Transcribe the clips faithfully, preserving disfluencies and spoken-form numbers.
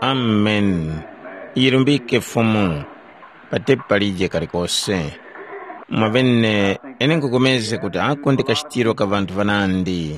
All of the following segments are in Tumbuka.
Amen. Yirumbike Fumu, patepi palije kalikose. Mwavene, ine nkukomeze kuti ako ndi kachitiro ka ŵanthu ŵanandi.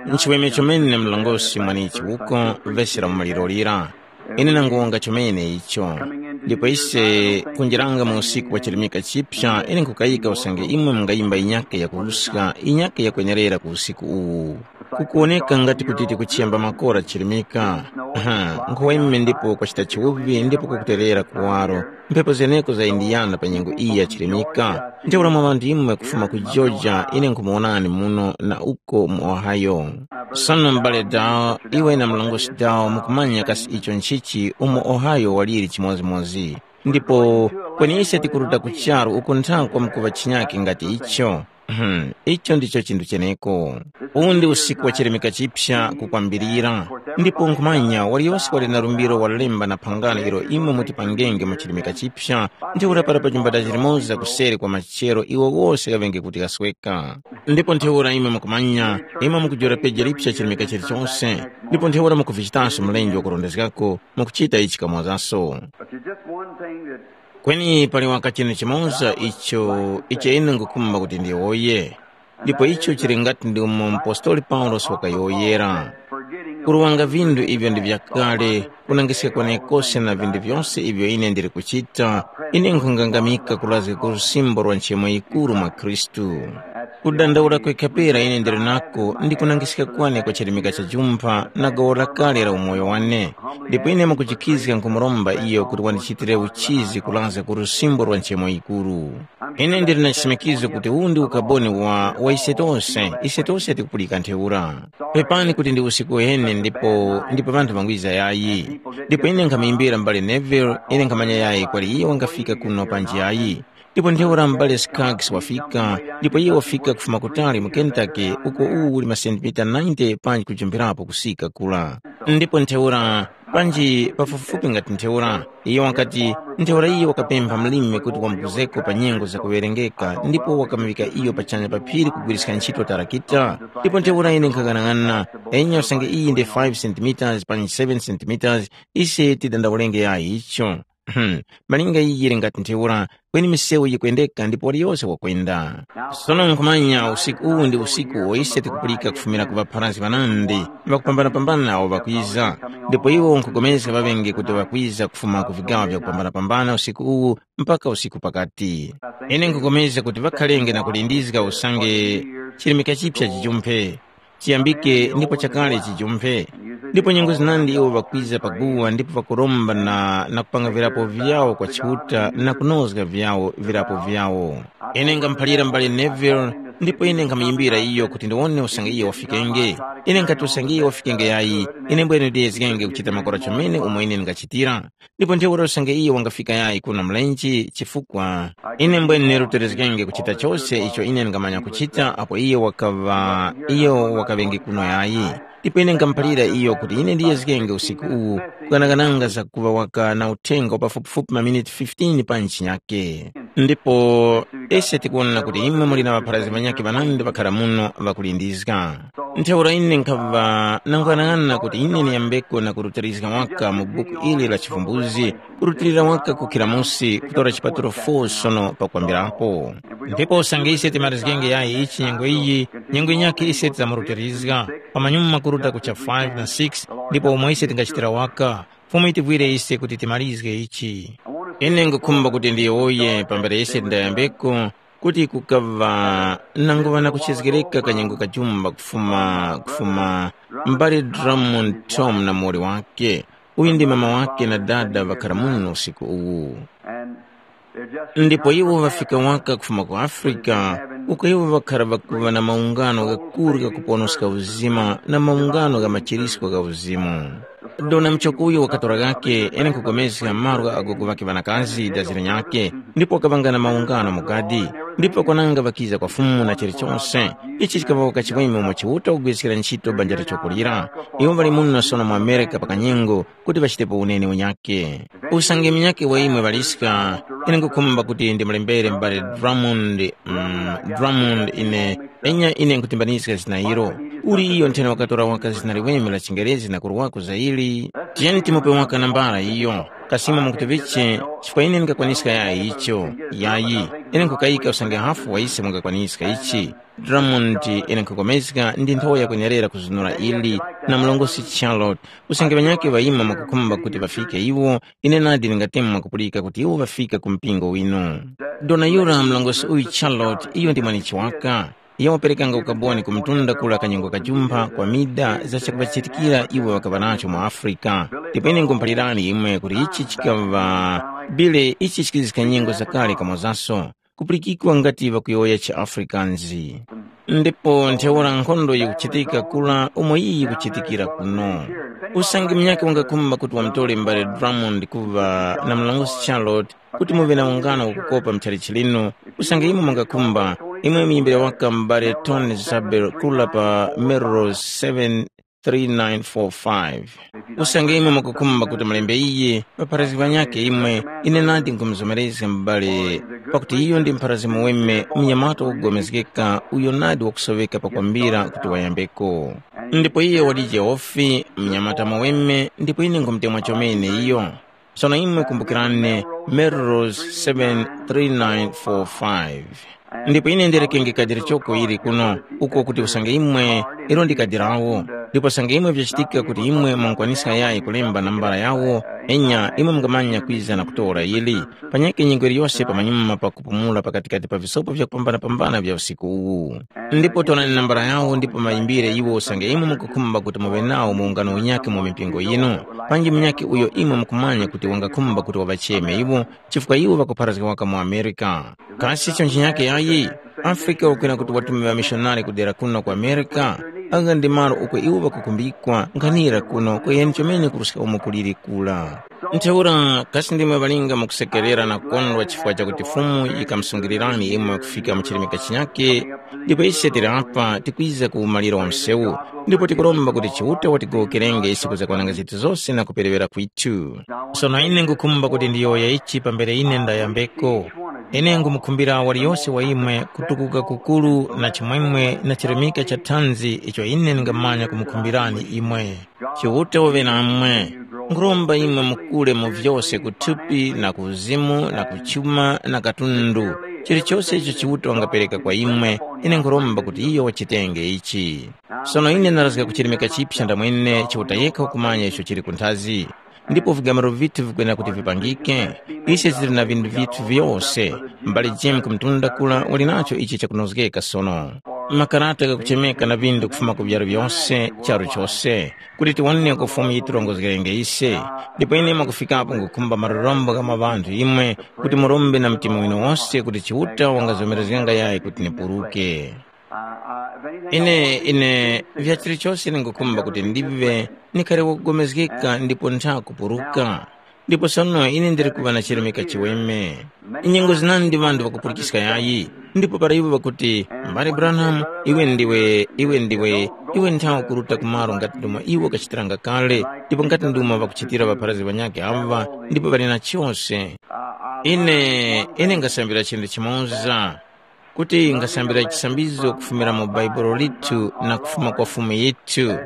Nchiweme chomene mlongosi mwanichi uko, vesi la maliro lira. Ine nangonga chomene icho. Ndipo ise kunjiranga mu usiku wa chilimika chipya, ine nkukayika usange imwe mungayimba inyake yakuruska, inyake yakwenerera ku usiku uwu. Kukuwoneka ngati kuti tikuchemba makora chilimika. Aha, nkhuwa imwe ndipo kwachita chiwuvi ndipo kukuterera kuwaro. Mphepo zeneko za Indiana pa nyengo iyi ya chilimika. Ntheura mwa ŵanthu imwe kufuma ku Georgia, ine nkhumuwonani muno na uko mu Ohio. Sono m'bale Dow, iwe na mlongosi Dow mukumanya kasi icho nchichi umo Ohio waliri chimodzimodzi. Ndipo kweni ise tikuruta ku charu uko nthakwa mkuŵa chinyake ngati icho. Hmm, icho ndicho chinthu cheneko. Uwu ndi usiku wa chilemeka chipsa kukwambirira. Ndipo nkhumanya waliyose wali na lumbiro wa lemba na phangano ilo imwe mutipangenge mu chilemeka chipsa, ntheura para pa chumbata chilimoza kuseri kwa machero iwo wose ghaŵenge kuti ghasweka. Ndipo ntheura imwe mukumanya, imwe mukujora peja lipsa chilemeka chilichose, ndipo ntheura mukuvichitanso mlenje wakurondezgako, mukuchita ichi kamozaso. But there's just one thing that Kweni pali waka chinu chimoza icho icho ine ngukhumba kuti ndiyowoye, ndipo icho chili ngati ndi umo mpostoli Paulosi wakayowoyera. Kuruwanga vindu ivyo ndi vyakale, kunangiska kwenekose na vindu vyose ivyo ine ndili kuchita, ine nkhungangamika kulazga ku lusimbo lwa nchemo yikuru mwa Khristu. Kudandaula kwekhapera ine ndili nako ndi kunangiska kwane kwa chirimika cha jumpha na gawo lakale la umoyo wane, ndipo ine mukuchikhizga nkhumuromba iyo kuti wandichitire uchizi kulazga ku lusimbo lwa nchemo yikuru. Ine ndili na chisimikizo kuti uwu ndi ukaboni wa, wa ise tose, ise tose tikupulika ntheura. Pepani kuti ndi usiku uheni ndipo, ndipo ŵanthu ŵangwiza yayi. Ndipo ine nkhamuyimbira m'bale Neville, ine nkhamanya yayi kwali iye wangafika kuno panji yayi. Ndipo ntheura m'bale Skaggs wafika, ndipo iye wafika kufuma kutali mu Kentucky, uko uwu uli masentimita ninety panji kujumpirapo kusika kula. Ndipo ntheura, panji pafupifupi ngati ntheura, iyo wakati, ntheura iyo wakapempha mlimi kuti wamupuzeko pa nyengo zakuŵerengeka, ndipo wakamuŵika iyo pachanya pa phiri kugwiriska ntchito tarakita. Ndipo ntheura ine nkhang'anang'ana, enya usange iyi ndi five centimeters panji seven centimeters, ise tidandaulenge yayi icho. Hmm, malinga iyi yili ngati ntheura, kweni misewu yikwendeka ndipo waliyose wakwenda. Sono nkhumanya usiku uwu ndi usiku uwo ise tikupulika kufumira ku ŵapharazgi ŵanandi ŵakupambanapambana awo ŵakwiza, ndipo iwo nkhupulikana ŵaŵenge kuti ŵakwiza kufuma ku vigawo vyakupambanapambana usiku uwu mpaka usiku pakati. Ine nkhupulikana kuti ŵakhalenge na kulindizga usange chirimika chipsa chijumphe, chiyambike ndipo chakale chijumphe. Ndipo nyengo zinandi iwo ŵakwiza pa guwa ndipo ŵakuromba na, na kupanga virapo vyawo kwa Chiuta na kunozga vyawo virapo vyawo. Ine ngamuphalira m'bale Neville, ndipo ine nkhamuyimbira iyo kuti ndiwone usange iyo wafikenge. Ine nkhati usange iyo wafikenge yayi, ine mbwene ndiyezgenge kuchita makora chomene umo ine ndingachitira. Ndipo ntheura usange iyo wangafika yayi kuno mlenje, chifukwa ine mbwene ruterezgenge kuchita chose icho ine ndingamanya kuchita apo iyo wakaŵa iyo wakaŵenge kuno yayi. Ndipo ine ngamuphalira iyo kuti ine ndiyezgenge usiku uwu kukanakananga zakuŵa waka na uthenga wa pafupifupi maminiti fifteen pa ntchinyake. Ndipo ise tikuwona kuti imwe muli na ŵapharazgi ŵanyakhe ŵanandi ŵakhara muno ŵakulindizga. Ntheura ine nkhaŵa nanguyang'ana kuti ine ndiyambeko na kurutirizga waka mu buku ili la Chivumbuzi, kurutilira waka kukhira musi kutora chipatulo four sono pakwambirapo. Ndipo usange ise timarizgenge yayi ichi nyengo iyi, nyengo yinyakhe ise tidzamurutirizga, pamanyuma kuruta kucha five na six, ndipo umo ise tingachitira waka, Fumu yitivwire ise kuti timalizge ichi. Ine ngukhumba kuti ndiyowoye pambere ise ndayambeko, kuti kukaŵa nanguŵa na kuchezgereka kanyengo kajumba kufuma, kufuma m'bale Drummond Tom na muwoli wake, uyu ndi mama wake na dada ŵakhara muno usiku uwu. Ndipo iwo ŵafika waka kufuma ku Afrika, uko iwo ŵakhara ŵakuŵa na maungano ghakuru ghakuponoska uzima na maungano gha machirisko gha uzimu. Dona muchoko uyo wakatora ghakhe ene nkhupulikana malo gha agogo ŵakhe ŵanakazi dazi linyakhe, ndipo wakaŵanga na maungano mu gadi, ndipo kwananga ŵakiza kwa Fumu na chilichose. Ichi chikaŵa waka chiweme umo Chiuta kugwiriskira ntchito banja lichoko lira. Iwo ŵali muno sono mu Amerika pa kanyengo, kuti ŵachitepo uneni unyakhe. Usange munyakhe wa imwe ŵaliska, ine nkhukhumba kuti ndimulembere m'bale Drummond, mm, Drummond ine, enya ine nkhutimbanizga zina ilo. Uli iyo nthena wakatora waka zina liweme la chiNgerezi na kurwako za ili? Tiyeni timupe waka nambala iyo. Kasima mukuti viche, chifukwa ine ndingakwaniska yayi icho. Yayi, ine nkukayika usange hafu wa ise mungakwaniska ichi. Drummond, ine nkhukomezga ndi nthowa yakwenerera kuzunura ili, na mlongosi Charlotte, usange ŵanyakhe ŵayima mwakukhumba kuti ŵafike iwo, ine nadi ndingatemwa mwakupulika kuti iwo ŵafika ku mpingo winu. Dona yura mlongosi uyu Charlotte, iyo ndi mwanichi waka. Iyo waperekanga ukaboni ku mtunda kula kanyongo kajumpha kwa mida za chakuŵachitikira iwo ŵakaŵa nacho mu Afrika. Ndipo ine ngumuphalirani imwe kuti ichi chikaŵa bile ichi chikizika nyengo zakale kamozaso, kupulikikwa ngati ŵakuyowoya chiAfrikans. Ndipo ntheura nkhondo yikuchitika kula umo iyi yikuchitikira kuno. Usange munyakhe wangakhumba kuti wamutore m'bale Drummond kuŵa na mlongosi Charlotte, kuti muŵe na ungano wakukopa mchalichi lino, usange imwe mungakhumba, imwe muyimbire waka m'bale Tony Zabel kula pa Melrose seven three nine four five. Usange imwe mukukhumba kuti mulembe iye, ŵapharazgi ŵanyakhe imwe, ine nadi nkumuzomerezga m'bale, pakuti iyo ndi mpharazgi muweme, mnyamata wakupulikana, uyo nadi wakusoŵeka pakwambira kuti wayambeko. Ndipo iye walije ofi, mnyamata muweme, ndipo ine nkumutemwa chomene iyo. Sono imwe kumbukirani, Melrose seven three nine four five. Ndipo ine ndirekenge kadi lichoko ili kuno, uko kuti usange imwe, ilo ndi kadi lawo. Ndipo usange imwe vyachitika kuti imwe mungakwaniska yayi kulemba nambala yawo, enya imwe mungamanya kwiza na kutora ili. Panyakhe nyengo iliyose pamanyuma pa kupumula pakatikati pa visopo vyakupambanapambana vya usiku uwu. Ndipo tonani nambala yawo ndipo mayimbire iwo usange imwe mukukhumba kuti muŵe nawo mu ungano unyakhe mu mipingo yinu, panji munyakhe uyo imwe mukumanya kuti wangakhumba kuti waŵacheme iwo, chifukwa iwo ŵakupharazga waka mu Amerika. Kasi icho nchinyakhe yayi? Afrika wakwera kuti watume ŵamishonari kudera kuno ku Amerika, agha ndi malo uko iwo ŵakukumbikwa nkhanira kuno kweni chomene kuruska umo kuliri kula. Ntheura kasi ndimwe ŵalinga mukusekerera na kukondwa chifukwa chakuti Fumu yikamusungirirani imwe kufika mu chirimika chinyakhe? Ndipo ise tili apa tikwiza ku umaliro wa msewu, ndipo tikuromba kuti Chiuta watigowokerenge ise kuzakwananga zinthu zose na kuperewera kwithu. Sono ine ngukhumba kuti ndiyowoye ichi pambere ine ndayambeko. Ine ngumukhumbira waliyose wa imwe kutukuka kukuru na chimwemwe na chirimika cha thanzi icho ine ndingamanya kumukhumbirani imwe. Chiuta uŵe namwe. Nkhuromba imwe mukule mu vyose ku thupi na ku uzimu na ku chuma na katundu. Chilichose icho Chiuta wangapereka kwa imwe, ine nkhuromba kuti iyo wachitenge ichi. Sono ine ndarazga kuchirimika chipsa ndamwene Chiuta yekha wakumanya icho chili kunthazi. Ndipo vigamaro vithu vikwenera kuti vipangike. Ise tili na vindu vithu vyose. M'bale Jim kumtunda kula wali nacho ichi chakunozgeka sono. Makarata ghakuchemeka na vindu kufuma ku vyaro vyose, charu chose, kuti tiwone uko Fumu yitirongozgerenge ise. Ndipo ine mwakufikapo ngukhumba marorombo gha mwa ŵanthu imwe, kuti murombe na mtima winu wose kuti Chiuta wangazomerezganga yayi kuti nipuruke. Ine, ine, vya chilichose ningukhumba kuti ndive, nikhale wakupulikana ndipo ntha kupuruka. Ndipo sono ine ndili kuŵa na chirimika chiweme. Nyengo zinandi ŵanthu ŵakupulikiska yayi, ndipo para iwo ŵakuti, "Mbale Branham, iwe ndiwe, iwe ndiwe, iwe nthawe kuruta ku malo ngati ndumo iwo kachitiranga kale, ndipo ngati ndumo ŵakuchitira ŵapharazgi ŵanyakhe aŵa, ndipo ŵali na chose." Ine, ine ngasambira chinthu chimoza, kuti ngasambira chisambizo kufumira mu Baibulo lithu na kufuma kwa Fumu yithu,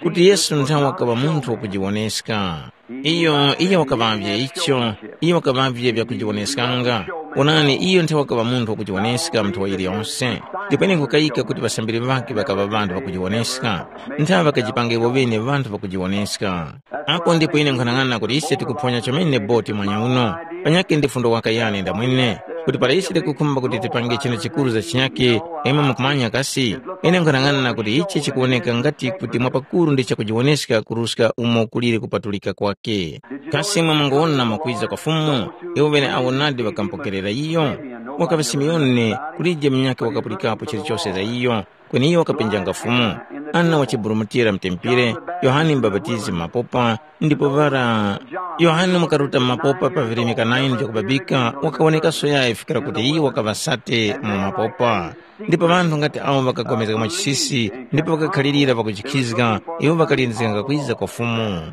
kuti Yesu nthawe wakaŵa munthu wakujiwoneska. Iyo, iyo wakaŵavye icho, iyo wakaŵavye vyakujiwoneskanga. Onani, iyo nthawe wakaŵa munthu wakujiwoneska mu nthowa yiliyonse. Ndipo ine nkukayika kuti ŵasambiri ŵakhe ŵakaŵa ŵanthu ŵakujiwoneska. Nthawe ŵakajipanga iwo ŵene ŵanthu ŵakujiwoneska. Apo ndipo ine nkhanang'ana kuti ise tikuphonya chomene boti mwanya uno. Panyakhe ndi fundo waka yane ndamwene, kuti para ise tikukhumba kuti tipange chinthu chikuru za chinyakhe, imwe mukumanya kasi? Ine nkhanang'ana kuti ichi chikuwoneka ngati kuti mwapakuru ndi chakujiwoneska kuruska umo kuliri kupatulika kwake. Kasi imwe munguwona mwakwiza kwa Fumu? Iwo ŵene awo nadi ŵakamupokerera iyo. Wakaŵa Simiyoni, kulije munyakhe wakapulikapo chilichose za iyo. Kweni iyo wakapenjanga Fumu. Ana wachiburumutira mutempere, Yohane Mubapatizi mu mapopa, ndipo para Yohane wakaruta mu mapopa pa virimika nine vyakubabika, wakawonekaso yayi fikira kuti iyo wakaŵa sate mu mapopa. Ndipo ŵanthu ngati awo ŵakapulikana mwachisisi, ndipo ŵakakhalirira pakujikhizga, iwo ŵakalindizganga kwiza kwa Fumu.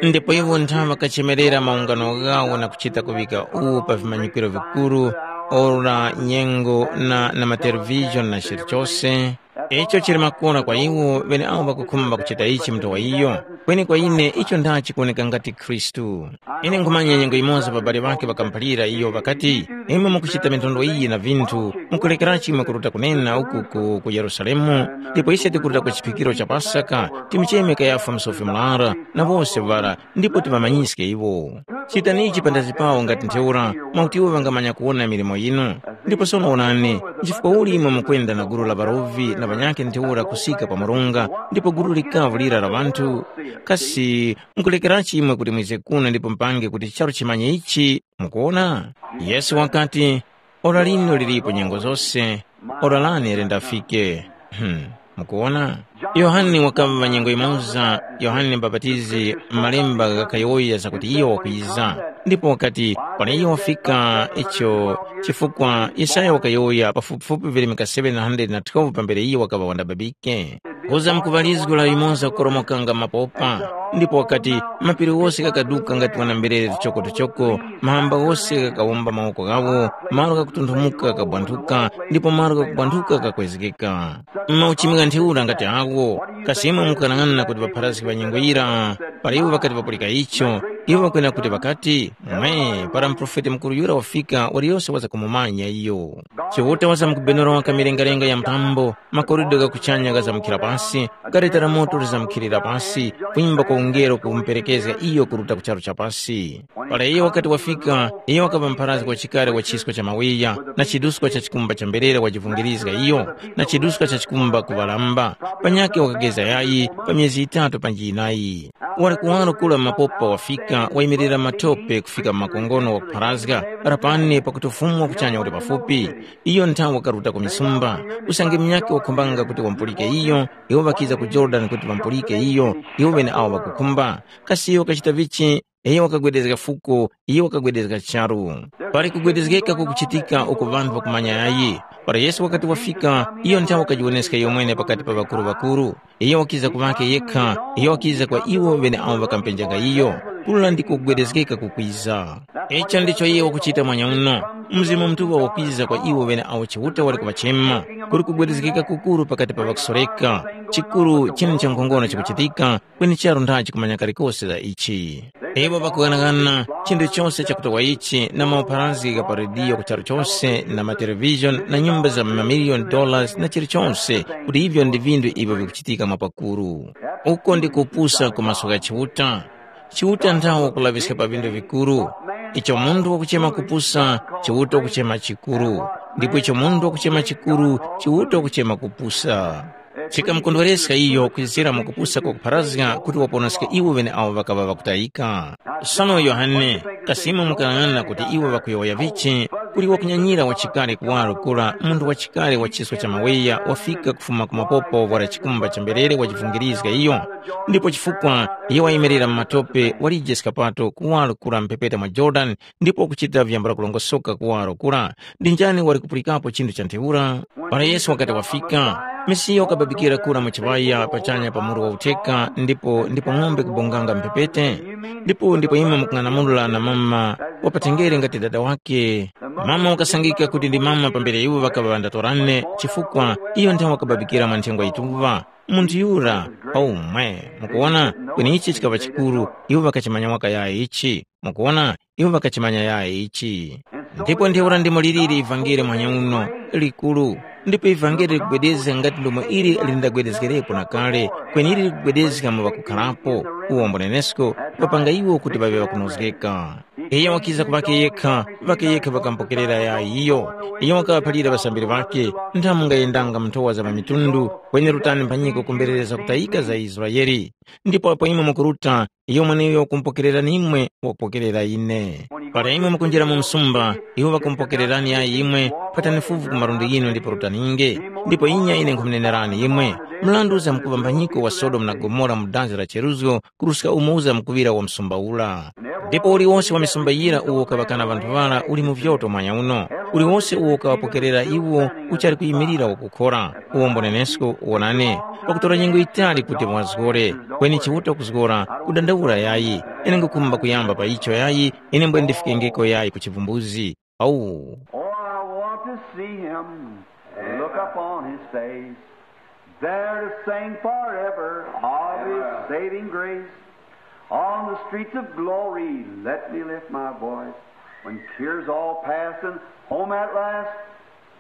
Ndipo iwo nthawe ŵakachemerera maungano ghawo na kuchita kuŵika uwu pa vimanyikiro vikuru, ora, nyengo, na, na matelevizhoni na chilichose, Icho chili makora kwa iwo ŵeneawo ŵakukhumba kuchita ichi mu nthowa iyo, kweni kwa ine icho ndachi kuwoneka ngati Khristu. Ine nkhumanya nyengo yimoza ŵabali ŵakhe ŵakamuphalira iyo ŵakati, “Imwe mukuchita minthondwe iyi na vinthu, mukulekerachi imwe kuruta kunena uku ku, ku Yerusalemu? Ndipo ise tikuruta ku chiphikiro cha Pasaka, timucheme Kayafa musofi murara na wose ŵara, ndipo tiŵamanyiske iwo. Chitani ichi panthazi pawo ngati ntheura, mwakuti iwo ŵangamanya kuwona milimo yinu. Ndipo sono wonani, nchifukwa uli imwe mukwenda na gulu la ŵarovi na ŵanyakhe ntheura kusika pa murunga, ndipo gulu likavu lira la ŵanthu? Kasi mukulekerachi imwe kuti mwize kuno ndipo mupange kuti charu chimanye ichi? Mukuwona?” Yesu wakati, “Ora lino lilipo nyengo zose, ora lane lindafike.” Hmm. Mukuwona? Yohane wakaŵa nyengo yimoza, Yohane Mubapatizi, malemba ghakayowoya zakuti iyo wakwiza. Ndipo wakati, “Para iyo wafika icho,” chifukwa Yesaya wakayowoya pafupifupi virimika seven hundred na twelve pambere iyo wakaŵa wandababike. Kuza mkuŵalizgo la limoza kukoromokanga mapopa, ndipo wakati, mapiri wose ghakaduka ngati wana mberere tuchoko-tuchoko, mahamba ghose ghakawomba mawoko ghawo, malo ghakutunthumuka ghakabwanthuka, ndipo malo ghakubwanthuka ghakwezgeka. Mauchimi gha ntheura ngati agho, kasi imwe mukanang'ana kuti ŵapharazgi ŵa nyengo yira, para iwo ŵakati ŵapulika icho, iwo ŵakwena kuti ŵakati, “Mwe, para muprofeti mukuru yura wafika, waliyose waza kumumanya iyo.” Chiuta waza mukubenora waka milengalenga ya mtambo, makoridwe gha kuchanya ghazamukira pasi, gareta la moto lizamukhirira pasi, kwimba kwa ungelo kumuperekezga iyo kuruta ku charu cha pasi. Para iyo wakati wafika, iyo wakaŵa mpharazgi wa chikare wa chisko cha mawiya, na chiduska cha chikumba cha mberere wajivungirizga iyo, na chiduska cha chikumba kuŵalamba, panyakhe wakageza yayi pa myezi yitatu panji yinayi. Wali kuwaro kura mapopa wafika, wayimirira matope kufika mu makongono wakupharazga, rapani pakuti Ufumu wa kuchanya uli pafupi. Iyo nthawe wakaruta ku misumba, usange munyakhe wakhumbanga kuti wamupulike iyo, iwo ŵakiza ku Yorodani kuti ŵamupulike iyo, iwo ŵeneawo ŵakukhumba. Kasi iyo wakachita vichi? Iyo wakagwedezga fuko, iyo wakagwedezga charu. Pali kugwedezgeka kukuchitika uko ŵanthu ŵakumanya yayi. Para Yesu wakati wafika, iyo nthawe wakajiwoneska iyomwene pakati pa ŵakuru-ŵakuru. Iyo wakiza ku ŵakhe yekha, iyo wakiza kwa iwo ŵeneawo ŵakampenjaga iyo. Kura ndiko kugwedezgeka kukwiza. Icho ndicho iyo wakuchita mwanya uno. Mzimu Mutuŵa wakwiza kwa iwo ŵeneawo Chiuta wali kuŵachema. Kuli kugwedezgeka kukuru pakati pa ŵakusoreka. Chikuru chine cha nkhongono chikuchitika, kweni charu ndachi kumanya kalikose za ichi. Iwo ŵakughanaghana chinthu chose chakutowa ichi na maupharazgi gha pa rediyo ku charu chose na matelevizhoni na nyumba za mamiliyoni dollars na chilichose kuti ivyo ndi vinthu ivyo vikuchitika mwapakuru. Uko ndi kupusa ku maso gha Chiuta. Chiuta nthawe wakulaŵiska pa vinthu vikuru. Icho munthu wakuchema kupusa, Chiuta wakuchema chikuru. Ndipo icho munthu wakuchema chikuru, Chiuta wakuchema kupusa. Chikamukondwereska iyo kwizira mwakupusa kwakupharazga kuti waponoske iwo ŵeneawo ŵakaŵa ŵakutayika. Sono Yohane, kasi imwe mukanang'ana kuti iwo ŵakuyowoya vichi, kuli wakunyanyira wachikale kuwaro kura munthu wachikale wa chisko cha maweya wafika kufuma ku mapopo wara chikumba cha mberere wajivungirizga iyo, ndipo chifukwa iyo wayimirira mu matope walije skapato kuwaro kura mphepete mwa Jorodani ndipo wakuchita vyambula kulongosoka kuwaro kura, ndi njani wali kupulikapo chinthu cha ntheura? Para Yesu wakati wafika, Mesiya wakababikira kura mu chiŵaya pachanya pa muru wa utheka ndipo ndipo ng'ombe kubonganga mphepete. Ndipo ndipo imwe mukung'anamula na mama wapatengere ngati dada wake. Mama wakasangika kuti ndi mama pambere iwo ŵakaŵa ŵandatorane chifukwa iyo nthawe wakababikira mwa nthengwa yituŵa. Munthu yura, aumwe, mukuwona, kweni ichi chikaŵa chikuru, iwo ŵakachimanya waka yayi ichi. Mukuwona, iwo ŵakachimanya yayi ichi. Ndipo ntheura ndimo liliri ivangeli mwanyauno, likuru, ndipo ivangeli likugwedezga ngati ndomwe ili lindagwedezgerepo na kale, kweni ili likugwedezga mu ŵakukharapo, uwombo nenesko, kupapanga iwo kuti ŵaŵe ŵakunozgeka. Iyo wakiza ku ŵake yekha, ŵake yekha ŵakamupokerera yayi iyo. Iyo wakaŵaphalira ŵasambiri ŵakhe, nthamu mungayendanga mu nthowa za ŵamitundu, kweni rutani mphanyiko kumberereza kutayika za Israele. Ndipo apo imwe mukuruta, iyo mweneuyo wakumpokererani imwe wakupokerera ine. Para imwe mukunjira mu msumba, iwo ŵakumupokererani yayi imwe, phatani fuvu ku malundi ghinu ndipo rutaninge. Ndipo inya ine nkhumunenerani imwe, mrandu uza mukuŵa mbanyiko wa Sodomu na Gomora mu danzi la cheruzgo, kuruska umo uza mukuŵira wa msumba ura. Ndipo uliwose wa misumba yira uwo ukaŵakana ŵanthu ŵara uli mu vyoto mwanya uno. Uliwose uwo ukaŵapokerera iwo uchali kuyimirira wakukhora. Uwombo nenesko wonani, pakutora nyengo yitali kuti muwazgore, kweni Chiuta kuzgora, kudandaula yayi. Ine ngukhumba kuyamba pa icho yayi, ine mbwe ndifikengeko yayi ku chivumbuzi. Au. Oh, I want to see him, look upon his face. There to sing forever of his saving grace. On the streets of glory, let me lift my voice. When tears all pass and home at last,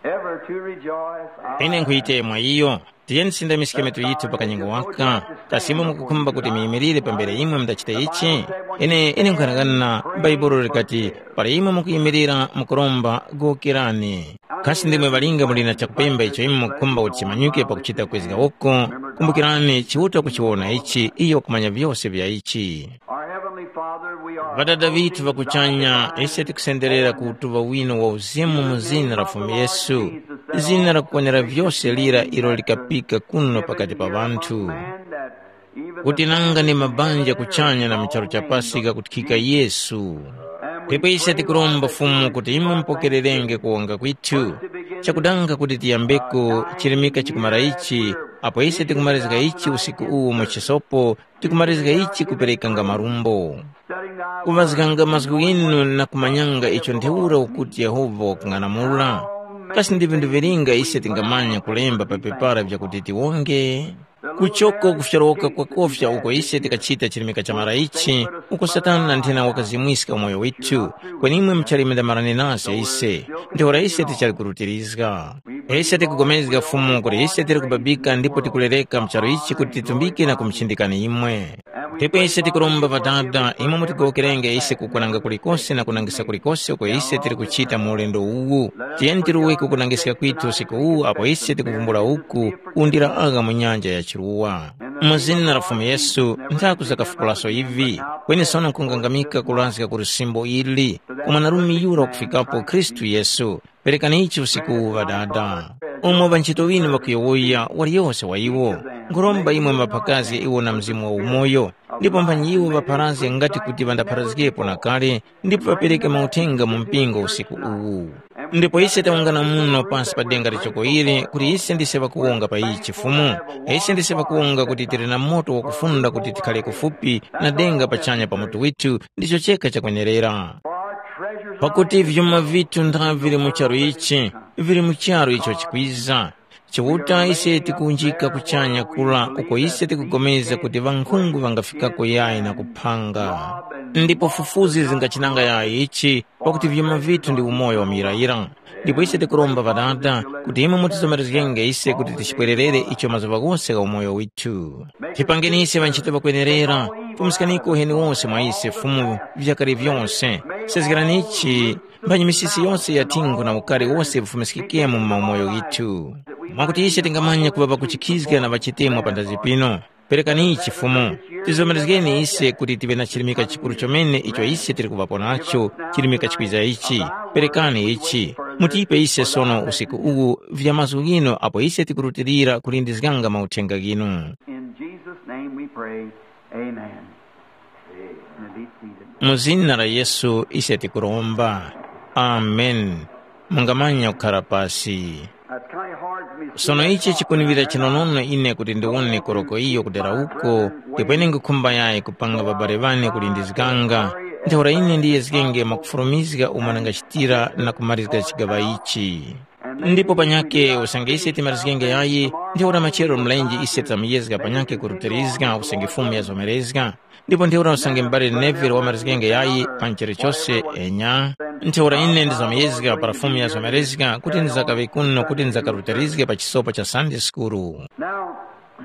ever to rejoice. Ine nkhuyite mwa iyo. Tiyeni tisindamiske mitu yithu pa kanyengo waka. Kasi imwe mukukhumba kuti muyimirire pambere imwe mudachita ichi? Ine ine nkhanang'ana, Bhaibuli likati, para imwe mukuyimirira mukuromba, gokerani. Kasi ndimwe ŵalinga muli na chakupemba icho imwe mukukhumba kuti chimanyuke pakuchita kwezga uko? Kumbukirani, Chiuta kuchiwona ichi, iyo wakumanya vyose vya ichi. Our Heavenly Father, we are Ŵadada ŵithu ŵa kuchanya, ise tikusenderera ku utuŵa wino wa uzimu mu zina la Fumu Yesu, zina lakukwanira vyose lira ilo likapika kuno pakati pa ŵanthu, kuti nanga ni mabanja kuchanya na mu charu cha pasi ghakuthikika Yesu. Ndipo ise tikuromba Fumu kuti imwe mupokererenge kuwonga kwithu, chakudanga kuti tiyambeko chirimika chikumara ichi, apo ise tikumarizga ichi usiku uwu mu chisopo, tikumarizga ichi kuperekanga marumbo, kuŵazganga mazgu ghinu na kumanyanga icho ntheura ukuti Yehova wakung'anamula. Kasi ndi vinthu vilinga ise tingamanya kulemba pa pepara vyakuti tiwonge? Kuchoko kufyorowoka kwakofya uko ise tikachita chirimika cha maraichi, uko Satana na nthena wakazimwiska umoyo withu, kweni imwe muchali mindamarani nase ise, ntheura ise tichali kurutirizga. Ise tikupulikana Fumu kuti ise tili kubabika ndipo tikulereka mu charu ichi kuti titumbike na kumuchindikani imwe. Ndipo ise tikuromba Ŵadada, imwe mutigowokerenge ise kukwananga kulikose na kunangisa kulikose uko ise tili kuchita mu ulendo uwu. Tiyeni tiruwe ku kunangiska kwithu usiku uwu apo ise tikuvumbula uku kundira agha mu nyanja ya chiruwa. Mu zina la Fumu Yesu, nthaku zakafukulaso ivi, kweni sono nkungangamika kurazga ku lusimbo ili, ku mwanarume yura wakufikapo Khristu Yesu. Perekani ichi usiku uwu Ŵadada. Umo ŵanchito ŵinu ŵakuyowoya, waliyose wa iwo, nkhuromba imwe mbaphakazge iwo na Mzimu wa umoyo, ndipo mphanyi iwo ŵapharazge ngati kuti ŵandapharazgepo na kale, ndipo ŵapereke mauthenga mu mpingo usiku uwu. Ndipo ise tawungana muno pansi pa denga lichoko ili kuti ise ndise ŵakuwonga pa ichi Fumu. Ise ndise ŵakuwonga kuti tili na moto wakufunda kuti tikhale kufupi na denga pachanya pa mutu withu ndicho chekha chakwenerera. Pakuti vyuma vithu ntha vili mu charu ichi, vili mu charu icho chikwiza. Chiuta ise tikuwunjika kuchanya kula uko ise tikugomeza kuti ŵankhungu ŵangafikako yayi na kuphanga. Ndipo fufuzi zingachinanga yayi ichi, pakuti vyuma vithu ndi umoyo wa muyirayira. Ndipo ise tikuromba Ŵadada kuti imwe mutizomerezgenge ise kuti tichipwererere icho mazuŵa ghose gha umoyo withu. Tipangeni ise ŵanchito ŵakwenerera, fumiskaniko uheni wose mwa ise Fumu vyakale vyose. Sezgerani ichi mphanyi misisi yose ya thingo na ukari wose vifumiskikemo mu maumoyo ghithu. Mwakuti ise tingamanya kuŵa ŵakuchikhizga na ŵachitemwa panthazi pino. Perekani ichi Fumu, tizomerezgeni ise kuti tive na chirimika chikuru chomene icho ise tili kuŵapo nacho, chirimika chikwiza ichi. Perekani ichi, mutipe ise sono usiku uwu vya mazgu ghinu apo ise tikurutilira kulindizganga mauthenga ghinu. In Jesus' name we pray. Amen. Now be seated. Mu zina la Yesu ise tikuromba. Amen. Mungamanya kukhara pasi. Now, it's kind of hard for me to Sono ichi chikuniŵira chinonono ine kuti ndiwone koroko iyo kudera uko, ndipo ine ngukhumba yayi kupanga ŵabale ŵane kulindizganga. Ntheura ine ndiyezgenge mwakufulumizga umo ndangachitira na kumalizga chigaŵa ichi. Ndipo panyake usange ise timarizgenge yayi, ntheura machero mlenje ise tamuyezga panyake kurutilizga usange Fumu yazomerezga. Ndipo ntheura usange m'bale Neville wamarizgenge yayi pa nchere chose, enya. Ntheura ine ndizamuyezga para Fumu yazomerezga kuti ndizakaŵe kuno kuti ndizakarutilizge pa chisopa cha Sunday School. Now,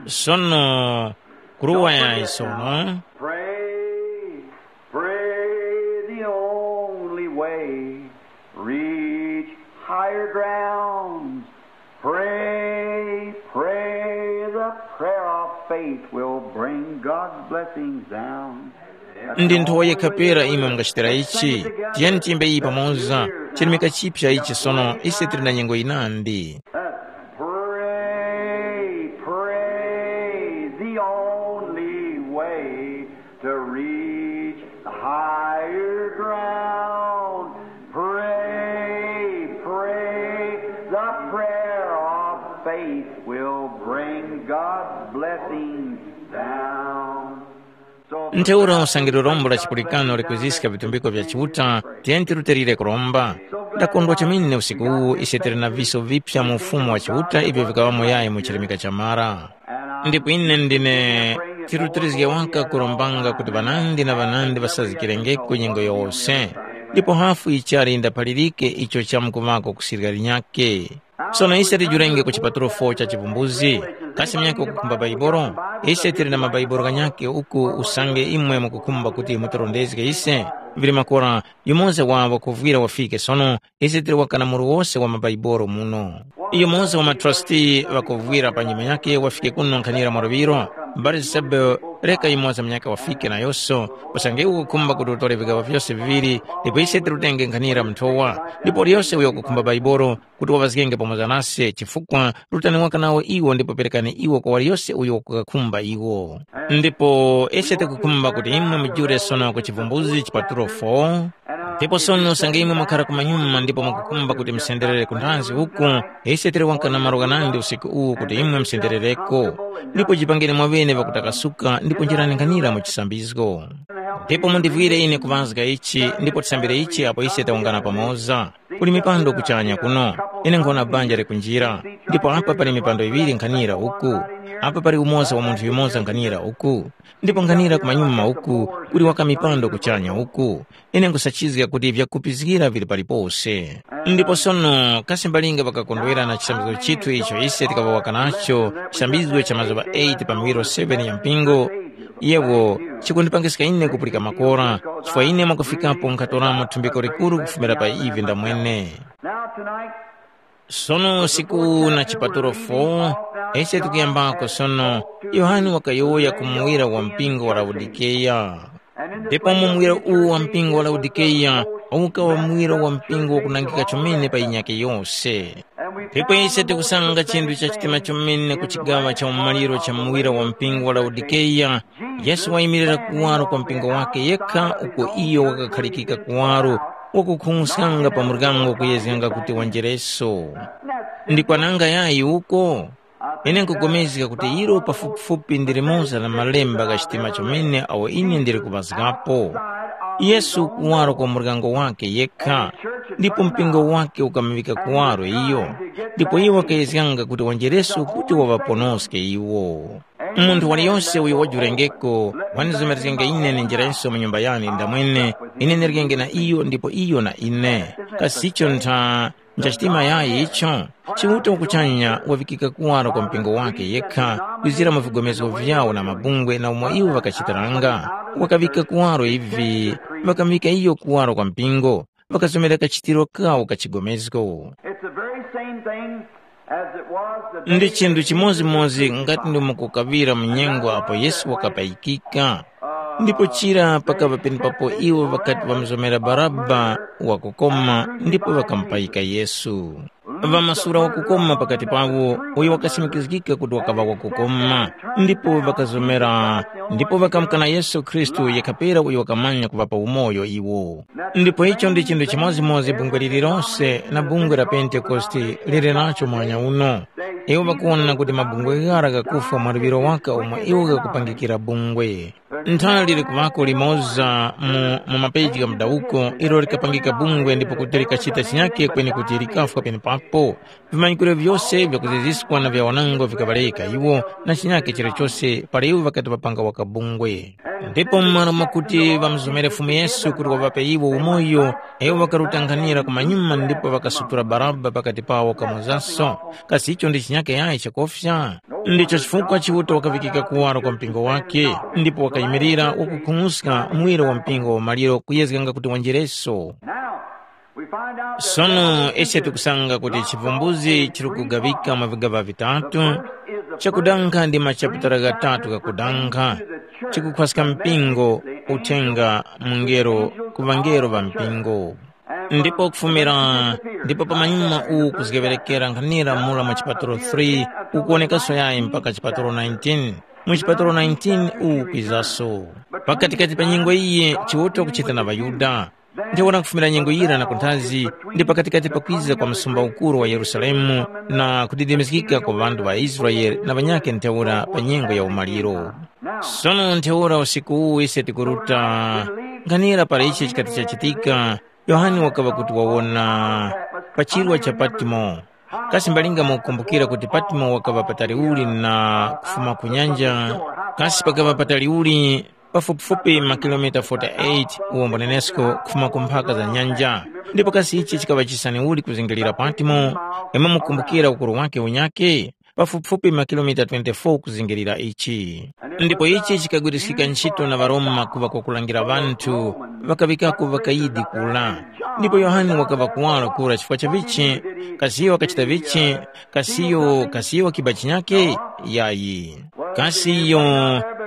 Sono, kuruwa yayi sono. Pray, pray the only way. Reach higher grounds. Pray, pray, the prayer of faith will bring God's blessings down. Ndi nthowa yekha pera imwe mungachitira ichi. Tiyeni tiyimbe iyi pamoza. Chirimika chipya ichi sono, ise tili na nyengo yinandi. Pray, pray, the only way to reach the higher ground. Pray, pray, the prayer of faith will bring God's blessings down. So Ntheura usange lirombo la chipulikano likwiziska vitumbiko vya Chiuta, tiyeni tirutilire kuromba. Ndakondwa chomene usiku uwu ise tili na viso vipya mu Ufumu wa Chiuta ivyo vikaŵamo yayi mu chirimika cha mara. Ndipo ine ndine chirutilizge waka kurombanga kuti ŵanandi na ŵanandi ŵasazgikirengeko nyengo yose, ndipo hafu ichali ndaphalirike icho chamkuŵako kusirika linyakhe. Sono ise tijurenge ku chipatulo fo cha chivumbuzi, kasi munyakhe wakukhumba Baibolo? Ise tili na maBaibolo ghanyakhe uku usange imwe mukukhumba kuti mutirondezge ise, vili makora yumoza wa ŵakuvwira wafike sono, ise tili waka na muru wose wa maBaibolo muno. Yumoza wa matrasti ŵakuvwira pa nyuma yakhe wafike kuno nkhanira mwaluŵiro, Barisebe, reka yumoza munyakhe wafike nayoso, usange ukukhumba kuti utore vigaŵa vyose viŵiri, ndipo ise tirutenge nkhanira mnthowa, ndipo liyose uyo wakukhumba Baibolo, kuti waŵazgenge pamoza nase, chifukwa rutani waka nawo iwo ndipo perekani iwo kwa waliyose uyo wakuŵakhumba iwo. Ndipo ise tikukhumba kuti imwe mujule sono ku chivumbuzi chipatulo fo, ndipo sono usange imwe mwakhara kumanyuma ndipo mwakukhumba kuti musenderere ku nthanzi uku, ise tili waka na malo ghanandi usiku uwu kuti imwe musenderereko. Ndipo jipangeni mwaŵene ŵakutakasuka ndipo njirani nkhanira mu chisambizgo. Ndipo mundivwire ine kuŵazga ichi ndipo tisambire ichi apo ise tawungana pamoza. Kuli mipando kuchanya kuno. Ine nkhona banja likunjira, ndipo apa pali mipando iŵiri nkhanira uku. Apa pali umoza wa munthu yumoza nkhanira uku, ndipo nkhanira kumanyuma uku kuli waka mipando kuchanya uku. Ine nkhusachizga kuti vyakupizgira vili palipose. Ndipo sono kasi mbalinga ŵakakondwera na chisambizgo chithu icho ise tikaŵawaka nacho, chisambizgo cha mazuŵa eight pa miwiro seven ya mpingo, yewo chikundipangiska ine kupulika makora, chifukwa ine mwakufikapo nkhatoramo thumbiko likuru kufumira pa ivi ndamwene. Now tonight, sono usiku na chipatulo fo, ese tikuyambako sono. Yohane wakayowoya ku muwira wa mpingo wa Laodikeya. Ndipo mu muwira uwu wa mpingo wa Laodikeya, ukawa muwira wa mpingo wakunangika chomene pa yinyakhe yose. Ndipo ise tikusanga chinthu cha chitima chomene ku chigaŵa cha umaliro cha muwira wa mpingo wa Laodikeya, Yesu wayimilira kuwaro kwa mpingo wakhe yekha uko iyo wakakhalikika kuwaro, wakukhung'uskanga pa muryango kuyezganga kuti wanjereso. Ndi kwananga yayi uko? Ine nkupulikana kuti ilo pafupifupi ndi limoza la malemba gha chitima chomene awo ine ndili kuŵazgapo. Yesu kuwaro kwa muryango wakhe yekha, ndipo mpingo wakhe ukamuŵika kuwaro iyo, ndipo iwo ŵakayezganga kuti wanjereso kuti waŵaponoske iwo. Munthu waliyose uyo wajurengeko, wandizomerezgenge ine ninjirenso mu nyumba yane ndamwene, ine ndirikenge na iyo ndipo iyo na ine. Kasi icho ntha ncha chitima yayi icho? Chiuta wakuchanya wavikika kuwaro kwa mpingo wake yekha, kwizira mu vigomezgo vyawo na mabungwe na umo iwo ŵakachitiranga. Wakavika kuwaro ivi, ŵakamuvika iyo kuwaro kwa mpingo, ŵakazomera kachitiro kawo ka chigomezgo. It's the very same thing as it was the day Ndi chinthu chimodzimodzi ngati ndi mukukaŵira mu nyengo apo Yesu wakapayikika. Ndipo chira pakava penepapo iwo ŵakati ŵamuzomera Baraba wakukoma ndipo ŵakamupayika Yesu. Ŵamasura wakukoma pakati pawo, uyo wakasimikizgika kuti wakaŵa wakukoma, ndipo ŵakazomera, ndipo ŵakamukana Yesu Khristu yekha pera uyo wakamanya kuŵapa umoyo iwo. Ndipo icho ndi chinthu chimodzimodzi bungwe lililonse na bungwe la Pentekoste lili nacho mwanya uno. Iwo ŵakuwona kuti mabungwe ghara ghakufwa mwa luŵiro waka umo iwo ghakupangikira bungwe. Nthali lili kuŵako limoza mu, mu mapeji gha mudawuko ilo likapangika bungwe ndipo kuti likachita chinyake kweni kuti likafwa penepapo. Vimanyikiro vyose vyakuziziskwa na vya wanango vikaŵaleka iwo na chinyake chilichose para iwo ŵakati ŵapanga waka bungwe. Ndipo m'malo mwakuti ŵamuzomere Fumu Yesu kuti waŵape iwo umoyo, iwo ŵakarutanghanira kumanyuma ndipo ŵakasutura Baraba pakati pawo kamozaso. Kasi icho ndi chinyake yayi chakofya? Ndicho chifukwa Chiuta wakavikika kuwaro kwa mpingo wake, ndipo wakayimirira wakukhung'uska muwiro wa mpingo wa maliro kuyezganga kuti wanjereso. Sono ise tikusanga kuti chivumbuzi chili kugawika mwa vigaŵa vitatu, chakudankha ndi machaputala ghatatu ghakudankha, chikukhwaska mpingo, uthenga, mungelo, ku ŵangelo ŵa mpingo. Ndipo kufumira, ndipo pamanyuma uwu kuzgeŵerekera nkhanira mura mwa chipatulo three, ukuwonekaso yayi mpaka chipatulo nineteen. Mu chipatulo nineteen uwu kwizaso. Pakatikati pa nyengo iyi Chiuta wakuchita na ŵaYuda. Ntheura kufumira nyengo yira na kunthazi, ndi pakatikati pakwiza kwa msumba ukuru wa Yerusalemu na kudidimizgika kwa ŵanthu ŵa Israele na ŵanyakhe ntheura pa nyengo ya umaliro. Sono ntheura usiku uwu ise tikuruta nkhanira para ichi chikati chachitika, Yohane wakaŵa kuti wawona pa chirwa cha Patimo. Kasi mbalinga mukukumbukira kuti Patimo wakaŵa patali uli na kufuma ku nyanja? Kasi pakaŵa patali uli? Pafupifupi makilomita forty-eight uwombo nenesko kufuma ku mphaka za nyanja. Ndipo kasi ichi chikaŵa chisani uli kuzingilira Patimo? Imwe mukumbukira ukuru wake unyakhe? Pafupifupi makilomita twenty-four kuzingirira ichi. Ndipo ichi chikagwiriskika ntchito na ŵaRoma kuŵa kwakulangira ŵanthu, ŵakaŵikako ŵakayidi kula. Ndipo Yohane wakaŵa kuwaro kura chifukwa cha vichi? Kasi iyo wakachita vichi? Kasi iyo kasi iyo wakiba chinyake? Yayi. Kasi iyo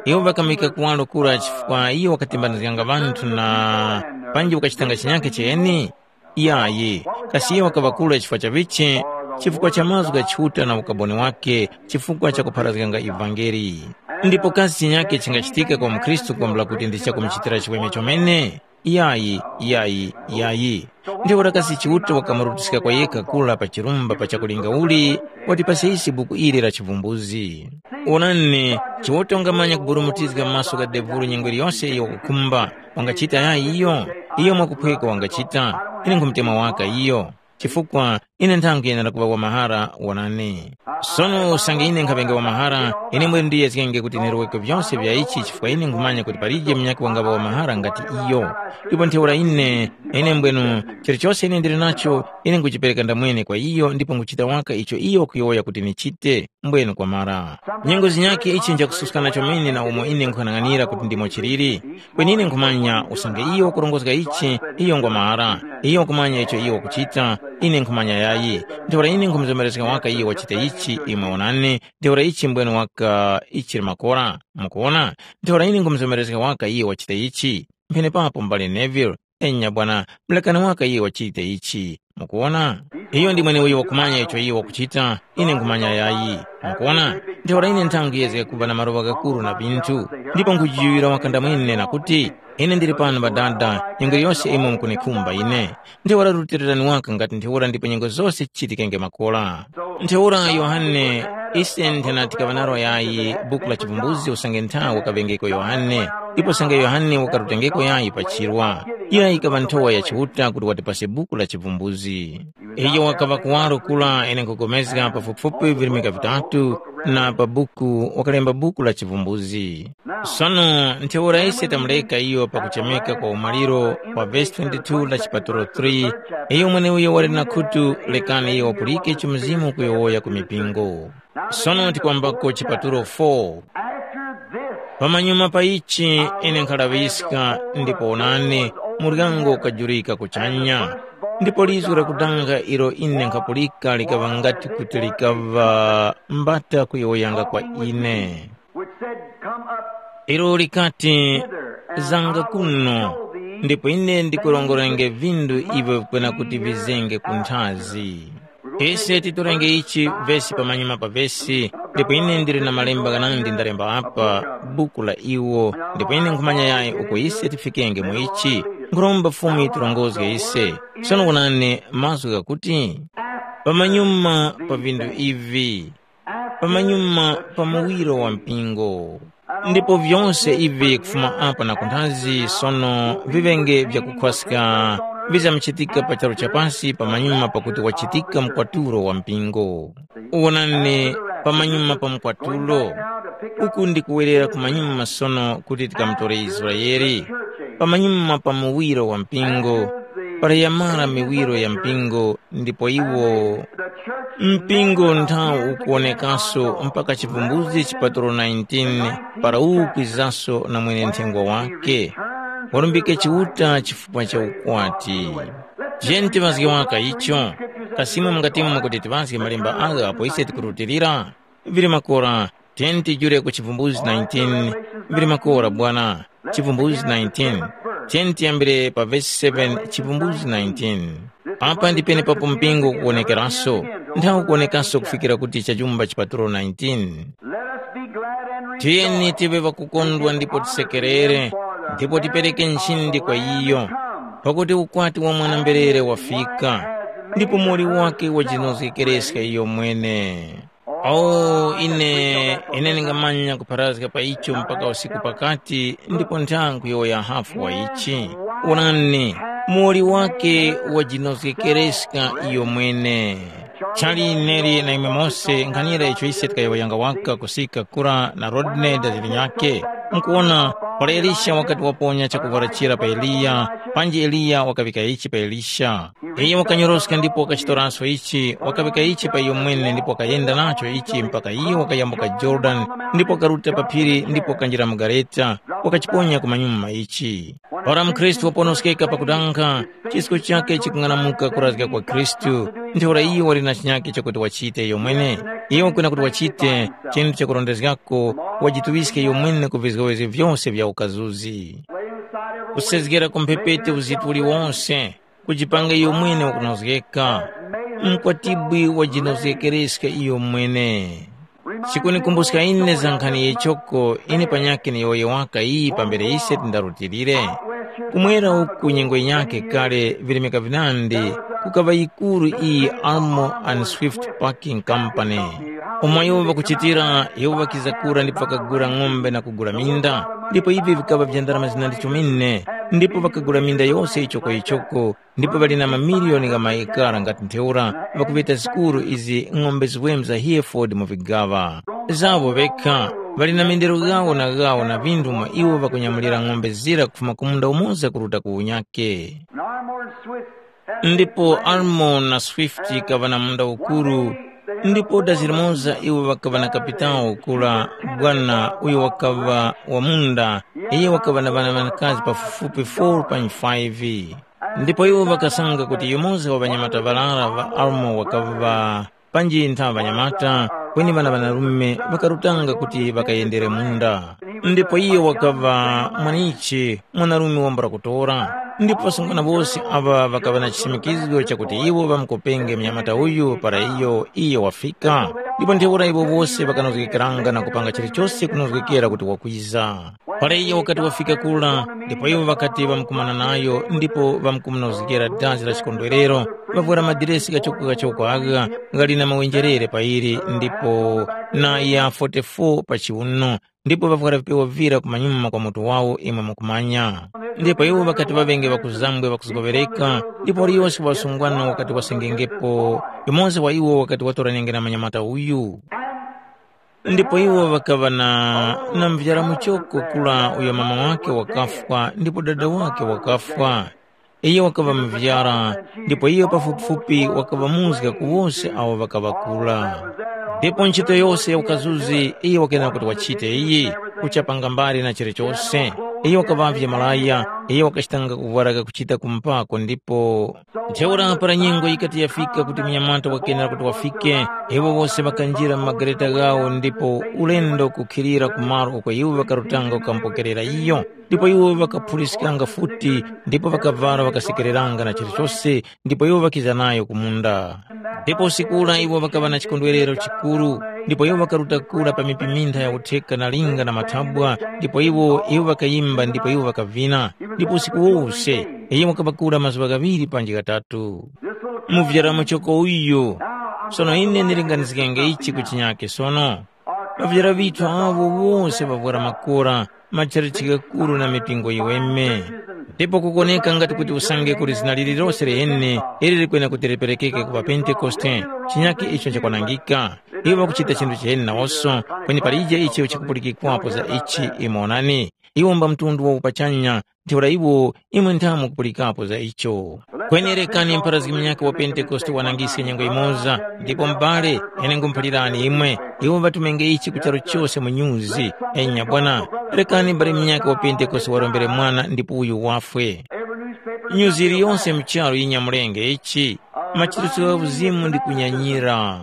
iwo ŵakamwika kuwaro kura chifukwa iyo wakatembanizganga ŵanthu na panji wakachitanga chinyake cheni? Yayi, kasi iyo wakaŵa kura chifukwa cha vichi? Chifukwa cha mazgu gha Chiuta na ukaboni wake, chifukwa cha kupharazganga ivangeli. Ndipo kasi chinyake chingachitika kwa mukhristu kwambula kuti ndi chakumuchitira chiweme chomene? Yayi, yayi, yayi. Ntheura kasi Chiuta wakamurutiska kwa yekha kura pa chirumba pa chakulinga uli, watipasa ise buku ili la chivumbuzi. Onani, Chiuta wangamanya kuburumutizga maso gha devulu nyengo iliyose iyo wakukhumba. Wangachita yayi iyo? Iyo mwakuphweka wangachita. Ine nkhumutema waka iyo. Chifukwa ine nthangu yenera kuŵa wa mahara wonani. Sono usange ine nkhaŵenge wa mahara, ine mbwenu ndiyezgenge kuti niroweke vyose vya ichi chifukwa ine nkhumanya kuti palije munyakhe wangaŵa wa mahara ngati iyo. Ndipo ntheura ine, ine mbwenu, chilichose ine ndili nacho, ine nkhuchipereka ndamwene kwa iyo ndipo nkhuchita waka icho iyo wakuyowoya kuti nichite. Mbwenu kwamara. Nyengo zinyakhe ichi nchakususkana chomene na umo ine nkhanang'anira kuti ndimo chiliri. Kweni ine nkhumanya usange iyo wakurongozga ichi, iyo ngwa mahara. Iyo wakumanya icho iyo wakuchita, ine nkhumanya yayi. Ntheura ine nkhumuzomerezga waka iyo wachita ichi, imwe onani, ntheura ichi mbwenu waka ichiri makora. Mukuwona? Ntheura ine nkhumuzomerezga waka iyo wachita ichi. Mphenepapo m'bale Neville, enya bwana, mulekani waka iyo wachite ichi. Mukuwona? Iyo ndi mweneuyo wakumanya icho iyo wakuchita, ine nkhumanya yayi. Mukuwona? Ntheura ine nthangu yezge kuŵa na maroŵa ghakuru na vinthu, ndipo nkhujiŵira wakanda mwene na kuti, ine ndili pano Ŵadada, nyengo yose imwe mukunikhumba ine. Ntheura rutilirani waka ngati ntheura ndipo nyengo zose zichitikenge makora. Ntheura Yohane, ise nthena tikaŵa nalo yayi buku la chivumbuzi usange nthawe wakaŵengeko Yohane, ndipo usange Yohane wakarutengeko yayi pa chirwa. Iyo yikaŵa nthowa ya Chiuta kuti watipase buku la chivumbuzi. Iyo wakaŵa kuwaro kura ine nkhupulikana pafupifupi virimika vitatu na pa buku wakalemba buku la chivumbuzi. Sono ntheura ise tamureka iyo pakuchemeka kwa umaliro wa vesi twenty-two la chipatulo three, iyo mweneuyo wali na khutu, lekani iyo wapulike icho Mzimu ukuyowoya ku mipingo. Sono tikwambako chipatulo four. Pamanyuma pa ichi ine nkhalaŵiska, ndipo onani, muryango ukajurika kuchanya. Ndipo lizgu lakudanga ilo ine nkhapulika likaŵa ngati kuti likaŵa mbata kuyowoyanga kwa ine. Ilo likati, zanga kuno, ndipo ine ndikurongorenge vindu ivyo vikwena kuti vizenge ku nthazi. Ise titorenge ichi vesi pamanyuma pa vesi, ndipo ine ndili na malemba ghanandi ndalemba apa, buku la iwo, ndipo ine nkhumanya yayi uko ise tifikenge mu ichi. Nkhuromba Fumu yitirongozge ise. Sono wonani mazgu ghakuti, pamanyuma pa vindu ivi, pamanyuma pa muwiro wa mpingo. Ndipo vyose ivi kufuma apa na kunthazi sono viŵenge vyakukhwaska vizamchitika pa charu cha pasi pamanyuma pakuti wachitika mkwatulo wa mpingo. Wonani, pamanyuma pa mkwatulo, uku ndikuwerera kumanyuma sono kuti tikamutore Israele, pamanyuma pa muwiro wa mpingo, para yamara miwiro ya mpingo, ndipo iwo mpingo nthawu ukuwonekaso mpaka chivumbuzi chipatulo nineteen, para uwu ukwizaso na mwene-nthengwa wake, walumbike Chiuta chifukwa cha ukwati. Tiyeni tiŵazge waka icho. Kasi imwe mungatimwe kuti tiŵazge malemba agha apo ise tikurutilira? Vili makora, tiyeni tijule ku chivumbuzi nineteen. Vili makora bwana. Chivumbuzi nineteen. Tiyeni tiyambire pa vesi seven, chivumbuzi nineteen. Apa ndi penepapo mpingo ukuwonekeraso. Nthawi ukuwonekaso kufikira kuti chajumba chipatulo nineteen. Tiyeni tive ŵakukondwa ndipo tisekerere, ndipo tipereke nchindi kwa iyo, pakuti ukwati wa mwana-mberere wafika, ndipo muwoli wake wajinozgekereska iyo mwene. O, ine, ine ndingamanya kupharazga pa icho mpaka usiku pakati, ndipo nthawi nkuyowoya hafu wa ichi. Wonani, Muwoli wake wajinozgekereska iyo mwene. Chali neli na imwe mose nkhanira icho ise tikayowoyanga waka kusika kura na Rodney da linyakhe. Mukuwona, para Elisha wakati waponya chakuvwara chira pa Eliya, panji Eliya wakaŵika ichi pa Elisha. Iyo wakanyoroska ndipo wakachitoraso ichi, wakaŵika ichi pa iyo mwene ndipo wakayenda nacho ichi mpaka iyo wakayambuka Yorodani ndipo wakaruta pa phiri ndipo wakanjira mu gareta, wakachiponya ku manyuma ichi. Ora mukhristu waponoskeka pakudanga, chisko chakhe chikung'anamuka kurazga kwa Khristu, ntheura iyo wali na chinyakhe chakuti wachite iyo mwene. Iyo kwena kuti wachite chinthu chakurondezgako, wajituŵiske iyo mwene ku vizgowezgo vyose vya ukazuzi. Kusezgera ku mphepete uzitu uliwonse, kujipanga iyo mwene wakunozgeka. Mkwatibwi wajinozgekereska iyo mwene. Chikunikumbuska ine za nkhani yechoko ine panyakhe ni yowoye waka iyi pambere ise tindarutilire. Kumwera uku nyengo yinyakhe kale virimika vinandi, kukaŵa yikuru iyi Armo and Swift Packing Company. Umo iwo ŵakuchitira, iwo ŵakiza kura ndipo ŵakagula ng'ombe na kugula minda, ndipo ivi vikaŵa vya ndarama zinandi chomene, ndipo ŵakagula minda yose yichoko yichoko, ndipo ŵali na mamiliyoni gha maekara ngati ntheura ŵakuŵeta zikuru izi ng'ombe ziweme za Hereford mu vigaŵa zawo ŵekha. Ŵali na mendero ghawo na ghawo na vinthu mwa iwo ŵakunyamulira ng'ombe zira kufuma ku munda umoza kuruta ku unyakhe. Ndipo Almon na Swift kaŵa na munda ukuru, ndipo dazi limoza iwo ŵakaŵa na kapitawo kura bwana uyo wakaŵa wa munda, iyo wakaŵa na ŵana ŵanakazi pafupifupi foro pa five. Ndipo iwo ŵakasanga kuti yumoza wa ŵanyamata ŵarara ŵa Almo wakaŵa panji nthaŵa ŵanyamata, kweni ŵana ŵanarume ŵakarutanga kuti ŵakayendere munda. Ndipo iyo wakaŵa mwanichi mwanarume wambula kutora. Ndipo ŵasungwana wose aŵa ŵakaŵa na chisimikizgo chakuti iwo ŵamukopenge mnyamata uyu para iyo iyo wafika. Ndipo ntheura iwo wose ŵakanozgekeranga na kupanga chilichose kunozgekera kuti wakwiza. Para iyo wakati wafika kura, ndipo iwo ŵakati ŵamkumana nayo ndipo ŵamkumunozgera dazi la chikondwerero, ŵavwera madiresi ghachoko-ghachoko agha ghali na mawenjerere pairi ndipo na ya forty-four pa chiwuno, ndipo ŵavwera vipewa vira kumanyuma kwa mutu wawo imwe mukumanya. Ndipo iwo ŵakati ŵaŵenge ŵakuzambwe ŵakuzgoŵereka, ndipo waliyose wa ŵasungwana wakati wasengengepo, yumoza wa iwo wakati watoranenge na munyamata uyu. Ndipo iwo ŵakaŵa na, na muvyara muchoko kura uyo mama wakhe wakafwa ndipo dada wakhe wakafwa. Iyo wakaŵa muvyara, ndipo iyo pafupifupi wakaŵa muzga ku wose awo ŵakaŵa kura. Ndipo ntchito yose ya ukazuzi iyo wakenera kuti wachite iyi, kuchapanga mbali na chilichose. Iyo wakaŵavye malaya, iyo wakachitanga kuvwara kakuchita kumpako ndipo Ntheura para nyengo yikati yafika kuti munyamata wakenera kuti wafike, iwo wose ŵakanjira mu magareta ghawo ndipo ulendo kukhilira ku malo uko iwo ŵakarutanga kukamupokerera iyo. Ndipo iwo ŵakaphuliskanga futi ndipo ŵakavwara ŵakasekereranga na chilichose ndipo iwo ŵakiza nayo ku munda. Ndipo usiku ura iwo ŵakaŵa na chikondwerero chikuru, ndipo iwo ŵakaruta kura pa mipi mintha ya utheka na linga na mathabwa, ndipo iwo iwo ŵakayimba ndipo iwo ŵakavina. Ndipo usiku wose, iyo wakaŵa kura mazuŵa ghaŵiri panji ghatatu. Muvyara muchoko uyu. Sono ine ndilinganizgenge ichi ku chinyake sono. Ŵavyara ŵithu awo wose ŵavwara makora, matchalitchi ghakuru na mipingo yiweme. Ndipo kukoneka ngati kuti usange kuli zina lililose liheni ili likwene kuti liperekeke ku ŵaPentekoste, chinyake icho nchakwanangika. Iwo ŵakuchita chinthu chiheni nawoso, kweni palije icho chikupulikikwapo za ichi, imwe onani. Iwo mba mtundu wa upachanya, ntheura iwo imwe nthamu kupulikapo za icho. Kweni rekani mpharazgi munyakhe wa Pentekoste wanangiske nyengo yimoza, ndipo m'bale, ine ngumuphalirani imwe, iwo ŵatumenge ichi ku charu chose mu nyuzi. Enya bwana, rekani m'bale munyakhe wa Pentekoste warombere mwana ndipo uyu wafwe. Nyuzi iliyonse mu charu yinyamulenge ichi, machiritso gha uzimu ndi kunyanyira.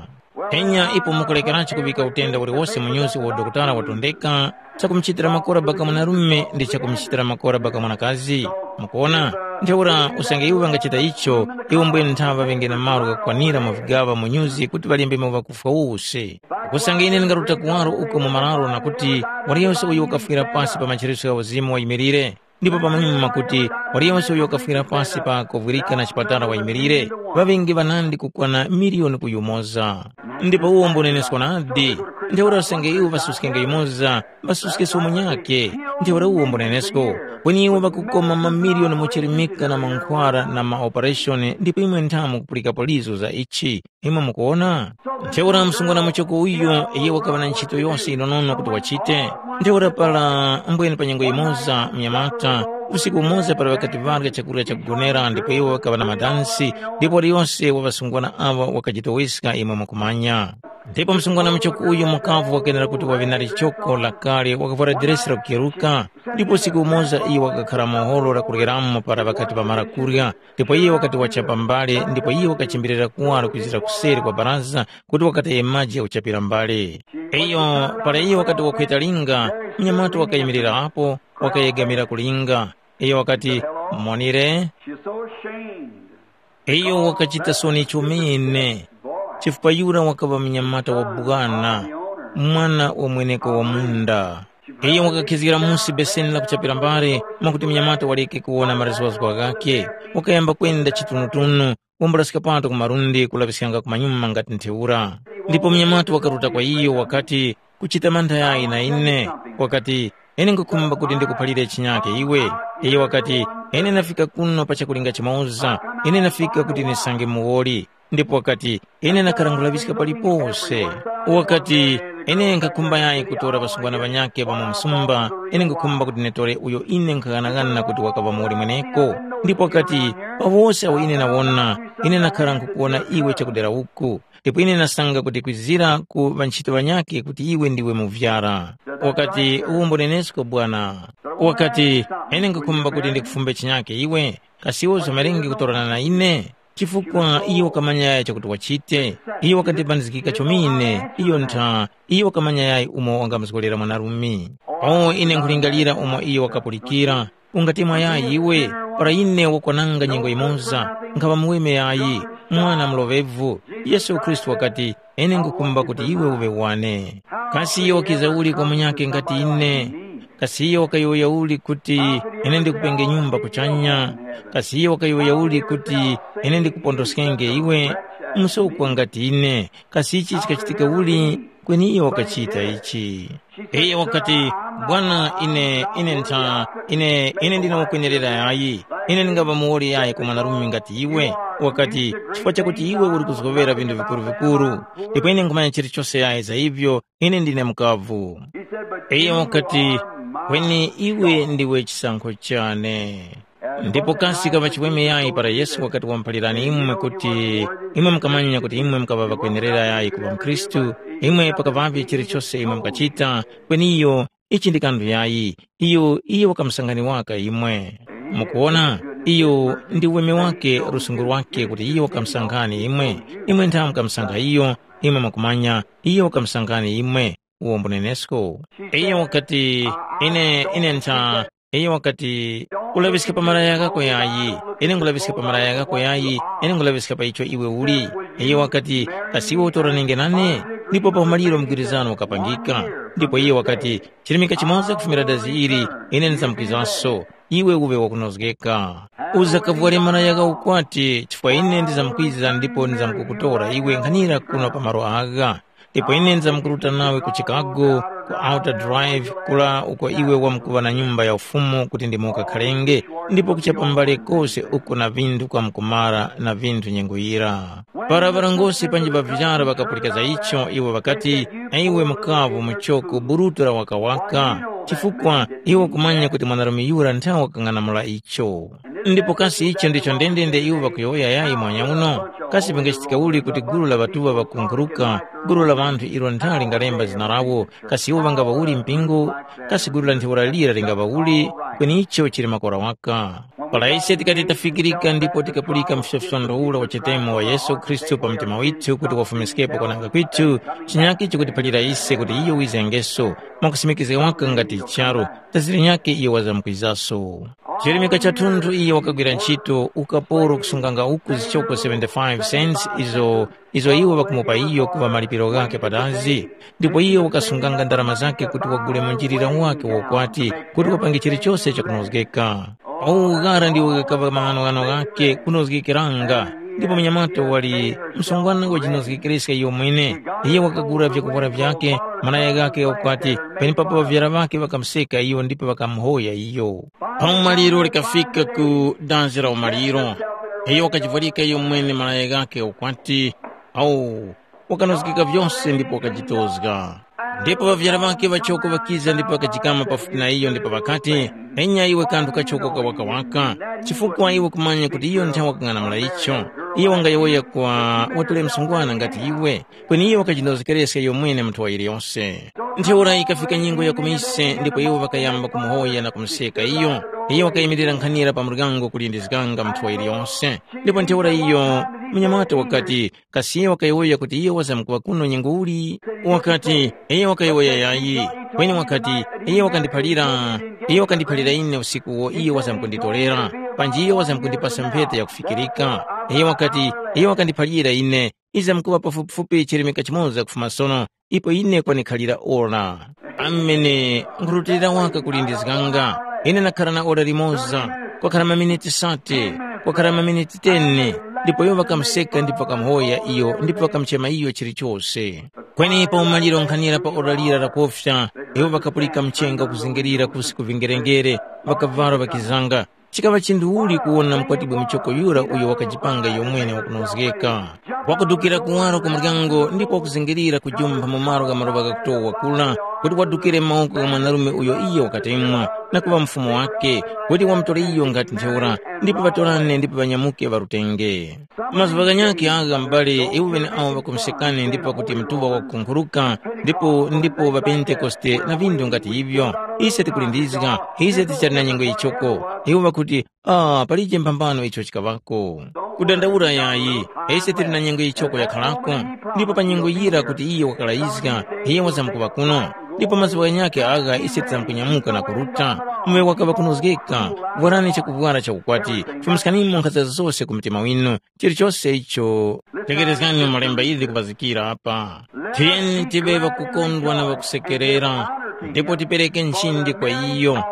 Enya ipo mukulekerachi kuŵika utenda uliwose mu nyuzi uwo dokotala watondeka, chakumuchitira makora baka mwanarume ndi chakumuchitira makora baka mwanakazi. Mukuona? Ntheura usange iwo ŵangachita icho, iwo mbwene nthaŵa ŵenge na malo ghakukwanira mu vigaŵa mu nyuzi kuti ŵalembe mu ŵakufwa wose. Usange ine ndingaruta kuwaro uko mu mararo na kuti, waliyose uyo wakafwira pasi pa machereso gha uzimu wayimirire, ndipo pamanyuma kuti waliyose uyo wakafwira pasi pa kovwirika na chipatala wayimilire, ŵaŵenge ŵanandi kukwana miliyoni ku yumoza. Ndipo uwo mbunenesko nadi. Ntheura usange iwo ŵasuskenge yumoza, ŵasuske somo nyakhe. Ntheura uwo mbunenesko. Kweni iwo ŵakukoma mamiliyoni muchirimika na mankhwara na maopereshoni ndipo imwe nthamu kupulikapo lizo za ichi. Imwe mukuwona? Ntheura msungwana muchoko uyo iye wakaŵa na ntchito yose yinonono kuti wachite. Ntheura para mbwene pa nyengo yimoza mnyamata, usiku umoza para ŵakati ŵarya chakurya chakugonera ndipo iwo ŵakaŵa na madansi, ndipo waliyose wa ŵasungwana aŵa wakajitoweska imwe mukumanya. Ndipo msungwana muchoko uyu mukavu wakenera kuti waŵe na lichoko lakale wakavwara diresi lakukeruka, ndipo usiku umoza iye wakakhara mu holo lakuryeramo para ŵakati ŵamara kurya, ndipo iye wakati wachapa mbale ndipo iye wakachimbirira kuwaro kwizira kuseri kwa baraza kuti wakataye maji ghakuchapira mbale. Iyo para iye wakati wakhweta linga, mnyamata wakayimirira apo, wakayegamira ku linga. Iyo wakati, monire. She was so ashamed. Iyo wakachita soni chomene, chifukwa yura wakaŵa mnyamata wa bwana, mwana wa mweneko wa munda. Iyo wakakhizgira musi beseni la kuchapira mbale mwakuti mnyamata waleke kuwona marizwazgwa ghakhe, wakayamba kwenda chitunutunu, wambulaska pato ku malundi kulaŵiskanga kumanyuma ngati ntheura. Ndipo mnyamata wakaruta kwa iyo wakati, kuchita mantha yayi na ine, wakati, ine nkhukhumba kuti ndikuphalire chinyake iwe. Iyo wakati, ine ndafika kuno pa chakulinga chimoza, ine ndafika kuti ndisange muwoli. Ndipo wakati, ine ndakhala nkhulaŵiska palipose. Wakati, ine nkhakhumba yayi kutora ŵasungwana ŵanyakhe ŵa mu msumba, ine nkhukhumba kuti nditore uyo ine nkhaghanagana kuti wakaŵa muwoli mweneko. Ndipo wakati, pa wose awo ine ndawona, ine ndakhala nkhukuwona iwe chakudera uku. Ndipo ine ndasanga kuti kwizira ku ŵanchito ŵanyakhe kuti iwe ndiwe muvyara. Wakati, uwombo nenesko bwana. Wakati, ine nkhukhumba kuti ndikufumbe chinyake iwe, kasi iwe uzomerenge kutorana na ine? Chifukwa iyo wakamanya yayi chakuti wachite, iyo wakandipandizgika chomene, iyo ntha, iyo wakamanya yayi umo wangamuzgolera mwanarume. O ine nkhulingalira umo iyo wakapulikira, ungatemwa yayi iwe, para ine wakwananga nyengo yimoza, nkhaŵa muweme yayi, mwana muloŵevu. Yesu Khristu wakati, ine ngukhumba kuti iwe uŵe wane. Kasi iyo wakiza uli kwa munyakhe ngati ine? Kasi iyo wakayowoya uli kuti, ine ndikupenge nyumba kuchanya? Kasi iyo wakayowoya uli kuti, ine ndikupondoskenge iwe? Musokwa ngati ine. Kasi ichi chikachitika uli? Kweni iyo wakachita ichi. Iyo wakati, bwana, ine ine ntha ine ine ndine wakwenerera yayi. Ine ndingapa muwoli yayi kwa mwanarume ngati iwe. Wakati, chifukwa chakuti iwe uli kuzgowera vinthu vikuru-vikuru, ndipo ine nkhumanya chilichose yayi za ivyo. Ine ndine mukavu. Iyo wakati, kweni iwe ndiwe chisankho chane. Ndipo kasi kaŵa chiweme yayi para Yesu wakati wamuphalirani imwe kuti imwe mukamanya kuti imwe mukaŵa ŵakwenerera yayi kuŵa mkhristu, imwe pakaŵavye chilichose imwe mukachita, kweni iyo, ichi ndi kanthu yayi, iyo iyo wakamusangani waka imwe. Mukuwona, iyo ndi uweme wake lusungu lwake kuti iyo wakamusankhani imwe, imwe ntha mukamusankha iyo, imwe mwakumanya, iyo wakamusankhani imwe, uwo mbunenesko. Iyo wakati, ine ine ntha, iyo wakati, ulaŵiska pa malaya ghako yayi, ine ngulaŵiska pa malaya ghako yayi, ine ngulaŵiska pa icho iwe uli. Iyo wakati, kasi iwe utoranenge nane? Ndipo pa umaliro mgwirizano wakapangika. Ndipo iyo wakati, chirimika chimoza kufumira dazi ili, ine ndizamkwizanso, iwe uŵe wakunozgeka. Uzakavware malaya gha ukwati, chifukwa ine ndizamkwiza ndipo ndizamkukutora iwe nkhanira kuno pa malo agha. Ndipo ine ndizamkuruta nawe ku Chicago, ku Outer Drive, kula uko iwe wamkuŵa na nyumba ya ufumu kuti ndimo ukakharenge, ndipo kuchapa mbale kose uko na vinthu kwamkumara na vinthu nyengo yira. Para ŵarongozgi panji ŵavyara ŵakapulika za icho, iwo ŵakati, na iwe mukavu muchoko burutu la wakawaka, chifukwa iwe ukumanya kuti mwanarume yura nthawe wakang'anamula icho. Ndipo kasi icho ndicho ndendende iwo ŵakuyowoya yayi mwanya uno? Kasi vingachitika uli kuti gulu la ŵatuŵa ŵakunkhuruka, gulu la ŵanthu ilo ntha lingalemba zina lawo, kasi iwo ŵangaŵa uli mpingo? Kasi gulu la ntheura lira lingaŵa uli? Kweni icho chili makora waka. Para ise tikati tafikirika ndipo tikapulika msosondo ura wa chitemo wa Yesu Khristu pa mtima withu kuti wafumiskepo kwananga kwithu, chinyakhe chikutiphalira ise kuti iyo wizengeso, mwakusimikizga waka ngati charu, daziri nyakhe iyo wazamkwizaso. Chirimika chathunthu iyo wakagwira ntchito ukaporo kusunganga uku zichoko seventy-five cents izo izo iwo ŵakumupa iyo kuŵa malipiro ghakhe padazi, ndipo iyo wakasunganga ndarama zakhe kuti wagule munjilira wakhe wa ukwati kuti wapange chilichose chakunozgeka. Uwu ghara ndiwo ghakaŵa maghanoghano ghakhe kunozgekeranga, ndipo munyamata wali msungwana wajinozgekereska iyo mwene. Iyo wakagula vyakuvwara vyakhe, malaya ghakhe gha ukwati, penepapo ŵavyara ŵakhe ŵakamuseka iyo ndipo ŵakamuhoya iyo. Pa umaliro likafika ku dazi la umaliro, iyo wakajivwarika iyo mwene malaya ghakhe ukwati, awu, wakanozgeka vyose ndipo wakajitozga. Ndipo ŵavyara ŵakhe ŵachoko ŵakiza ndipo ŵakajikama pafupi na iyo ndipo ŵakati, “Enya iwe kanthu kachoko kawakawaka, chifukwa iwe kumanya kuti iyo nthawe wakang'anamula icho, iyo wangayowoya kwa watole msungwana ngati iwe, kweni iyo wakajinozekereska iyo mwene mu nthowa yiliyose.” Ntheura yikafika nyengo ya kumise ndipo iwo ŵakayamba kumuhoya na kumuseka iyo. Iyo wakayimirira nkhanira pa muryango kulindizganga mu nthowa yiliyose. Ndipo ntheura iyo munyamata wakati, kasi iyo wakayowoya kuti iyo wazamkuŵa kuno nyengo uli? Wakati, iyo wakayowoya yayi. Kweni wakati, iyo wakandiphalira, iyo wakandiphalira ine usiku uwo iyo wazamkunditorera, panji iyo wazamkundipasa mphete yakufikirika. Iyo wakati, iyo wakandiphalira ine, iza mkuŵa pafupifupi chirimika chimoza kufuma sono, ipo ine kwanikhalira ora. Amene, nkhurutilira waka kulindizganga. Ine nakhara na ora limoza, kwakhara maminiti sate, kwakhara maminiti teni, ndipo iwo ŵakamuseka ndipo ŵakamuhoya iyo ndipo ŵakamuchema iyo chilichose. Kweni pa umaliro nkhanira pa ora lira lakofya, iwo ŵakapulika mchenga ukuzingirira kusi ku vingerengere, ŵakavwara ŵakizanga. Chikaŵa chinduli kuwona mukwatibwi muchoko yura uyo wakajipanga iyo mwene wakunozgeka. Wakudukira kuwaro ku muryango ndipo wakuzingirira kujumpha mu malo gha maluŵa ghakutowa kura, kuti wadukire mu mawoko gha mwanarume uyo iyo wakatemwa, na kuŵa mufumu wakhe, kuti wamutore iyo ngati ntheura, ndipo ŵatorane ndipo ŵanyamuke ŵarutenge. Mazuŵa ghanyakhe agha m'bale iwo ŵeneawo ŵakumusekani ndipo pakuti mtuŵa wakukunkhuruka, ndipo ndipo ŵaPentekoste na vindu ngati ivyo, ise tikulindizga, ise tichali na nyengo yichoko. Iwo ŵakuti, Ah, palije mphambano icho chikaŵako. Kudandaula yayi, ise tili na nyengo yichoko yakharako, ndipo pa nyengo yira kuti iye wakalayizga, iye wazamkuŵa kuno, ndipo mazuŵa ghanyakhe agha ise tizamkunyamuka na kuruta, muŵe wakaŵa kunozgeka, vwarani chakuvwara cha ukwati, fumiskanimo nkhaza zose ku mtima winu, chilichose icho. Tegherezgani malemba ili kupazikira apa. Tiyeni tiŵe ŵakukondwa na ŵakusekerera, ndipo tipereke nchindi kwa iyo,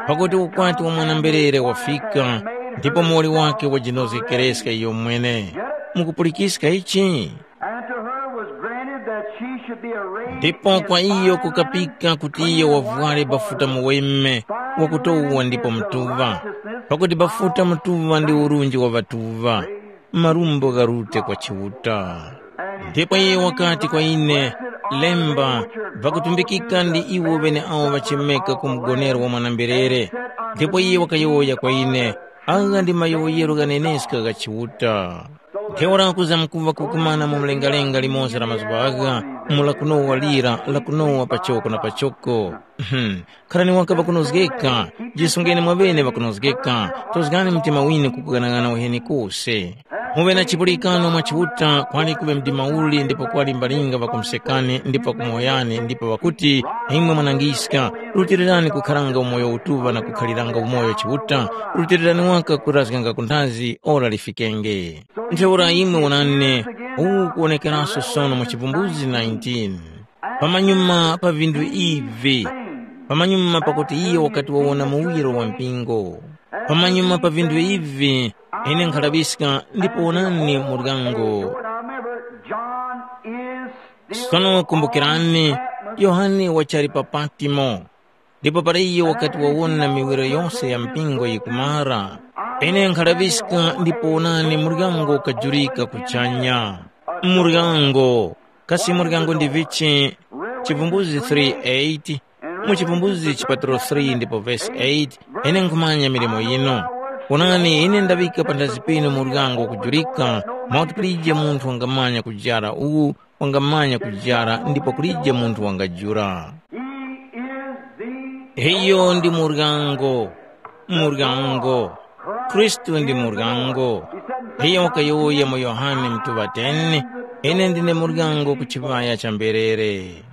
pakuti ukwati wa mwana-mberere wafika, ndipo muwoli wake wajinozgekereska iyo mwene. Mukupulikiska ichi? And to her was granted that she should be arrayed. Ndipo kwa iyo kukapika kuti iyo wavware bafuta muweme wakutowa ndipo mutuŵa, pakuti bafuta mutuŵa ndi urunji wa ŵatuŵa, marumbo gharute kwa Chiuta. Ndipo iyo wakati kwa ine, “Lemba, ŵakutumbikika ndi iwo ŵeneawo ŵachemeka ku mgonero wa mwana-mberere.” Ndipo iyo wakayowoya kwa ine, Agha ndi mayowoyero ghaneneska gha Chiuta. Ntheura kuzamkuŵa kukumana mu mlengalenga limoza la mazuŵa agha, mu lakunowa lira, lakunowa pachoko na pachoko. Kharani waka ŵakunozgeka, jisungeni mwaŵene ŵakunozgeka, tozgani mtima winu kukughanagana uheni kose. Muŵe na chipulikano mwa Chiuta, kwali kuŵe mdima uli ndipo kwali mbalinga ŵakumusekani ndipo ŵakumuhoyani ndipo ŵakuti, imwe mwanangiska, rutirirani kukharanga umoyo utuŵa na kukhaliranga umoyo Chiuta, rutirirani waka kurazganga ku nthazi ora lifikenge. Ntheura imwe wonani, uwu ukuwonekeraso sono mu Chivumbulutso nineteen. Pamanyuma pa vinthu ivi, pamanyuma pakuti iyo wakati wawona muwiro wa mpingo, pamanyuma pa vinthu ivi, ine nkhalaŵiska ndipo wonani muryango. Sono kumbukirani, Yohane wachali pa Patimo, ndipo para iyo wakati wawona miwiro yose ya mpingo yikumara, ine nkhalaŵiska ndipo wonani muryango ukajurika kuchanya. Muryango, kasi muryango ndi vichi? Chivumbulutso three eight, mu Chivumbulutso chipatalo three ndipo vesi eight, ine nkhumanya milimo yino. Wonani, ine ndaŵika panthazi pinu muryango ukujurika, mwakuti kulije munthu wangamanya kujara uwu, wangamanya kujara ndipo kulije munthu wangajura. He is the Iyo ndi muryango, muryango. Khristu ndi muryango. Iyo wakayowoya mu Yohane mutuŵa ten, ine ndine muryango ku chiŵaya cha mberere.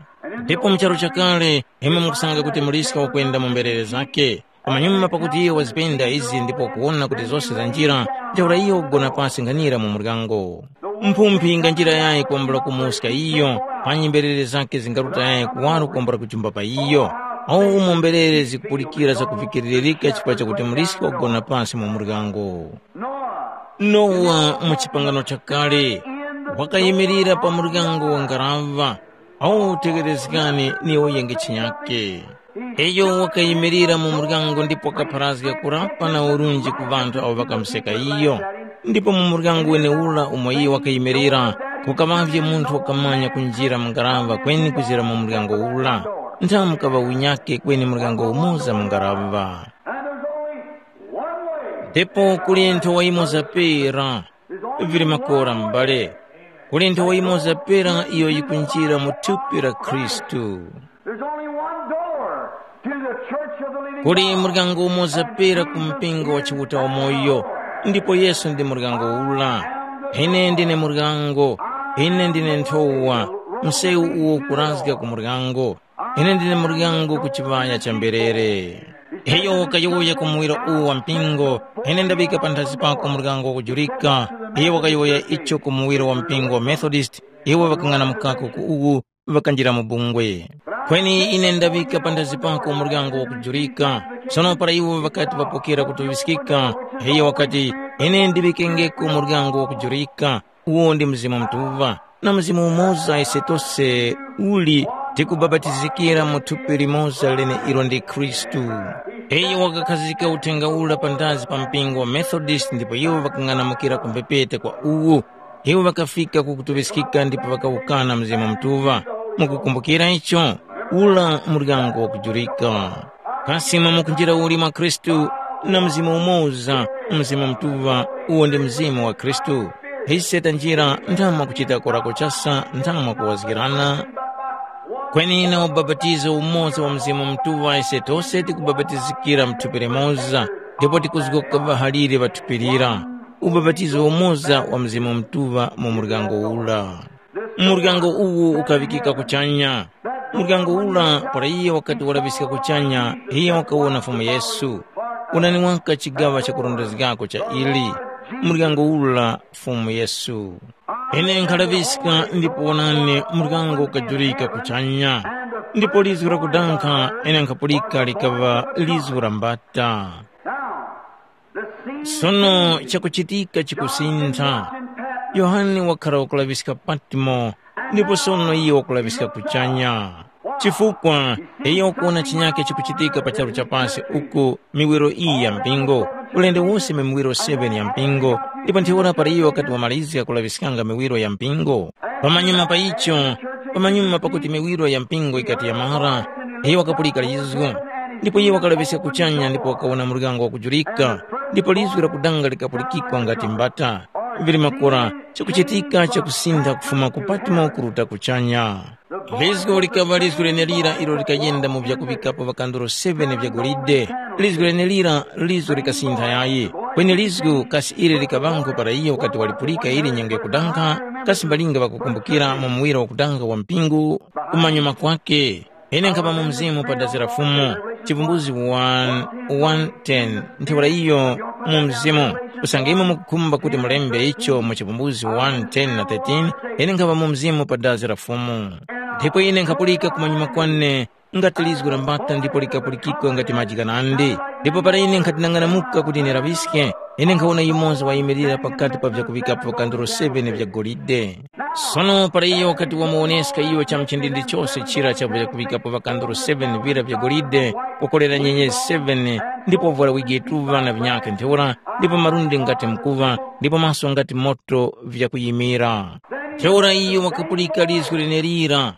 Ndipo mu charu chakale, imwe mukusanga kuti muliska wakwenda mu mberere zake. Pamanyuma pakuti iyo wazipenda izi ndipo kuwona kuti zose zanjira, ntheura iyo wakugona pasi nkhanira mu muryango. Mphumphi inganjira yayi kwambula kumuska iyo, panyi mberere zake zingaruta yayi kuwaro kwambula kujumba pa iyo. Awu umo mberere zikupulikira zakuvikiririka chifukwa chakuti muliska wakugona pasi mu muryango. Nowa mu chipangano chakale wakayimirira pa muryango wa ngaraŵa. Awu tegherezgani ni uyenge chinyake. Iyo wakayimirira mu muryango ndipo wakapharazga kurapa na urunji ku ŵanthu awo ŵakamuseka iyo. Ndipo mu muryango wenewura umo iyo wakayimirira, kukaŵavye munthu wakamanya kunjira mu ngaraŵa kweni kuzira mu muryango ura. Nthamu kaŵa unyake kweni muryango umoza mu ngaraŵa. And there's only one way. Ndipo kuli nthowa yimoza pera. Vili makora m'bale. Kuli nthowa yimoza pera iyo yikunjira mu thupi la Khristu. There's only one door to the church of the living Kuli God. Muryango umoza pera ku mpingo wa Chiuta wamoyo, ndipo Yesu ndi muryango ula. Ine ndine muryango, ine ndine nthowa, msewu uwo ukurazga ku muryango. Ine ndine muryango ku chiŵaya cha mberere. Iyo wakayowoya ku muwiro uwu wa mpingo, ine ndaŵika panthazi pako muryango wakujurika. Iyo wakayowoya icho ku muwiro wa mpingo wa Methodist, iwo ŵakang'anamukako ku uwu, ŵakanjira mu bungwe. Kweni ine ndaŵika panthazi pako muryango wakujurika. Sono para iwo ŵakati ŵapokera kutuŵiskika, iyo wakati, ine ndiŵikengeko muryango wakujurika. Uwo ndi Mzimu Mutuŵa, na Mzimu umoza ise tose uli tikubapatizikira mu thupi limoza leneilo ndi Khristu. Iyo wakakhazika uthenga ura panthazi pa mpingo wa Methodist ndipo iwo ŵakang'anamukira ku mbepete kwa uwu. Iwo ŵakafika ku kutuŵiskika ndipo ŵakawukana Mzimu Mutuŵa. Mukukumbukira icho? Ula muryango wakujurika. Kasi mwamukunjira uli mwa Khristu na Mzimu umoza, Mzimu Mutuŵa, uwo ndi Mzimu wa Khristu. Ise tanjira ntha mwakuchita korako chasa ntha mwakuwazgirana? Kweni na ubapatizo umoza wa Mzimu Mutuŵa ise tose tikubapatizikira mu thupi limoza, ndipo tikuzgoka ŵahalire ŵa thupi lira. Ubapatizo umoza wa Mzimu Mutuŵa mu muryango ura. Muryango uwu ukaŵikika kuchanya. Muryango ura para iye wakati walaŵiska kuchanya, iye wakawona Fumu Yesu. Unani waka chigaŵa chakurondezgako cha ili. Muryango ura Fumu Yesu. Ine nkhalaŵiska ndipo wonani muryango ukajurika kuchanya. Ndipo lizgu lakudankha ine nkhapulika likaŵa lizgu la mbata. Sono chakuchitika chikusintha. Yohane wakhala wakulaŵiska Patmo, ndipo sono iyo wakulaŵiska kuchanya. Chifukwa iyo wakuwona chinyake chikuchitika pa charu cha pasi uku miwiro iyi ya mpingo, ulendo wose mu miwiro seven ya mpingo, ndipo ntheura para iyo wakati wamalizga kulaŵiskanga miwiro ya mpingo, pamanyuma pa icho, pamanyuma pakuti miwiro ya mpingo yikati yamara, iyo wakapulika lizgu. Ndipo iyo wakalaŵiska kuchanya ndipo wakawona muryango wakujurika, ndipo lizgu lakudanga likapulikikwa ngati mbata. Vili makora, chakuchitika chakusintha kufuma ku Patmo kuruta kuchanya. Lizgu likaŵa lizgu lenelira ilo likayenda mu vyakuŵikapo ŵakandolo seven vya golide. Lizgu lenelira lizo likasintha yayi. Kweni lizgu kasi ili likaŵango para iyo wakati walipulika ili nyengo yakudanga, kasi mbalinga ŵakukumbukira mu muwira wakudanga wa mpingu kumanyuma kwake? Ine nkhapa mu mzimu pa dazi la Fumu, Chivumbuzi one, one ten, ntheura iyo mu mzimu. Usange imwe mukukhumba kuti mulembe icho mu Chivumbuzi one ten na thirteen, ine nkhapa mu mzimu pa dazi la Fumu. Ndipo ine nkhapulika kumanyuma kwane ngati lizgu la mbata ndipo likapulikikwa ngati maji ghanandi. Ndipo para ine nkhati nang'anamuka kuti niraŵiske, ine nkhawona yumoza wayimirira pakati pa vyakuŵikapo kandolo seven vya golide. Sono para iyo wakati wamuwoneska iyo cha mchindindi chose chira cha vyakuŵikapo ŵakandolo seven vira vya golide, wakolera nyenyezi seven, ndipo wavwara wigi yetuŵa na vinyakhe ntheura, ndipo malundi ngati mkuŵa, ndipo maso ngati moto vyakuyimira. Ntheura iyo wakapulika lizgu lenelira.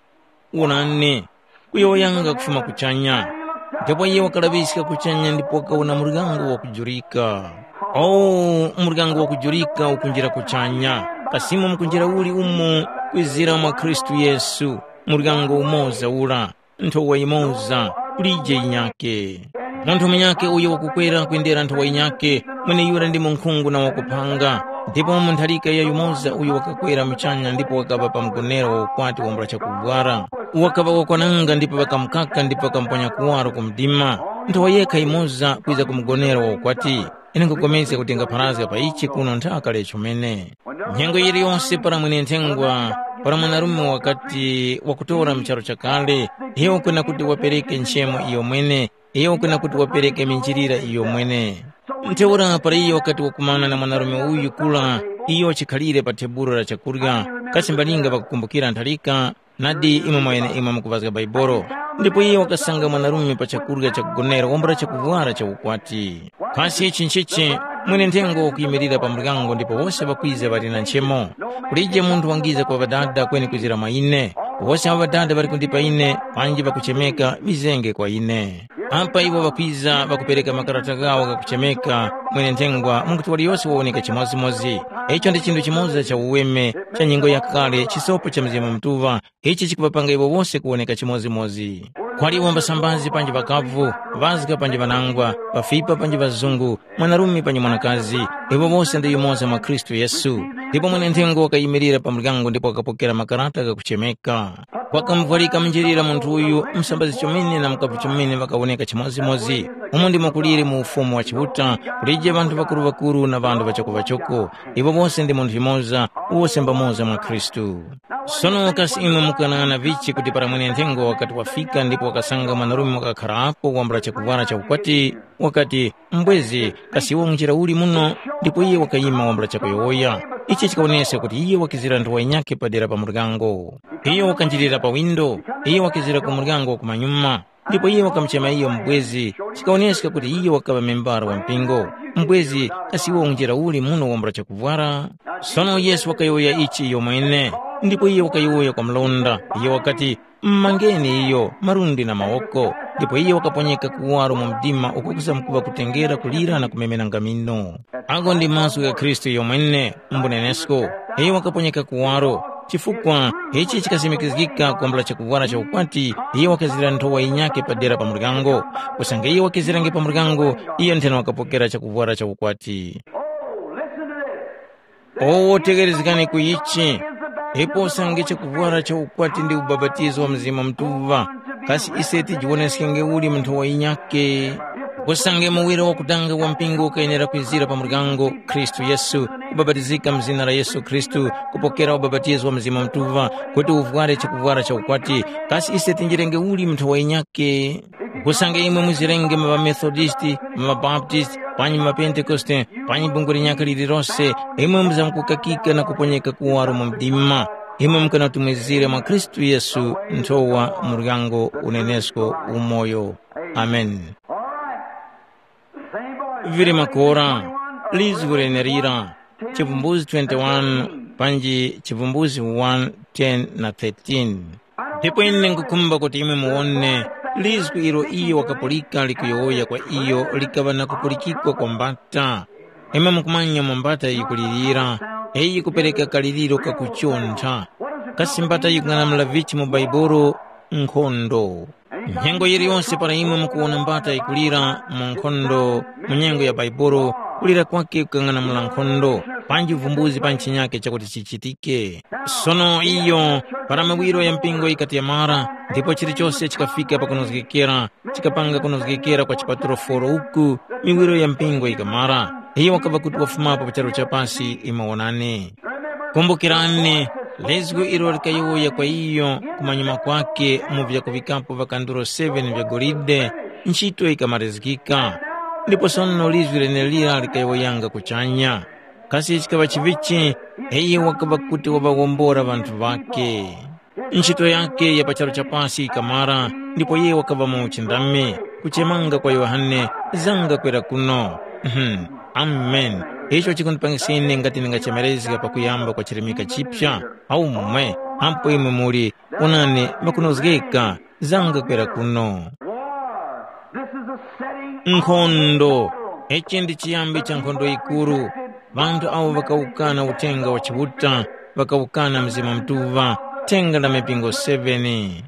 Wonani, kuyowoyanga kufuma kuchanya. Ndipo iye wakalaŵiska kuchanya ndipo wakawona muryango wakujurika. O, muryango wakujurika ukunjira kuchanya. Kasimo mukunjira uli umo kwizira mwa Khristu Yesu, muryango umoza ura, nthowa yimoza, kulije yinyake. Munthu munyakhe uyo wakukwera kwendera nthowa yinyakhe, mweneyura ndi munkhungu na wakuphanga. Ndipo mu ntharika ya yumoza uyo wakakwera muchanya ndipo wakaŵa pa mgonero wa ukwati wambula chakuvwara. Wakaŵa wakwananga ndipo ŵakamukaka ndipo ŵakamuponya kuwaro ku mdima. Nthowa yekha yimoza kwiza ku mgonero wa ukwati. Ine nkhupulikana kuti ngapharazga pa ichi kuno nthaka lecho mene. Nyengo yiliyonse para mwene-nthengwa, para mwanarume wakati wakutora mu charu chakale, iyo kwena kuti wapereke nchemo iyomwene, iyo kwena kuti wapereke minjilira iyomwene. Ntheura para iyo wakati wakumana na mwanarume uyu kura, iyo chikhalire pa tebulo la chakurya, kasi mbalinga ŵakukumbukira ntharika, Nadi imwe mweneimwe mukuŵazga Baibolo. Ndipo iye wakasanga mwanarume pa chakurya chakugonera wambula chakuvwara cha ukwati. Kasi ichi nchichi? Mwene-nthengo wakuyimilira pa muryango ndipo wose ŵakwiza ŵali na nchemo. Kulije munthu wangiza kwa Ŵadada kweni kwizira mwa ine. Wose awo Ŵadada ŵali kundipa ine, panji ŵakuchemeka, ŵizenge kwa ine. Apa iwo ŵakwiza ŵakupereka makarata ghawo ghakuchemeka, mwene-nthengwa mwakuti waliyose wawoneka chimodzimodzi. Icho ndi chinthu chimoza cha uweme, cha nyengo yakale, chisopo cha Mzimu Mutuŵa, ichi chikuŵapanga iwo wose kuwoneka chimodzimodzi. Kwali iwo mbasambazi panji ŵakavu, ŵazga panji ŵanangwa, ŵafipa panji ŵazungu, mwanarume panji mwanakazi, iwo wose ndi yumoza mwa Khristu Yesu. Ndipo mwene-nthengwa wakayimirira pa muryango ndipo wakapokera makarata ghakuchemeka. Wakamuvwarika munjilira munthu uyu, msambazi chomene na mukavu chomene ŵakawoneka chimodzimodzi. Umo ndimo kuliri mu Ufumu wa Chiuta, kulije ŵanthu ŵakuru-ŵakuru na ŵanthu ŵachoko-ŵachoko. Iwo wose ndi munthu yumoza, wose mbamoza mwa Khristu. Sono kasi imwe mukanang'ana vichi kuti para mwene-nthengo wakati wafika ndipo wakasanga mwanarume wakakharapo wambula chakuvwara cha ukwati, wakati, mbwezi, kasi iwe unjira uli muno? Ndipo iye wakayima wambula chakuyowoya. Ichi chikawoneska kuti iye wakizira nthowa yinyakhe padera pa muryango. Iyo wakanjirira pa windo, iye wakizira ku muryango wa kumanyuma. Ndipo iye wakamuchema iyo mbwezi, chikawoneska kuti iyo wakaŵa membara wa mpingo. Mbwezi, kasi iwe unjira uli muno wambula chakuvwara? Sono Yesu wakayowoya ichi iyomwene, ndipo iye wakayowoya kwa mlonda. Iye wakati, mmangeni iyo malundi na mawoko, ndipo iyo wakaponyeka kuwaro mu mdima uko kuzamkuŵa kutengera kulira na kumemena ngamino. Agho ndi mazgu gha Khristu yomwene, mbunenesko. Iyo wakaponyeka kuwaro, chifukwa ichi chikasimikizgika kwambula chakuvwara cha ukwati, iyo wakazira nthowa yinyakhe padera pa muryango. Kusanga iyo wakizirange pa muryango, iyo ntheno wakapokera chakuvwara cha ukwati. Oh, listen to this. Owo tegherezgani ku ichi. Ipo usange chakuvwara cha ukwati ndi ubapatizo wa Mzimu Mutuŵa, kasi ise tijiwoneskenge uli mu nthowa yinyakhe? Usange muwiro wakutanga wa mpingo ukayenera kwizira pa muryango, Khristu Yesu, kubapatizika mu zina la Yesu Khristu, kupokera ubapatizo wa Mzimu Mutuŵa, kuti uvware chakuvwara cha ukwati, kasi ise tinjirenge uli mu nthowa yinyakhe? Usange imwe muzirenge mu ŵaMethodisti, mu ŵaBaptisti, panyi mu ŵaPentekoste, panyi bungwe linyakhe lililose, imwe muzamkukakika na kuponyeka kuwaro mu mdima. Imwe mukanatumizira mwa Khristu Yesu nthowa muryango unenesko umoyo. Ameni. Vili makora, lizgu lenerira, chivumbuzi twenty-one, panji chivumbuzi one, ten na thirteen. Ndipo ine ngukhumba kuti imwe muwone lizgu ilo iyo wakapulika likuyowoya kwa iyo likaŵa na kupulikikwa kwa mbata. Imwe mukumanya mu mbata yikulirira, eyi yikupereka kaliriro kakuchontha. Kasi mbata yikung'anamula vichi mu Baibuli? Nkhondo. Nyengo yiliyonse para imwe mukuwona mbata yikulira mu nkhondo, mu nyengo ya Baibuli, kulira kwakhe kukang'anamula nkhondo, panji uvumbuzi pa ntchinyake chakuti chichitike. Sono iyo, para miwiro ya mpingo yikati yamara, ndipo chilichose chikafika pakunozgekera, chikapanga kunozgekera kwa chipatulo foro uku, miwiro ya mpingo yikamara. Iyo wakava kuti wafumapo pa charu cha pasi imwe wonani. Kumbukirani, lizgu ilo likayowoya kwa iyo kumanyuma kwake mu vyakuŵikapo vakanduro seven vya golide, ntchito yikamarizgika. Ndipo sono lizgu lenelira likayowoyanga kuchanya. Kasi chikaŵa chivichi? Iyo wakaŵa kuti waŵawombora ŵanthu ŵakhe. Ntchito yakhe ya pa charu cha pasi yikamara, ndipo iye wakaŵa mu uchindami, kuchemanga kwa Yohane, zanga kwera kuno. Mhm. Amen. Icho chikundipangisa ine ngati ndingachemerezga pakuyamba kwa chirimika chipya. Aumwe, ampo imwe muli, onani, ŵakunozgeka, zanga kwera kuno. War. This is the setting of Nkhondo. Ichi ndi chiyambi cha nkhondo yikuru. Ŵanthu awo ŵakawukana uthenga wa Chiuta, ŵakawukana Mzimu Mutuŵa, thenga la mipingo seven.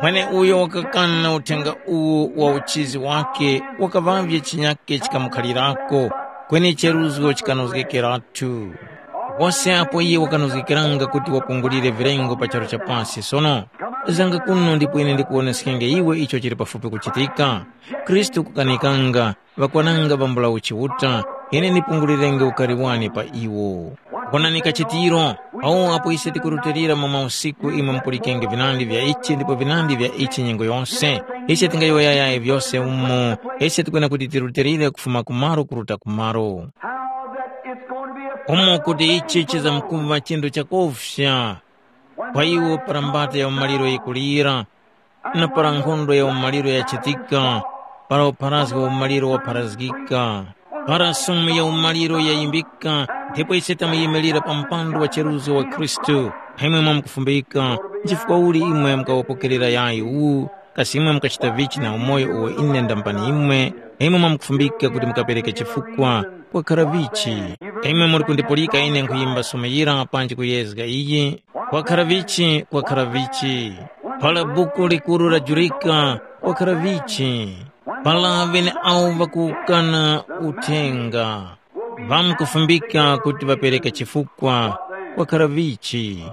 Mweneuyo wakakana uthenga uwu wa uchizi wakhe wakaŵavye chinyake chikamukhalirako, kweni cheruzgo chikanozgekeratu. Wose apo iye wakanozgekeranga kuti wapungulire vilengo pa charu cha pasi sono, zanga kuno ndipo ine ndikuwoneskenge iwe icho chili pafupi kuchitika. Khristu kukanikanga, ŵakwananga ŵambula uchiuta, ine ndipungulirenge ukari wane pa iwo. Wonani kachitiro, awo apo ise tikurutilira mu mausiku imwe mupulikenge vinandi vya ichi ndipo vinandi vya ichi nyengo yose. Ise tingayowoya yayi vyose umo, ise tikwena kuti tirutilire kufuma kumaro kuruta kumaro. How that it's going to be a umo kuti ichi chizamkuva chinthu chakofya. Kwa iwo para mbata ya umaliro yikulira, na para nkhondo ya umaliro yachitika, para upharazgi wa umaliro wapharazgika, para sumu ya umaliro yayimbika, ndipo ise tamuyimilira pa mpando wa cheruzo wa Khristu. Imwe mwamkufumbika, nchifukwa uli imwe mukawapokerera yayi uwu, kasi imwe mukachita vichi na umoyo uwo ine ndamupani imwe? Imwe mwamkufumbika kuti mukapereke chifukwa, kwakhara vichi? Imwe muli kundipulika ine nkhuyimba sumu yira panji kuyezga iyi, kwakhara vichi, kwakhara vichi? Para buku likuru lajurika, kwakhara vichi? Para ŵeneawo ŵakuwukana uthenga, ŵamkufumbika kuti ŵapereke chifukwa, kwakhara vichi?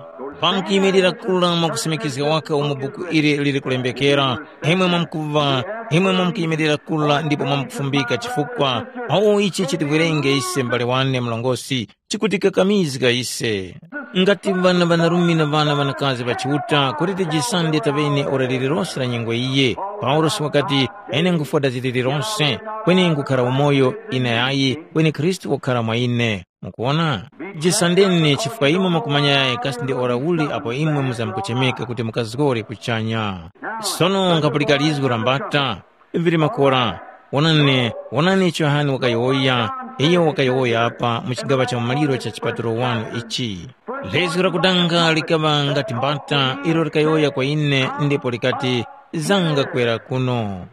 Ŵamkuyimilira kura mwakusimikizga waka umo buku ili lili kulembekera, imwe mwamkuŵa, imwe mwamkuyimilira kura ndipo mwamkufumbika chifukwa, awo ichi chitiwerenge ise mbale wane mlongosi, chikutikakamizga ise. Ngati ŵana ŵanarume na ŵana ŵanakazi ŵa Chiuta, kuti tijisande taŵene ora lililose la nyengo iye. Paulosi wakati, ine nkufwa dazi lililose, kweni nkukhara umoyo, ine ayi, kweni Khristu wakhara mwa ine. Mukuwona? Jisandeni chifukwa imwe mukumanya yayi kasi ndi ora uli apo imwe muzamkuchemeka kuti mukazgore kuchanya. Sono nkapulika lizgu la mbata, vili makora, wonani, wonani icho Yohane wakayowoya, iyo wakayowoya apa mu chigaŵa cha umaliro cha chipatulo wanu ichi. Lezgo lakudanga likaŵa ngati mbata ilo likayowoya kwa ine ndipo likati, zanga kwera kuno.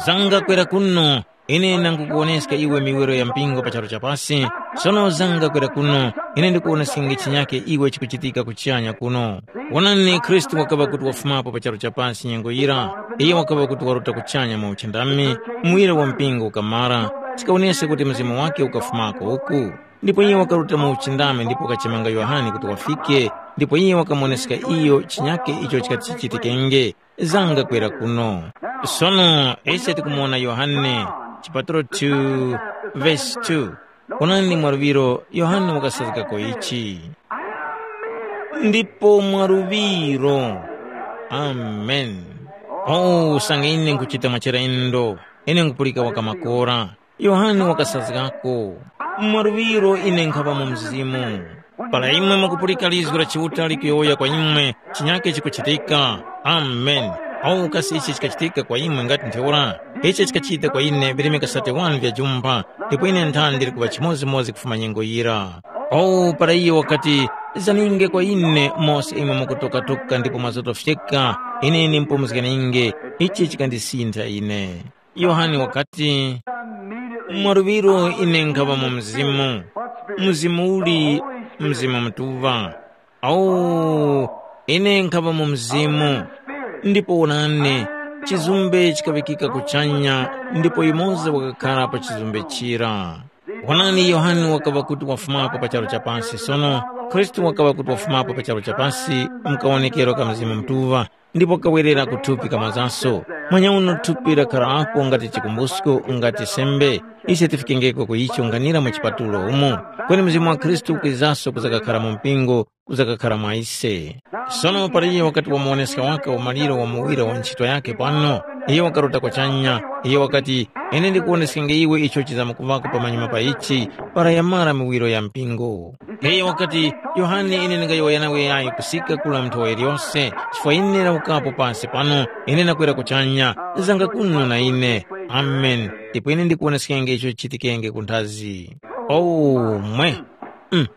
Zanga kwera kuno, ine nangukuwoneska iwe miwiro ya mpingo pa charu cha pasi, sono zanga kwera kuno, ine ndikuwoneskenge chinyake iwe chikuchitika kuchanya kuno. Wonani, Khristu wakaŵa kuti wafumapo pa charu cha pasi nyengo yira, iyo wakaŵa kuti waruta kuchanya mu uchindami, muwiro wa mpingo ukamara, chikawonesa kuti mzimu wake ukafumako uku. Ndipo iye wakaruta mu uchindami ndipo wakachemanga Yohane kuti wafike, ndipo iye wakamuwoneska iyo chinyake icho chikati chichitikenge. Zanga kwera kuno. Sono ise tikumuwona Yohane, chipatulo two, vesi two. Onani mwa luŵiro Yohane wakasazgako ichi. Ndipo mwa luŵiro. Amen. Oh, usange ine nkuchita mwa chilendo, ine nkupulika waka makora. Yohane wakasazgako. Mwa luŵiro ine nkhaŵa mu Mzimu. Para imwe mukupulika lizgu la Chiuta likuyowoya kwa imwe, chinyake chikuchitika. Amen. Awu kasi ichi chikachitika kwa imwe ngati ntheura? Ichi chikachita kwa ine virimika sate wani vya jumba, ndipo ine nthandi ndikuŵa chimodzimodzi kufuma nyengo yira. Awu para iyo wakati, zaninge kwa ine mose imwe mukutokatoka ndipo mwazotofyeka, ine ndimpumuzganinge, ichi chikandisintha ine. Yohane wakati, mwa luŵiro ine nkhaŵa mu Mzimu. Mzimu uli? Mzimu Mutuŵa. Awo, ine nkhaŵa mu Mzimu. Ndipo wonani, chizumbe chikaŵikika kuchanya, ndipo yumoza wakakhara pa chizumbe chira. Wonani, Yohane wakaŵa kuti wafumapo pa charu cha pasi, sono Khristu wakaŵa kuti wafumapo pa charu cha pasi mu kawonekero ka Mzimu Mutuŵa, ndipo kawerera ku thupi kamazanso. Manyauno thupi lakharapo ngati chikumbusko, ngati sembe. Ise tifikengeko ku icho nkhanira mu chipatulo umo. Kweni Mzimu wa Khristu ukwizaso kuzakakhara mu mpingo, kuzakakhara mwa ise. Sono para iyo wakati wamuwoneska waka umaliro wa muwira wa nchito yakhe pano, iyo wakaruta kuchanya, iyo wakati, ine ndikuwoneskenge iwe icho chizamkuvako pamanyuma pa ichi, para yamara miwiro ya mpingo. Iyo wakati, Yohane, ine ndingayowoya nawe yayi kusika kula nthowa iliyose, chifukwa ine ndawukapo pasi pano, ine ndakwera kuchanya, zanga kuno na ine. Amen. Ndipo ine ndikuwoneskenge icho chichitikenge kunthazi. Oh, mwe. Mm.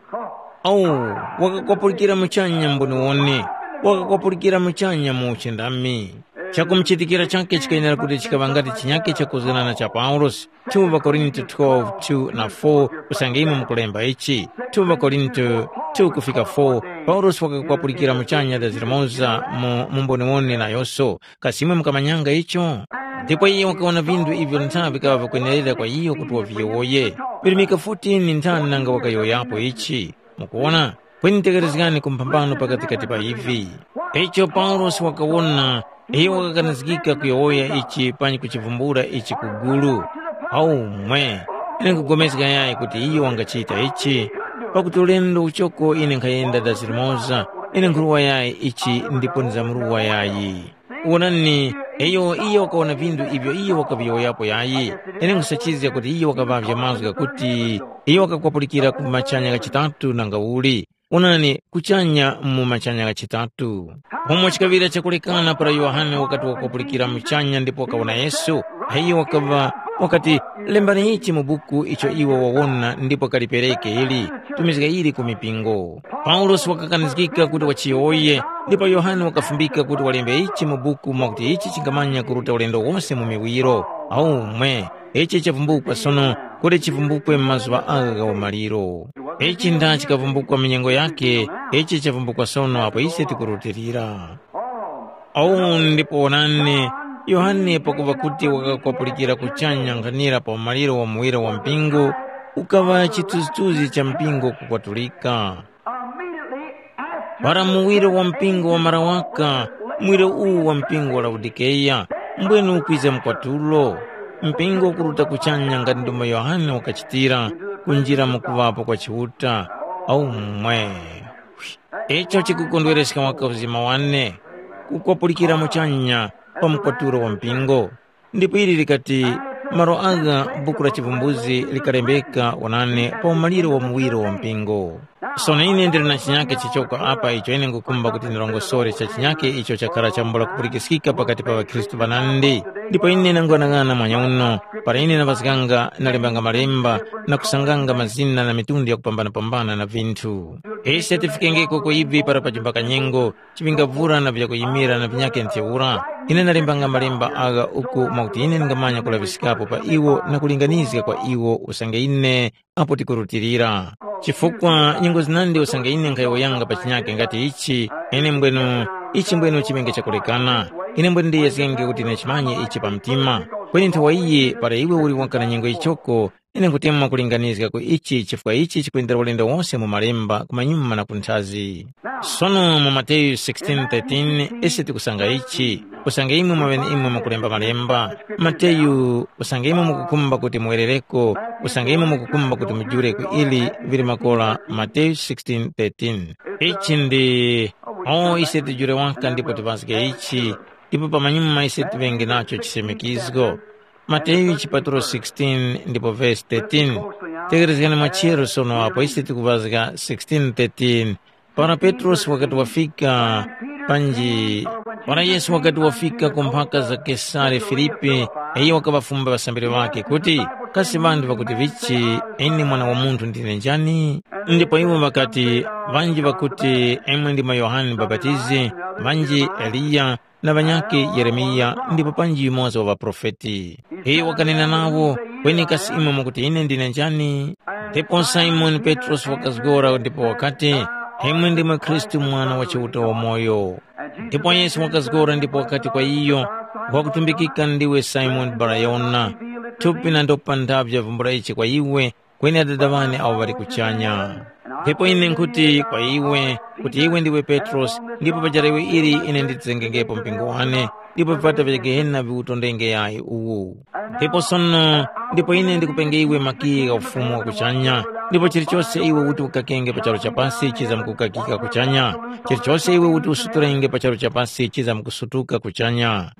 Oh, wakakwapulira muchanya mboniwone. Wakakwapulira muchanya mu uchindami. Chakumuchitikira chakhe chikayenera kuti chikaŵa ngati chinyake chakuzganana cha Paulosi. two Korinto twelve, two na four, usange imwe mukulemba ichi. two Korinto two kufika four, Paulosi wakakwapulira muchanya dazi limoza mu, mu mboniwone nayonso. Kasi imwe mukamanyanga icho? Ndipo iyo wakawona vinthu ivyo ntha vikaŵa vikwenerera kwa iyo kuti waviyowoye. Virimika fourteen nthani nanga wakayowoyapo ichi. Mukuwona? Kweni tekerezgani ku mphambano pakatikati pa ivi. Icho Paulosi wakawona, iyo wakakanizgika kuyowoya ichi panyi kuchivumbula ichi ku gulu. Aumwe! Ine nkhupulikana yayi kuti iyo wangachita ichi, pakuti ulendo uchoko ine nkhayenda dazi limoza, ine nkhuruwa yayi ichi ndipo ndizamruwa yayi. Wonani, iyo iyo wakawona vinthu ivyo iyo wakaviyowoyapo yayi. Ine nkhusachizga kuti iyo wakaŵavya mazgu ghakuti iyo wakakwapulika ku machanya kachitatu nanga uli. Onani, kuchanya mu machanya ghachitatu. Umo chikaŵira chakulekana para Yohane wakati wakupulikira muchanya ndipo wakawona Yesu, ayi wakaŵa wakati, “Lembani ichi mu buku icho iwe wawona ndipo kalipereke ili, tumizga ili ku mipingo.” Paulosi wakakanizgika kuti wachiyowoye, ndipo Yohane wakafumbika kuti walembe ichi mu buku mwakuti ichi chingamanya kuruta ulendo wose mu miwiro. Aumwe, ichi chavumbukwa sono kuti chivumbukwe mu mazuŵa agha gha umaliro. Ichi nda chikavumbukwa mu nyengo yakhe, ichi chavumbukwa sono apo ise tikurutilira. Awu ndipo wonani, Yohane pakuŵa kuti wakakwapulira kuchanya nkhanira pa umaliro wa muwiro wa mpingo, ukaŵa chithunzithunzi cha mpingo kukwatulika. Para muwiro wa mpingo wamara waka, muwiro uwu wa mpingo wa Laodikeya, mbwenu ukwiza mkwatulo. Mpingo ukuruta kuchanya ngati ndomwe Yohane wakachitira, kunjira mu kuŵapo kwa Chiuta. Aumwe! Icho chikukondwereska waka uzima wane, kukwapulikira muchanya pa mkwatulo wa mpingo. Ndipo ili likati, malo agha buku la chivumbuzi likalembeka wonani pa umaliro wa muwiro wa mpingo. Sono ine ndili na chinyake chichoko apa icho ine ngukhumba kuti ndirongosore cha chinyake icho chakhara chambula kupulikiskika pakati pa ŵakhristu ŵanandi. Ndipo ine nangwanang'ana mwanya uno, para ine naŵazganga nalembanga malemba na kusanganga mazina na mitundu yakupambana-pambana na vinthu. Ise tifikengeko ku ivi para pajimba kanyengo, chiŵingavura na vyakuyimira na vinyakhe ntheura. Ine ndalembanga malemba agha uku mwakuti ine ndingamanya kulaŵiskapo pa iwo na kulinganizga kwa iwo usange ine apo tikurutilira. Chifukwa nyengo zinandi usange ine nkhayowoyanga pa chinyakhe ngati ichi, ine mbwenu, ichi mbwenu chiŵenge chakulekana. Ine mbwenu ndiyezgenge kuti ine chimanye ichi pa mtima. Kweni nthawa iyi para iwe uli waka na nyengo yichoko, ine nkutemwa kulinganizga ku ichi chifukwa ichi chikwendera ulendo wose mu malemba kumanyuma na kunthazi. Sono mu Mateyu sixteen thirteen ise tikusanga ichi, usange imwe mwaŵeneimwe mukulemba malemba. Mateyu, usange imwe mukukhumba kuti muwerereko, usange imwe mukukhumba kuti mujule ku ili vili makora Mateyu sixteen thirteen. Ichi ndi, o ise tijule waka ndipo tiŵazge ichi, ndipo pamanyuma ise tiŵenge nacho chisemekizgo. Mateyu chipatulo sixteen ndipo vesi thirteen. Tekerezgani mwachero sono apo ise tikuŵazga sixteen thirteen. Para Petrosi wakati wafika panji, para Yesu wakati wafika ku mphaka za Kesare Filipi, iyo wakaŵafumba ŵasambiri ŵakhe kuti, “Kasi ŵanthu ŵakuti vichi ine Mwana wa Munthu ndine njani?” Ndipo iwo ŵakati, “Ŵanji ŵakuti imwe ndimwe Yohane Mubapatizi, ŵanji Eliya, na ŵanyakhe Yeremiya ndipo panji yumoza wa ŵaprofeti.” Iyo wakanena nawo, “Kweni kasi imwe mukuti ine ndine njani?” Ndipo Simoni Petrosi wakazgora ndipo wakati, “Imwe ndimwe Khristu Mwana wa Chiuta wamoyo.” Ndipo Yesu wakazgora ndipo wakati kwa iyo, “Ngwakutumbikika ndiwe Simoni Barayona, thupi na ndopa ndavyo vumbula ichi kwa iwe, kweni Adada wane awo ŵali kuchanya. Ndipo ine nkhuti kwa iwe, kuti iwe ndiwe Petrosi, ndipo pa jarawe ili ine nditizengengepo mpingo wane, ndipo vipata vya Gehena viwutondenge yayi uwu. Ndipo sono, ndipo ine ndikupenge iwe makiyi gha ufumu wa kuchanya, ndipo chilichose iwe uti ukakenge pa charu cha pasi chizamkukakika kuchanya, chilichose iwe uti usuturenge pa charu cha pasi chizamkusutuka kuchanya.”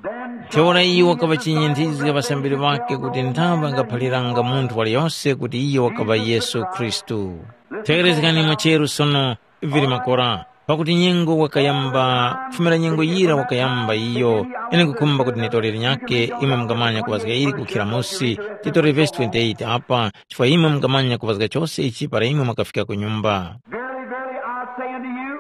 Ntheura iyo wakaŵachinyinthizga ŵasambiri ŵakhe kuti nthaŵa angaphaliranga munthu waliyose kuti iyo wakaŵa Yesu Khristu. Tegherezgani mwacheru sono, vili makora, pakuti nyengo wakayamba, kufumira nyengo yira wakayamba iyo, ine nkukhumba kuti nitore linyakhe, imwe mungamanya kuŵazga ili kukhira musi, titore vesi twenty-eight apa, chifukwa imwe mungamanya kuŵazga chose ichi para imwe mwakafika ku nyumba. Verily, verily, I say unto you,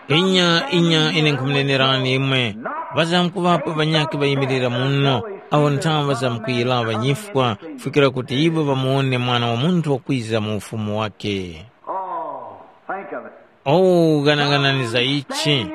Inya, inya, ine nkhumunenerani imwe, ŵazamkuŵapo ŵanyakhe ŵayimirira muno, awo nthaŵa zamkuyiraŵa nyifwa, kufikira kuti iwo ŵamuwone Mwana wa Munthu wakwiza mu ufumu wakhe. Oh, think of it. Oh, ghanaghanani za ichi!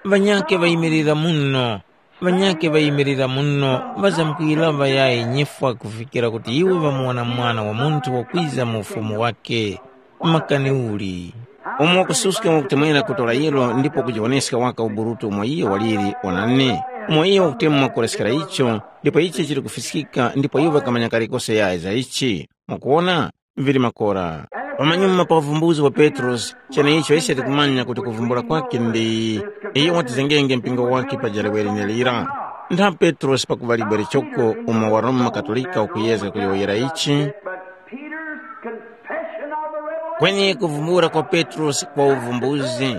Ŵanyakhe ŵayimirira muno, ŵanyakhe ŵayimirira muno, ŵazamkuyiraŵa yayi nyifwa kufikira kuti iwo ŵamuwona Mwana wa Munthu wakwiza mu ufumu wakhe. Makani uli? Umo wakususka wakutemwera kutora yiro ndipo kujiwoneska waka uburutu umo iyo waliri, onani, umo iyo wakutemwa kureskera icho, ndipo ichi chili kufiskika ndipo iwo ŵakamanya kalikose yayi za ichi. Mukuwona? Vili makora. Pamanyuma pa uvumbuzi wa Petrosi, cheneicho ise tikumanya kuti kuvumbula kwakhe ndi iyo watizengenge mpingo wakhe pa jalewe lenelira. Ntha Petrosi pakuŵa libwe lichoko umo wa Roma Katolika ukuyezga kuyowoyera ichi, But Peter's confession of the revelation Kweni kuvumbula kwa Petrosi kwa uvumbuzi,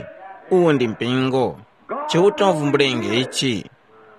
uwu ndi mpingo. Chiuta wavumbulenge ichi.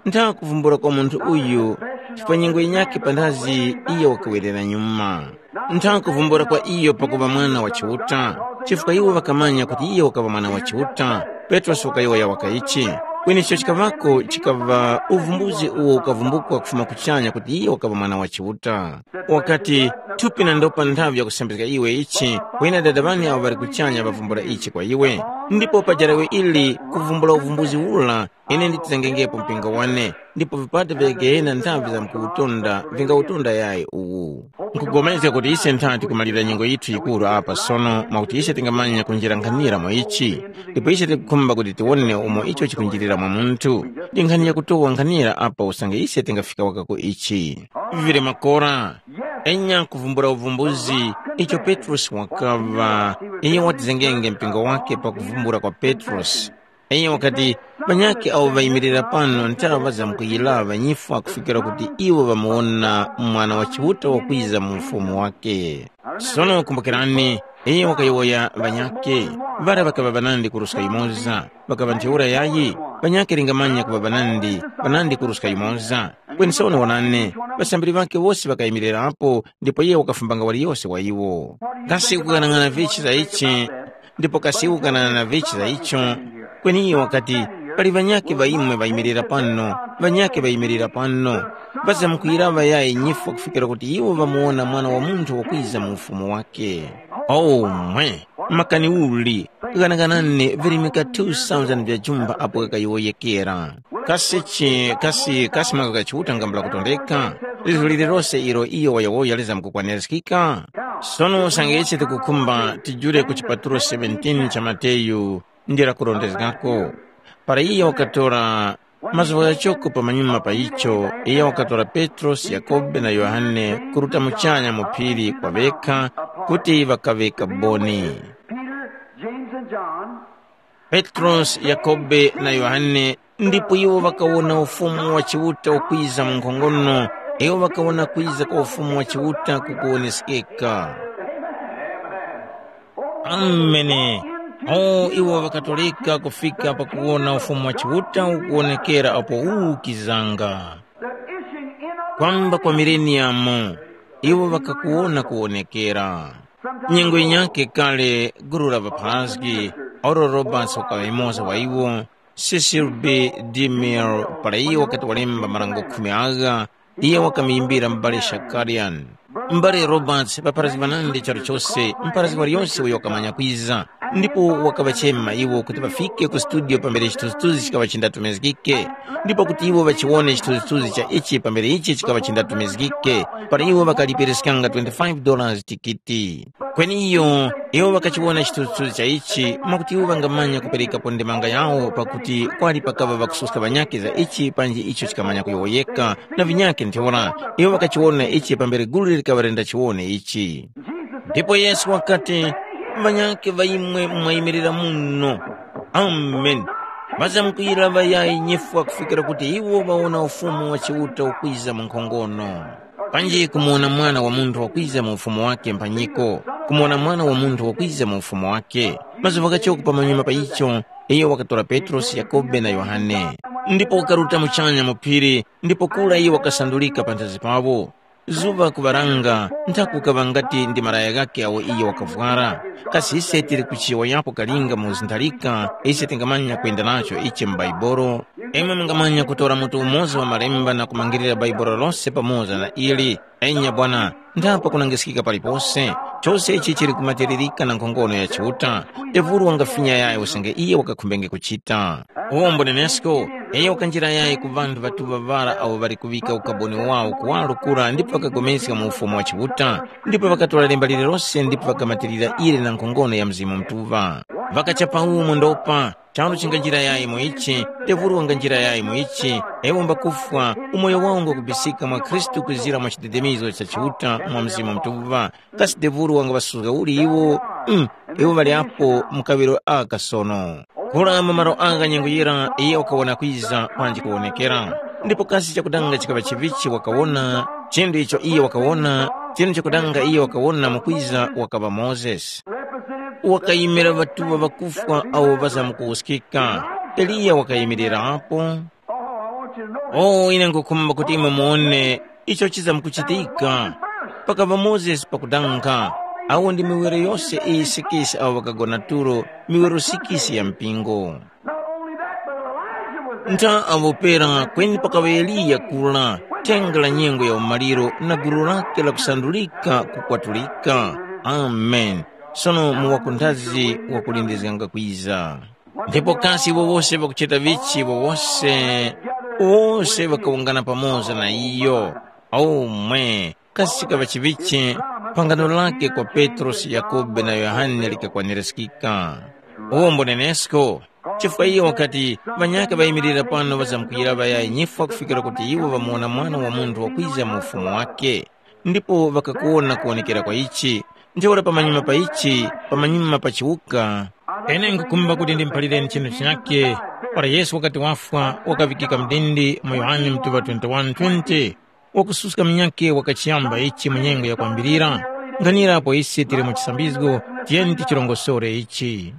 Ntha kuvumbula kwa munthu uyu, chifukwa nyengo yinyakhe panthazi iyo wakawerera nyuma. Ntha kuvumbula kwa iyo pakuŵa mwana wa Chiuta, chifukwa iwo ŵakamanya kuti iyo wakaŵa mwana wa Chiuta. Petrosi wakayowoya waka ichi. Kweni icho chikaŵako chikaŵa uvumbuzi uwo ukavumbukwa kufuma kuchanya kuti iyo wakaŵa mwana wa Chiuta. Wakati, thupi na ndopa nthavi yakusambizga iwe ichi, kweni Adada ŵane abo ŵali kuchanya ŵavumbula ichi kwa iwe. Ndipo pa jarawe ili kuvumbula uvumbuzi ura, ine nditizangengepo mpingo wane, ndipo vipata vya Gehena nthavi zamkuwutunda vingawutunda yayi uwu. Nkupulikana kuti ise ntha tikumalira nyengo yithu yikuru apa sono mwakuti ise tingamanya kunjira nkhanira mwa ichi, ndipo ise tikukhumba kuti tiwone umo icho chikunjirira mwa munthu. Ndi nkhani yakutowa nkhanira apa usange ise tingafika waka ku ichi. Vili makora, enya kuvumbula uvumbuzi, icho Petrosi wakaŵa, iyo watizengenge mpingo wake pa kuvumbula kwa Petrosi. Iyo wakati, ŵanyakhe awo ŵayimirira pano nthaŵa zamkuyiraŵa nyifwa kufikira kuti iwo ŵamuwona Mwana wa Chiuta wakwiza mu ufumu wake. Sono kumbukirani, iyo wakayowoya ŵanyakhe, ŵara ŵakaŵa ŵanandi kuruska yumoza, ŵakaŵa ntheura yayi, ŵanyakhe lingamanya kuŵa ŵanandi, ŵanandi kuruska yumoza. Kweni sono wonani, ŵasambiri ŵakhe wose ŵakayimirirapo, ndipo iye wakafumbanga waliyose wa iwo. Kasi ukughanag'ana vichi za ichi? Ndipo kasi ukughanag'ana vichi za icho? Kweni iyo wakati, pali ŵanyakhe ŵa imwe ŵayimirira pano, ŵanyakhe ŵayimirira pano, ŵazamkuyiraŵa yayi nyifwa kufikira kuti iwo ŵamuwona Mwana wa Munthu wakwiza mu ufumu wake. Omwe, makani uli, ghanaganani virimika two thousand vya jumba apo ghakayowoyekera. Kasi chi, kasi, kasi mazgu gha Chiuta ngambula kutondeka? Lizgu lililose ilo iyo wayowoya lizamkukwanirizgika? Sono usange ise tikukhumba tijule ku chipatulo seventeen cha Mateyu ndi lakurondezgako. Para iyo wakatora mazgu ghachoko pamanyuma pa icho, iyo wakatora Petrosi, Yakobe na Yohane kuruta muchanya mu phiri kwa ŵekha kuti ŵakaŵe kaboni. Peter, James, and John Petrosi, Yakobe na Yohane, ndipo iwo ŵakawona Ufumu wa Chiuta ukwiza mu nkhongono, iwo ŵakawona kwiza kwa Ufumu wa Chiuta kukuwonesekeka. Amene. O iwo ŵakatoleka kufika pakuwona Ufumu wa Chiuta ukuwonekera apo ukizanga. Kwamba kwa mileniyamu, iwo ŵakakuwona kuwonekera. Nyengo yinyakhe kale gulu la ŵapharazgi, oro Roberts wakaŵa yumoza wa iwo, Cecil B. DeMille, para iyo wakati walemba marango khumi agha, iyo wakamuyimbira m'bale Shakarian. M'bale Roberts, ŵapharazgi ŵanandi charu chose, mpharazgi waliyose uyo wakamanya kwiza, ndipo wakaŵachema iwo kuti ŵafike ku studio pambere chithunzithunzi chikaŵa chindatumizgike, ndipo kuti iwo ŵachiwone chithunzithunzi cha ichi pambere ichi chikaŵa chindatumizgike, para iwo ŵakalipiriskanga twenty-five dollars tikiti. Kweni iyo, iwo ŵakachiwona chithunzithunzi cha ichi, mwakuti iwo ŵangamanya kuperekapo ndemanga yawo pakuti kwali pakaŵa ŵakususka ŵanyakhe za ichi panji icho chikamanya kuyowoyeka, na vinyakhe ntheura, iwo ŵakachiwona ichi pambere gulu likaŵa lendachiwone ichi. Ndipo Yesu wakati, ŵanyakhe ŵa imwe mwayimirira muno. Ameni. Ŵazamkuyira ŵayayi nyifwa kufikira kuti iwo ŵawona Ufumu wa Chiuta ukwiza mu nkhongono. Panji kumuwona Mwana wa Munthu wakwiza mu ufumu wake mphanyiko, kumuwona Mwana wa Munthu wakwiza mu ufumu wake. Mazuŵa ghachoko pamanyuma pa icho, iyo wakatora Petrosi, Yakobe na Yohane, ndipo wakaruta muchanya mu phiri, ndipo kura iyo wakasandulika panthazi pawo. Zuŵa kuŵaranga, nthaku kaŵa ngati ndi malaya ghakhe agho iyo wakavwara. Kasi ise tili kuchiyowoyapo kalinga mu zintharika, ise tingamanya kwenda nacho ichi mu Baibolo? Imwe mungamanya kutora mutu umoza wa malemba na kumangirira Baibolo lose pamoza na ili. Enya bwana, ndapa kunangiskika palipose. Chose ichi chili kumatiririka na nkhongono ya Chiuta. Devulu wangafinya yayo usange iye wakakhumbenge kuchita. Uwombo nenesko, iyo wakanjira yayi ku ŵanthu ŵatuŵa ŵara awo ŵali kuŵika ukaboni wawo kuwaro kura ndipo ŵakagomeska mu Ufumu wa Chiuta, ndipo ŵakatora lemba lililose ndipo ŵakamatirira ili na nkhongono ya Mzimu Mutuŵa. Ŵakachapa umo ndopa, charu chinganjira yayi mu ichi, devulu wanganjira yayi mu ichi, ewo mbakufwa, umoyo wawo ngwakubisika mwa Khristu kwizira mwa chidedemizo cha Chiuta mwa Mzimu Mutuŵa, kasi devulu wangaŵasuzga uli iwo? Mm, iwo ŵali apo mu kaŵiro aka sono. Kura mu malo agha nyengo yira iyo wakawona kwiza panji kuwonekera. Ndipo kasi chakudanga chikaŵa chivichi wakawona, chinthu icho iyo wakawona, chinthu chakudanga iyo wakawona mu kwiza wakaŵa Mozesi. wakayimira ŵatuŵa ŵakufwa awo ŵazamkuwuskika. Eliya wakayimirirapo. Oh, ine nkhukhumba kuti imwe muwone icho chizamkuchitika. Pakava Mozesi pakudanga, awo ndi miwiro yose iyi sikisi awo ŵakagona tulo, miwiro sikisi ya mpingo. Ntha apo pera kweni pakaŵa Eliya kura, thenga la nyengo ya umaliro na gulu lake lakusandulika kukwatulika. Amen. Sono mu wakundhazi wakulindizganga kwiza. Ndipo kasi iwo wose ŵakuchita vichi iwo wose, wose ŵakawungana pamoza na iyo. Omwe, kasi chikaŵa chivichi, phangano lake kwa Petrosi, Yakhobe na Yohane likakwanirizgika. Uwo mbunenesko, chifukwa iyo wakati ŵanyaka ŵayimirira pano ŵazamkuyira ŵaya nyifwa kufikira kuti iwo ŵamuwona Mwana wa Munthu wakwiza mu ufumu wake. Ndipo ŵakakuwona kuwonekera kwa ichi, ntheura pamanyuma pa ichi, pamanyuma pa chiwuka. Ine nkhukhumba kuti ndimuphalireni chinthu chinyakhe. Para Yesu wakati wafwa, wakaŵikika mdindi mu Yohane mutuŵa twenty-one twenty, wakususka munyakhe wakachiyamba ichi mu nyengo yakwambirira. Nkhanira apo ise tili mu chisambizgo, tiyeni tichirongosore ichi.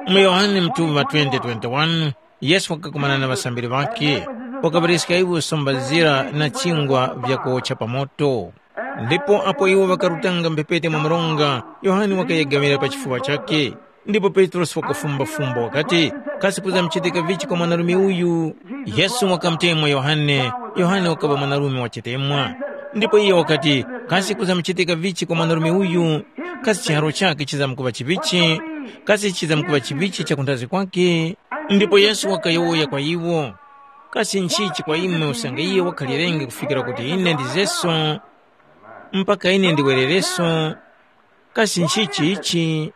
Mu Yohane mutuŵa twenty twenty-one, Yesu wakakumana na ŵasambiri ŵakhe, wakaŵariska iwo somba zira na chingwa vyakuwotcha pa moto. Ndipo apo iwo ŵakarutanga mphepete mwa mronga, Yohane wakayegamira pa chifuŵa chakhe. Ndipo Petrosi wakafumbafumba wakati, kasi kuzamuchitika vichi kwa mwanarume uyu? Yesu wakamutemwa Yohane, Yohane wakaŵa mwanarume wa chitemwa. Ndipo iye wakati, kasi kuzamuchitika vichi kwa mwanarume uyu? Kasi chiharo chakhe chizamkuŵa chivichi? Kasi chizamkuŵa chivichi chakunthazi kwakhe? Ndipo Yesu wakayowoya kwa iwo, kasi nchichi kwa imwe usange iye wakhalirenge kufikira kuti ine ndizeso, mpaka ine ndiwerereso? Kasi nchichi ichi?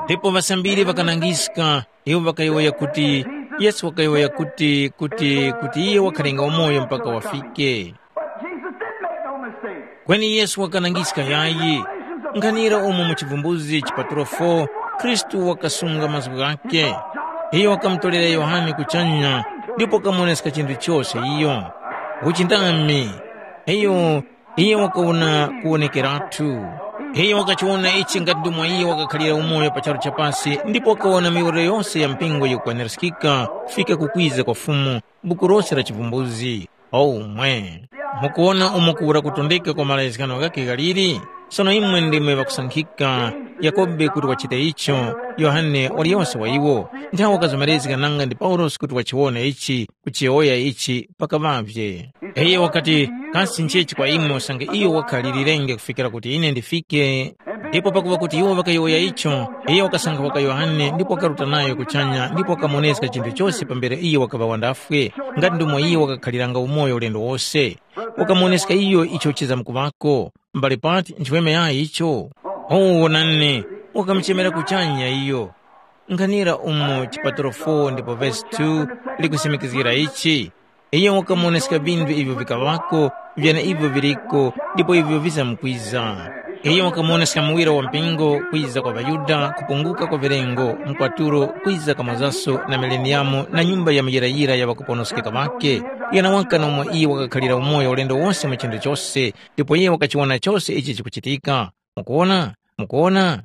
Ndipo ŵasambiri ŵakanangiska, iwo ŵakayowoya kuti, Yesu wakayowoya kuti, kuti, kuti iye wakhalenga umoyo mpaka wafike. Kweni Yesu wakanangiska yayi. Nkhanira umo mu chivumbuzi chipatulo four, Khristu wakasunga mazgu ghakhe. Iyo wakamutorera Yohane kuchanya, ndipo wakamuwoneska chinthu chose iyo. Uchindami, iyo, iyo wakawona kuwonekeratu. Iyo wakachiwona ichi ngati ndomwe iyo wakakhalira umoyo pa charu cha pasi, ndipo wakawona miwolero yose ya mpingo yikukwanirizgika kufika ku kwiza kwa Fumu, buku lose la chivumbuzi. Omwe. Mukuwona umo kuwura kutondeka kwa malezgano ghakhe ghaliri? Sono imwe ndimwe ŵakusankhika, Yakobe kuti wachite icho, Yohane waliyose wa iwo, nthawe wakazomerezga nanga ndi Paulosi kuti wachiwone ichi, kuchiyowoya ichi pakaŵavye. Iyo wakati, kasi nchechi kwa imwe usange iyo wakhalilirenge kufikira kuti ine ndifike? Ndipo pakuŵa kuti iwo ŵakayowoya icho, iyo wakasankha waka Yohane ndipo wakaruta nayo kuchanya ndipo wakamuwoneska chinthu chose pambere iyo wakaŵa wandafwe, nga ndi umo iyo wakakhaliranga umoyo ulendo wose. Wakamuwoneska iyo icho chizamkuŵako. Mbale pati nchiweme yayi icho? Oh, wonani, wakamuchemera kuchanya iyo. Nkhanira umo chipatulo four ndipo vesi two likusimikizgira ichi. Iyo wakamuwoneska vinthu ivyo vikaŵako, vyeneivyo viliko, ndipo ivyo vizamkwiza. Iyo wakamuwoneska muwiro wa mpingo, kwiza kwa ŵaYuda, kupunguka kwa vilengo, mkwatulo, kwiza kamozaso na mileniyamu na nyumba ya muyirayira ya ŵakuponoskeka ŵakhe. Yenawaka nomwe iyo wakakhalira umoyo ulendo wose mu chinthu chose, ndipo iye wakachiwona chose ichi chikuchitika. Mukuwona? Mukuwona?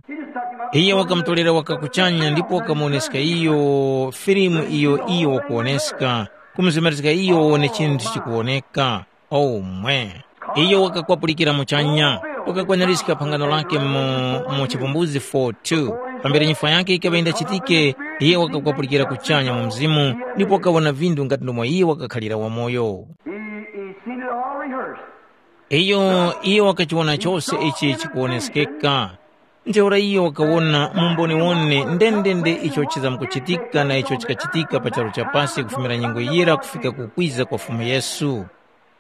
Iye wakamutorera waka kuchanya ndipo wakamuwoneska iyo filimu iyo iyo wakuwoneska, kumuzemerezga iyo wawone chinthu chikuwoneka. Omwe. Iyo wakakwapulikira muchanya, wakakwanirizga phangano lake mu, mu Chivumbuzi four two. Pambere nyifwa yake yikaŵa yindachitike, iye wakakwapulikira kuchanya mu mzimu, ndipo wakawona vinthu ngati ndomwe iye wakakhalira wamoyo. He, he seen it all rehearsed. Iyo, iyo wakachiwona chose ichi chikuwoneskeka. Ntheura iyo wakawona mu mboniwone ndendende icho chizamkuchitika na icho chikachitika pa charu cha pasi kufumira nyengo yira kufika ku kwiza kwa Fumu Yesu.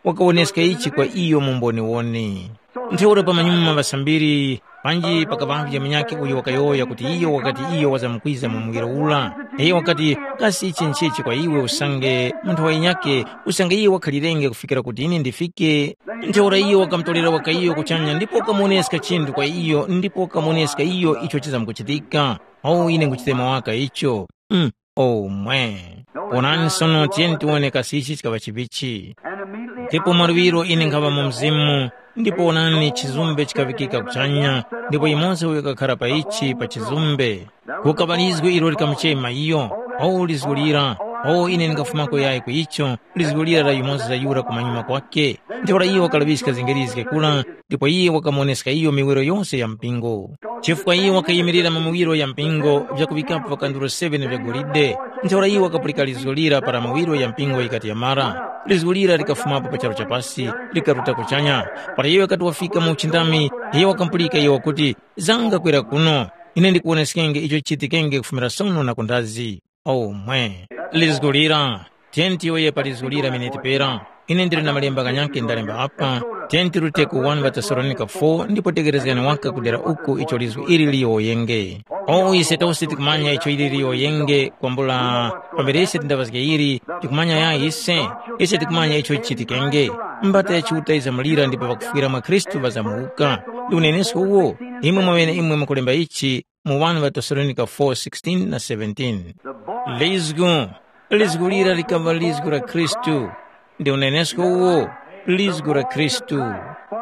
Wakawoneska ichi kwa iyo mu mboniwone. Ntheura pamanyuma ŵasambiri, panji pakaŵavye munyakhe uyo wakayowoya kuti iyo wakati iyo wazamkwiza mu muwiro ura. Iyo wakati, kasi ichi nchichi kwa iwe usange munthu wa yinyakhe, usange iye wakhalirenge kufikira kuti ine ndifike? Ntheura iyo wakamutorera waka iyo kuchanya ndipo wakamuwoneska chinthu kwa iyo ndipo wakamuwoneska iyo icho chizamkuchitika. Oh, ine nkuchitema waka icho. Mm, omwe. Onani sono tiyeni tiwone kasi ichi chikaŵa chivichi. Ndipo mwaluŵiro ine nkhaŵa mu mzimu, Ndipo wonani, chizumbe chikaŵikika kuchanya, ndipo yumoza uyo wakakhara pa ichi pa chizumbe. Kukaŵa lizgu ilo likamuchema iyo, “O lizgu lira, o ine ndingafumako yayi ku icho, lizgu lira la yumoza yura kumanyuma kwake.” Ntheura iyo wakalaŵiska zingirizge kura, ndipo iye wakamuwoneska iyo miwiro yose ya mpingo. Chifukwa iye wakayimirira mu miwiro ya mpingo vyakuŵikapo vikanduro seven vya golide, ntheura iye wakapulika lizgu lira para miwiro ya mpingo yikati yamara. Lizgu lira likafumapo pa charu cha pasi, likaruta kuchanya. Para iyo wakati wafika mu uchindami, iye wakamupulika iyo wakuti, “Zanga kwera kuno, ine ndikuwoneskenge icho chichitikenge kufumira sono na kundazi.” Omwe. Lizgu lira, tiyeni tiyowoye pa lizgu lira miniti pera. Ine ndili na malemba ghanyakhe ndalemba apa, tiyeni tirute ku one ŵaTesalonika four ndipo tekerezgani waka kudera uku icho lizgu ili liyowoyenge. O ise tose tikumanya icho ili liyowoyenge kwambula pambere ise tindaŵazge ili, tikumanya ya ise, ise tikumanya icho chichitikenge. Mbata ya Chiuta izamulira ndipo ŵakufwira mwa Khristu ŵazamuwuka. Ndi unenesko uwo, imwe mwaŵene imwe mukulemba ichi, mu one ŵaTesalonika four sixteen na seventeen. Lizgu, lizgu lira likaŵa lizgu la Khristu. Ndi unenesko uwo, lizgu la Khristu.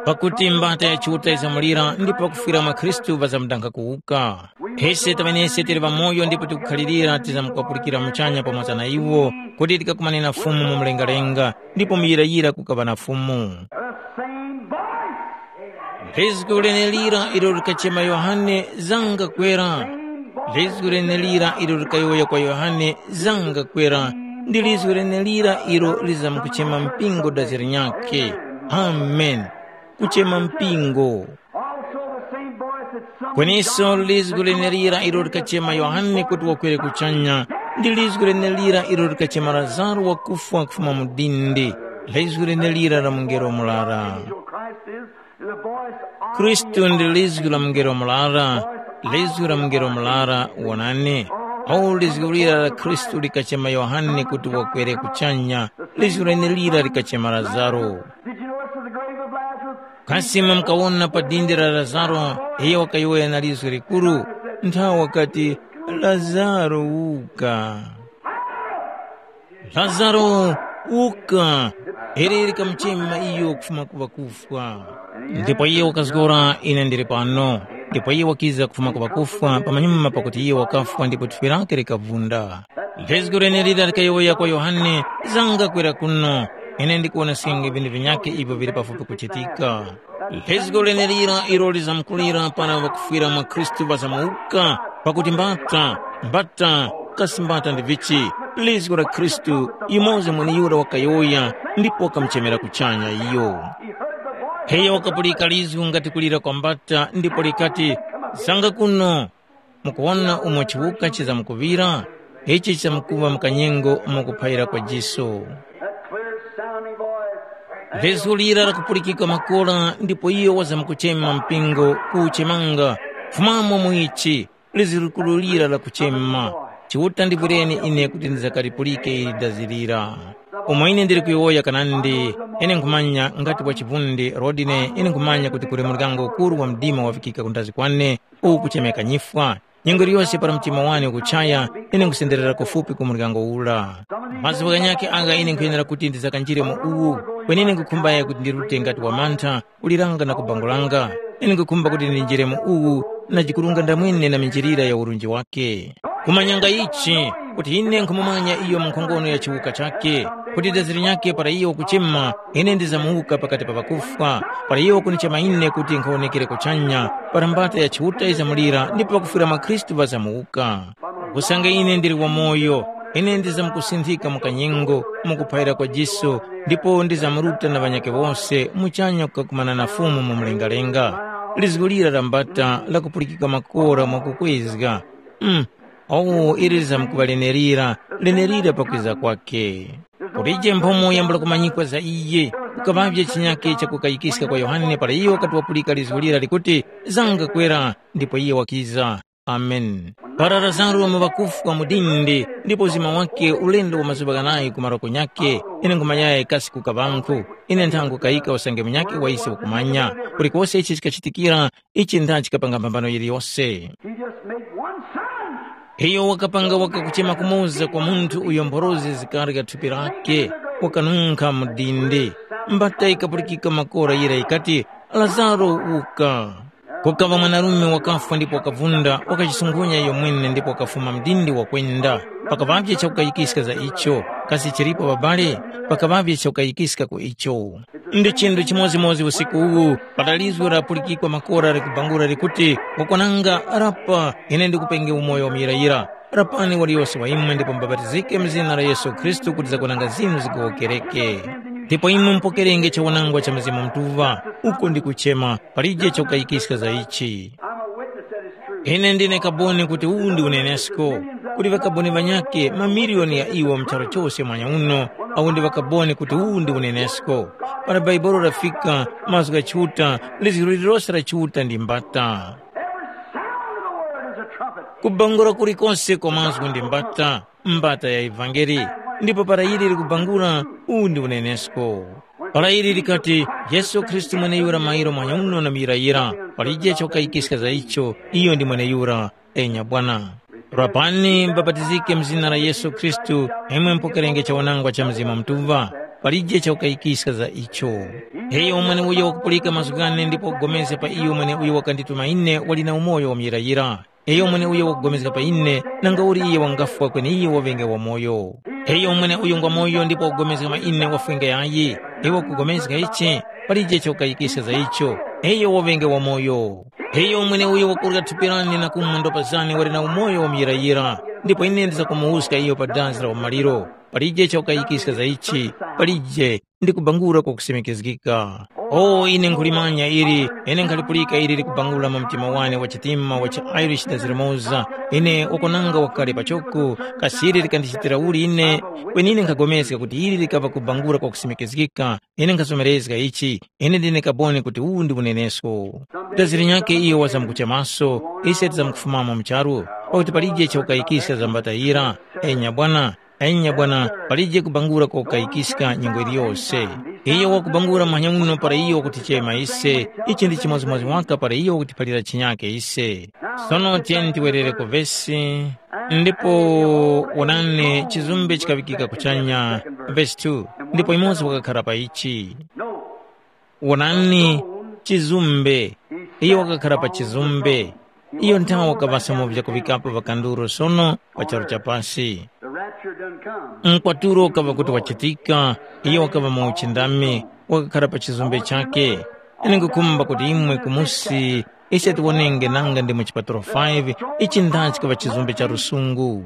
Pakuti mbata ya Chiuta izamulira ndipo pakufwira mwa Khristu ŵazamudankha kuwuka. Ise taŵenese tili ŵamoyo ndipo tikukhalirira tizamukwapulika muchanya pamoza na iwo, kuti tikakumane na Fumu mu mlengalenga, ndipo muyirayira kukaŵa na Fumu. The same voice. Lizgu lenelira ilo likachema Yohane, “Zanga kwera.” Lizgu lenelira ilo likayowoya kwa Yohane, “Zanga kwera.” Ndi lizgu lenelira ilo lizamkuchema mpingo dazi linyakhe. Amen. Kuchema mpingo. Also the same voice that summoned Kweninso John lizgu lenelira ilo likachema Yohane kuti wakwere kuchanya, ndi lizgu lenelira ilo likachema Lazaro wakufwa kufuma mu dindi. Lizgu lenelira la mungelo murara. Angel Christ is. Khristu ndi lizgu la mungelo murara, lizgu la mungelo murara. Wonani, awu lizgu lira la Khristu likachema Yohane kuti wakwere kuchanya, lizgu lenelira likachema Lazaro. Did you notice the grave of Lazarus? Kasi imwe mukawona pa dindi la Lazaro, iyo wakayowoya na lizgu likuru, nthawi wakati, “Lazaro, wuka!” Lazaro, wuka! Ili likamuchema iyo kufuma ku ŵakufwa. Ndipo iye wakazgora, “Ine ndili pano.” Ndipo iye wakiza kufuma ku ŵakufwa pamanyuma pakuti iye wakafwa ndipo thupi lake likavunda. Lizgu lenelira likayowoya kwa Yohane, “Zanga kwera kuno, ine ndikuwoneskenge vinthu vinyakhe ivyo vili pafupi kuchitika.” Lizgu lenelira ilo lizamkulira para ŵakufwira mwa Khristu ŵazamuwuka, pakuti mbata, mbata, kasi mbata ndi vichi? Lizgu la Khristu, yumoza mweneyura wakayowoya ndipo wakamuchemera kuchanya iyo. Iyo wakapulika lizgu ngati kulira kwa mbata ndipo likati, “Zanga kuno.” Mukuwona umo chiwuka chizamkuŵira? Ichi chizamkuŵa mu kanyengo umo kuphayira kwa jiso. That clear sounding voice. Lizgu lira lakupulikika makora ndipo iyo wazamkuchema mpingo kuuchemanga, “Fumamo mu ichi.” Lizgu likuru lira lakuchema, “Chiuta ndivwireni ine kuti ndizakalipulike ili dazi lira.” Umo ine ndili kuyowoya kanandi, ine nkhumanya ngati wa chivundi Rodine, ine nkhumanya kuti kuli muryango ukuru wa mdima wafikika kundazi kwane, uwu kuchemeka nyifwa. Nyengo iliyose para mtima wane ukuchaya, ine nkusenderera kufupi ku muryango ura. Mazgu ghanyakhe agha ine nkhuyenera kuti ndizakanjire mu uwu, kweni ine nkhukhumbaye kuti ndirute ngati wamantha, kuliranga na kubangulanga. Ine nkhukhumba kuti ndinjire mu uwu, na jikurunga ndamwene na minjilira ya urunji wake. Kumanyanga ichi, kuti ine nkhumumanya iyo mu nkhongono ya chiwuka chakhe, kuti dazi linyakhe para iyo wakuchema, ine ndizamuwuka pakati pa ŵakufwa, para iyo wakunichema ine kuti nkhawonekere kuchanya, para mbata ya Chiuta yizamulira ndipo pakufwira mwa Khristu ŵazamuwuka. Kusanga ine ndili wamoyo, ine ndizamkusinthika mu kanyengo, mu kuphayira kwa jiso, ndipo ndizamuruta na ŵanyakhe wose muchanya kukakumana na Fumu mu mlengalenga. Lizgu lira la mbata lakupulikika makora mwakukwezga. Mm, owo ili lizamkuŵa lenelira, lenelira pakwiza kwakhe. Kulije mphomo yambula kumanyikwa za iye, kukaŵavye chinyakhe chakukayikiska kwa Yohane para iyo wakati wapulika lizgu lira likuti, “Zanga kwera,” ndipo iye wakiza. Amen. Para Lazaro mu ŵakufwa mu dindi, ndipo uzima wake ulendo wa mazuŵa ghanayi ku maroko nyakhe, ine nkhumanyaye kasi kukaŵankhu, ine nthango kayika usange munyakhe wa ise ukumanya. Kulikose ichi chikachitikira, ichi ntha chikapanga mphambano yiliyose. He just made one sign. Iyo wakapanga waka kuchema kumoza kwa munthu uyo mphorozi zikarya thupi lake, wakanunkha mu dindi. Mbata ikapulikika makora yira ikati, “Lazaro, wuka!” Kukaŵa mwanarume wakafwa ndipo wakavunda, wakachisungunya iyo mwene ndipo wakafuma mdindi wakwenda. Pakaŵavye chakukayikiska za icho, kasi chilipo ŵabale? Pakaŵavye chakukayikiska ku icho. Ndi chinthu chimodzimodzi usiku uwu, para lizgu lapulikikwa makora likubangula likuti, “Wakwananga, rapa, ine ndikupenge umoyo wa muyirayira. Rapani waliyose wa imwe ndipo mubapatizike mu zina la Yesu Khristu kuti zakwananga zinu zigowokereke. Ndipo imwe mupokerenge chawanangwa cha Mzimu Mutuŵa, uko ndikuchema, palije chakukayikiska za ichi.” I'm a witness that it's true. Ine ndine kaboni kuti uwu ndi unenesko, kuti ŵakaboni ŵanyakhe mamiliyoni ya iwo mu charu chose mwanya uno, awo ndi ŵakaboni kuti uwu ndi unenesko. Para Bhaibuli lafika, mazgu gha Chiuta, lizgu lililose la Chiuta ndi mbata. Every sound of the word is a trumpet. Kubangula kulikose kwa mazgu ndi mbata, mbata ya ivangeli. Ndipo para ili likubangula, uwu ndi unenesko. Para ili likati, “Yesu Khristu mweneyura mairo mwanyauno na muyirayira, palije chokayikiska za icho, iyo ndi mweneyura, enya Bwana. Rapani mubapatizike mu zina la Yesu Khristu, imwe mupokerenge chawanangwa cha Mzimu Mutuŵa, palije chokayikiska za icho.” Iyo mweneuyo wakupulika mazgu ghane ndipo wakupulikana pa iyo mweneuyo wakandituma ine wali na umoyo wa muyirayira. Iyo mweneuyo wakupulikana pa ine, nanga uli iye wangafwa kweni iye waŵenge wamoyo. Iyo mweneuyo ngwamoyo ndipo wakupulikana pa ine wafwenge yayi. Iwe ukupulikana ichi, palije chokayikiska za icho, iyo waŵenge wamoyo. Iyo mweneuyo wakurya thupi lane na kumwa ndopa zane wali na umoyo wa muyirayira, ndipo ine ndizakumuwuska iyo pa dazi la umaliro. Palije chokayikiska za ichi, palije ndi kubangula kwakusimikizgika. O, ine nkhulimanya ili, ine nkhalipulika ili likubangula mu mtima wane wa chitima wa chi-Irish na zilimoza, ine ukonanga wakale pachoko, kasi ili likandichitira uli ine? Kweni ine nkhapulikana kuti ili likaŵa kubangula kwakusimikizgika, ine nkhazomerezga ichi, ine ndine kaboni kuti uwu ndi unenesko. Daziri nyakhe iyo wazamkuchemaso, ise tizamkufumamo mu charu, pakuti palije chokayikiska za mbata yira. Enya Bwana, Enya Bwana, palije kubangula kokayikiska nyengo yiliyose. Iyo wakubangula muhanya uno para iyo wakutichema ise, ichi ndi chimodzimodzi waka para iyo wakutiphalira chinyake ise. Sono tiyeni tiwerere ku vesi, ndipo wonani chizumbe chikaŵikika kuchanya, vesi two, ndipo yumoza wakakhara pa ichi. Wonani, chizumbe. Iyo wakakhara pa chizumbe. Iyo nthawe wakaŵaso mu vyakuŵikapo ŵakanduro sono pa charu cha pasi. The rapture done come. Mkwatulo ukaŵa kuti wachitika, iyo wakaŵa mu uchindami, wakakhara pa chizumbe chakhe. Ine nkhukhumba kuti imwe kumusi ise tiwonenge nanga ndi mu chipatulo five, ichi ndha chikaŵa chizumbe cha lusungu.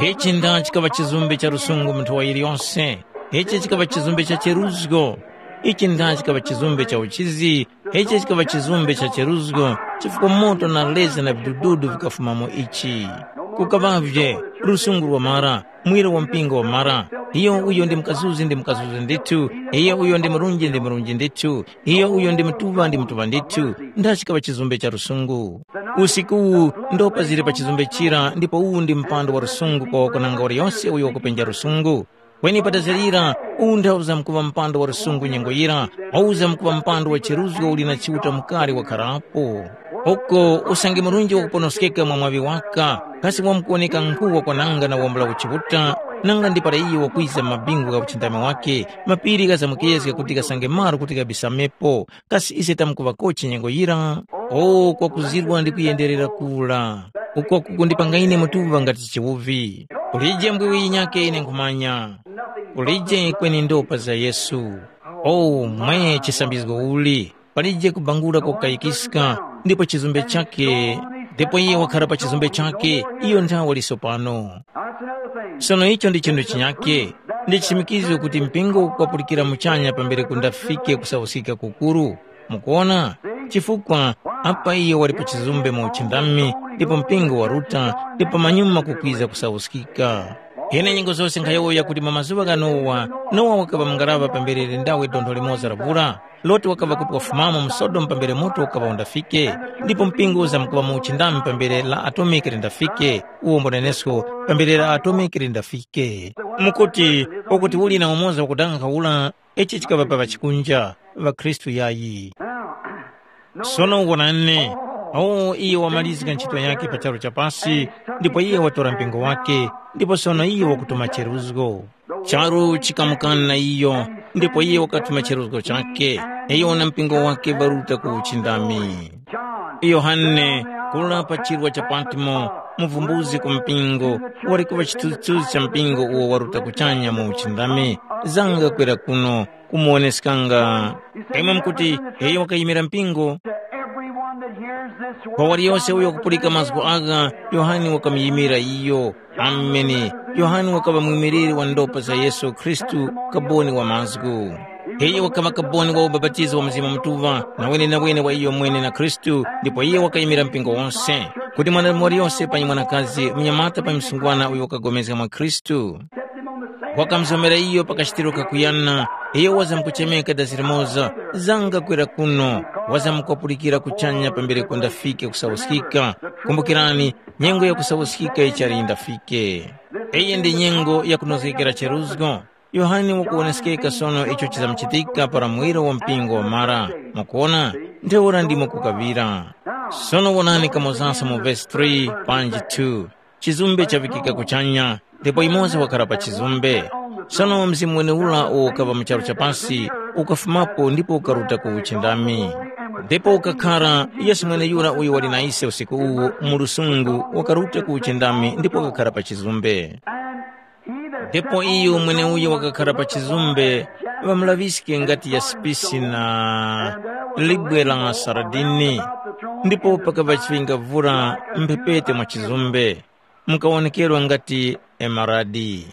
Ichi ndha chikaŵa chizumbe cha lusungu mu nthowa yiliyose. Ichi chikaŵa chizumbe cha cheruzgo. Ichi ndha chikaŵa chizumbe cha uchizi. Ichi chikaŵa chizumbe cha cheruzgo, chifukwa moto na leza na vidududu vikafuma mu ichi. Kukaŵavye lusungu lwamara, mwiro wa mpingo wamara. Iyo uyo ndi mukazuzi ndi mukazuzi ndithu, iyo uyo ndi murunji ndi murunji ndithu, iyo uyo ndi mutuŵa ndi mutuŵa ndithu, ndachikaŵa chizumbe cha lusungu. Usiku uwu ndopa zili pa chizumbe chira ndipo uwu ndi mpando wa lusungu kwa wakunanga waliyose uyo wakupenja lusungu. Kweni patazirira, uwu nthawuza mkuŵa mpando wa lusungu nyengo yira, wawuza mkuŵa mpando wa cheruzgo uli na Chiuta mukari wakharapo. Uko usange murunji wakuponoskeka mwa mwaŵi waka, kasi wamkuwoneka nkhu wakwananga na wambula kuchiuta, nanga ndi para iyo wakwiza mu mabingu gha uchindami wake, mapiri ghazamukezga kuti ghasange malo kuti ghabisamepo, kasi ise tamkuŵakochi nyengo yira? O, kwakuzirwa ndi kuyenderera kura, uko kukundipanga ine mutuŵa ngati chiwuvi. Kulije mbwiwi yinyakhe ine nkhumanya. Kulije kweni ndopa za Yesu. O, mwe chisambizgo uli! Palije kubangula kokayikiska, ndipo chizumbe chakhe, ndipo iye wakhara pa chizumbe chakhe, iyo nthawe wali sopano. Sono icho ndi chinthu chinyakhe, ndi chishimikizo kuti mpingo ukwapulikira muchanya pambere kundafike kusawuskika kukuru. Mukuwona? Chifukwa apa iyo wali pa chizumbe mu uchindami, ndipo mpingo waruta, ndipo pamanyuma kukwiza kusawuskika. Ine nyengo zose nkhayowoya kuti mwa mazuŵa gha Nowa, Nowa wakaŵa mungaraŵa pambere lindawe dontho limoza la vura. Loti wakaŵa kuti wafumamo mu Sodomu pambere moto ukaŵa undafike, ndipo mpingo uzamkuŵa mu uchindami pambere la atomiki lindafike, uwo mbunenesko pambere la atomiki lindafike. Mukuti, ukuti uli na umoza wakudandaula, ichi chikaŵa pa ŵachikunja, ŵakhristu yayi. Sono wonani, awo iyo wamalizga ntchito yakhe pa charu cha pasi, ndipo iye watora mpingo wakhe, ndipo sono iyo wakutuma cheruzgo. Charu chikamukana iyo, ndipo iye wakatuma cheruzgo chakhe, iyo na mpingo wakhe ŵaruta ku uchindami. Yohane, kura pa chirwa cha Patmo, muvumbuzi ku mpingo, wali kuŵa chithunzithunzi cha mpingo uwo waruta kuchanya mu uchindami, zanga kwera kuno kumuwoneskanga. Imwe mukuti, iyo wakayimira mpingo? Kwa waliyose uyo wakupulika mazgu agha, Yohane wakamuyimira iyo. Ameni. Yohane wakaŵa mwimiliri wa ndopa za Yesu Khristu, kaboni wa mazgu. Iyo wakaŵa kaboni wa ubapatizo wa Mzimu Mutuŵa, na wenenawene wa iyo mwene na Khristu, ndipo iyo wakayimira mpingo wose, kuti mwanadamu waliyose panyi mwanakazi, mnyamata panyi msungwana uyo wakapulikana mwa Khristu, wakamuzomera iyo pa kachitiro kakuyana, iyo wazamkuchemeka dasi limoza, zanga kwera kuno, wazamkwapulikira kuchanya pambere kundafike kusawuskika. Kumbukirani, nyengo ya kusawuskika ichali yindafike. Iyi ndi nyengo ya kunozgekera cheruzgo. Yohane wakuwoneskeka sono icho chizamuchitika para muwiro wa mpingo wamara. Mukuwona, ntheura ndimo kukaŵira. Sono wonani kamozanso mu vesi three panji two. Chizumbe chaŵikika kuchanya, ndipo yumoza wakhala pa chizumbe. Sono mzimu wenewura uwo ukaŵa mu charu cha pasi ukafumapo ndipo ukaruta ku uchindami. Ndipo ukakhara Yesu mweneyura uyo wali na ise usiku uwu mu lusungu wakaruta ku uchindami ndipo wakakhara pa chizumbe. Ndipo iyo mweneuyo wakakhara pa chizumbe, ŵamulaŵiske ngati yasipisi na libwe la saradini, ndipo pakaŵa chiŵingavura mphepete mwa chizumbe, mukawonekerwa ngati emaradi.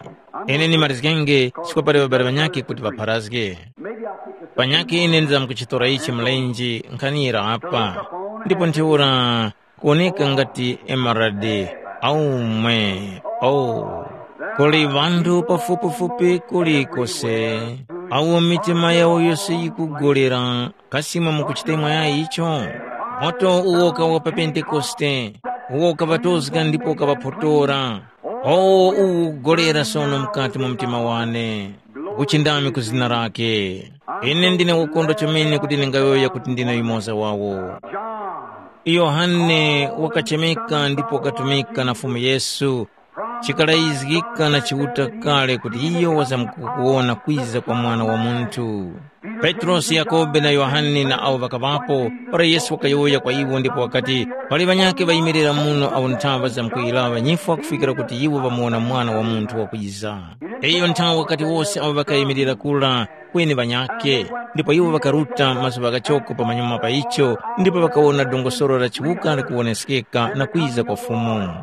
Ine ndimalizgenge chifukwa pali ŵabale ŵanyakhe kuti ŵapharazge. Panyakhe ine ndizamkuchitora ichi mlenje nkhanira apa, ndipo ntheura kuwoneka ngati emaradi. Aumwe, oh, kuli ŵanthu pafupifupi kulikose, awo mitima yawo yose yikugolera. Kasi imwe mukuchitemwa yayi icho? Moto uwo kawa pa Pentekoste, uwo kaŵatozga ndipo kaŵaphotora. Owo uwu ukugolera sono mukati mwa mtima wane. Kuchindami ku zina lake. Ine ndine wokondwa chomene kuti ndingayowoya kuti ndine yumoza wawo. Yohane wakachemeka ndipo wakatumika na Fumu Yesu, chikalayizgika na Chiuta kale kuti iyo wazamkukuwona kwiza kwa Mwana wa Munthu. Petrosi, Yakobe na Yohane na awo ŵakaŵapo, para Yesu wakayowoya kwa iwo ndipo wakati, pali ŵanyakhe ŵayimirira muno awo nthaŵa zamkuyilaŵa nyifwa kufikira kuti iwo ŵamuwona Mwana wa Munthu wakwiza. Iyo nthawe wakati wose awo ŵakayimirira kura, kweni ŵanyakhe, ndipo iwo ŵakaruta mazuŵa ghachoko pamanyuma pa icho, ndipo ŵakawona dongosolo la chiwuka likuwoneskeka na kwiza kwa Fumu.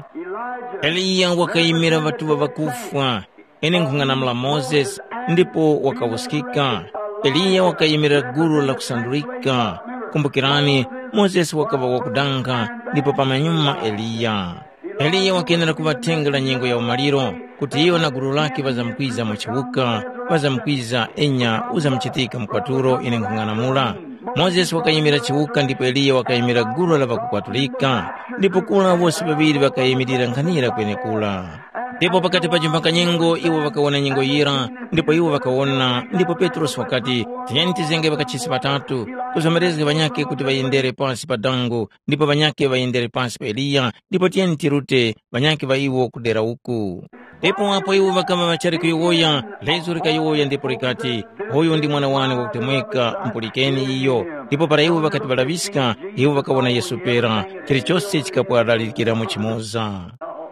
Eliya wakayimira ŵatuŵa ŵakufwa, ine nkhung'anamula Mozesi, ndipo wakawuskika. Eliya wakayimira gulu la kusandulika. Kumbukirani, Mozesi wakaŵa wakudanga, ndipo pamanyuma Eliya. Eliya wakenera kuŵa thenga la nyengo ya umaliro, kuti iyo na gulu lakhe ŵazamkwiza mu chiwuka, ŵazamkwiza enya uzamuchitika mkwatulo ine nkhung'anamula. Mozesi wakayimira chiwuka ndipo Eliya wakayimira gulu la ŵakukwatulika, ndipo kura wose ŵaŵiri ŵakayimirira nkhanira kwenekura. Ndipo pakati pa chimphanga nyengo iwo ŵakawona nyengo yira, ndipo iwo ŵakawona, ndipo Petrosi wakati, tiyeni tizenge ŵakachisi ŵatatu, kuzomerezga ŵanyakhe kuti ŵayendere pasi pa dango, ndipo ŵanyakhe ŵayendere pasi pa Eliya, ndipo tiyeni tirute ŵanyakhe ŵa iwo kudera uku. Ndipo apo iwo ŵakaŵa ŵachali kuyowoya, lezo likayowoya ndipo likati, uyu ndi mwana wane wakutemweka, mupulikeni iyo. Ndipo para iwo ŵakati ŵalaŵiska, iwo ŵakawona Yesu pera, chilichose chikapwaralikira mu chimoza.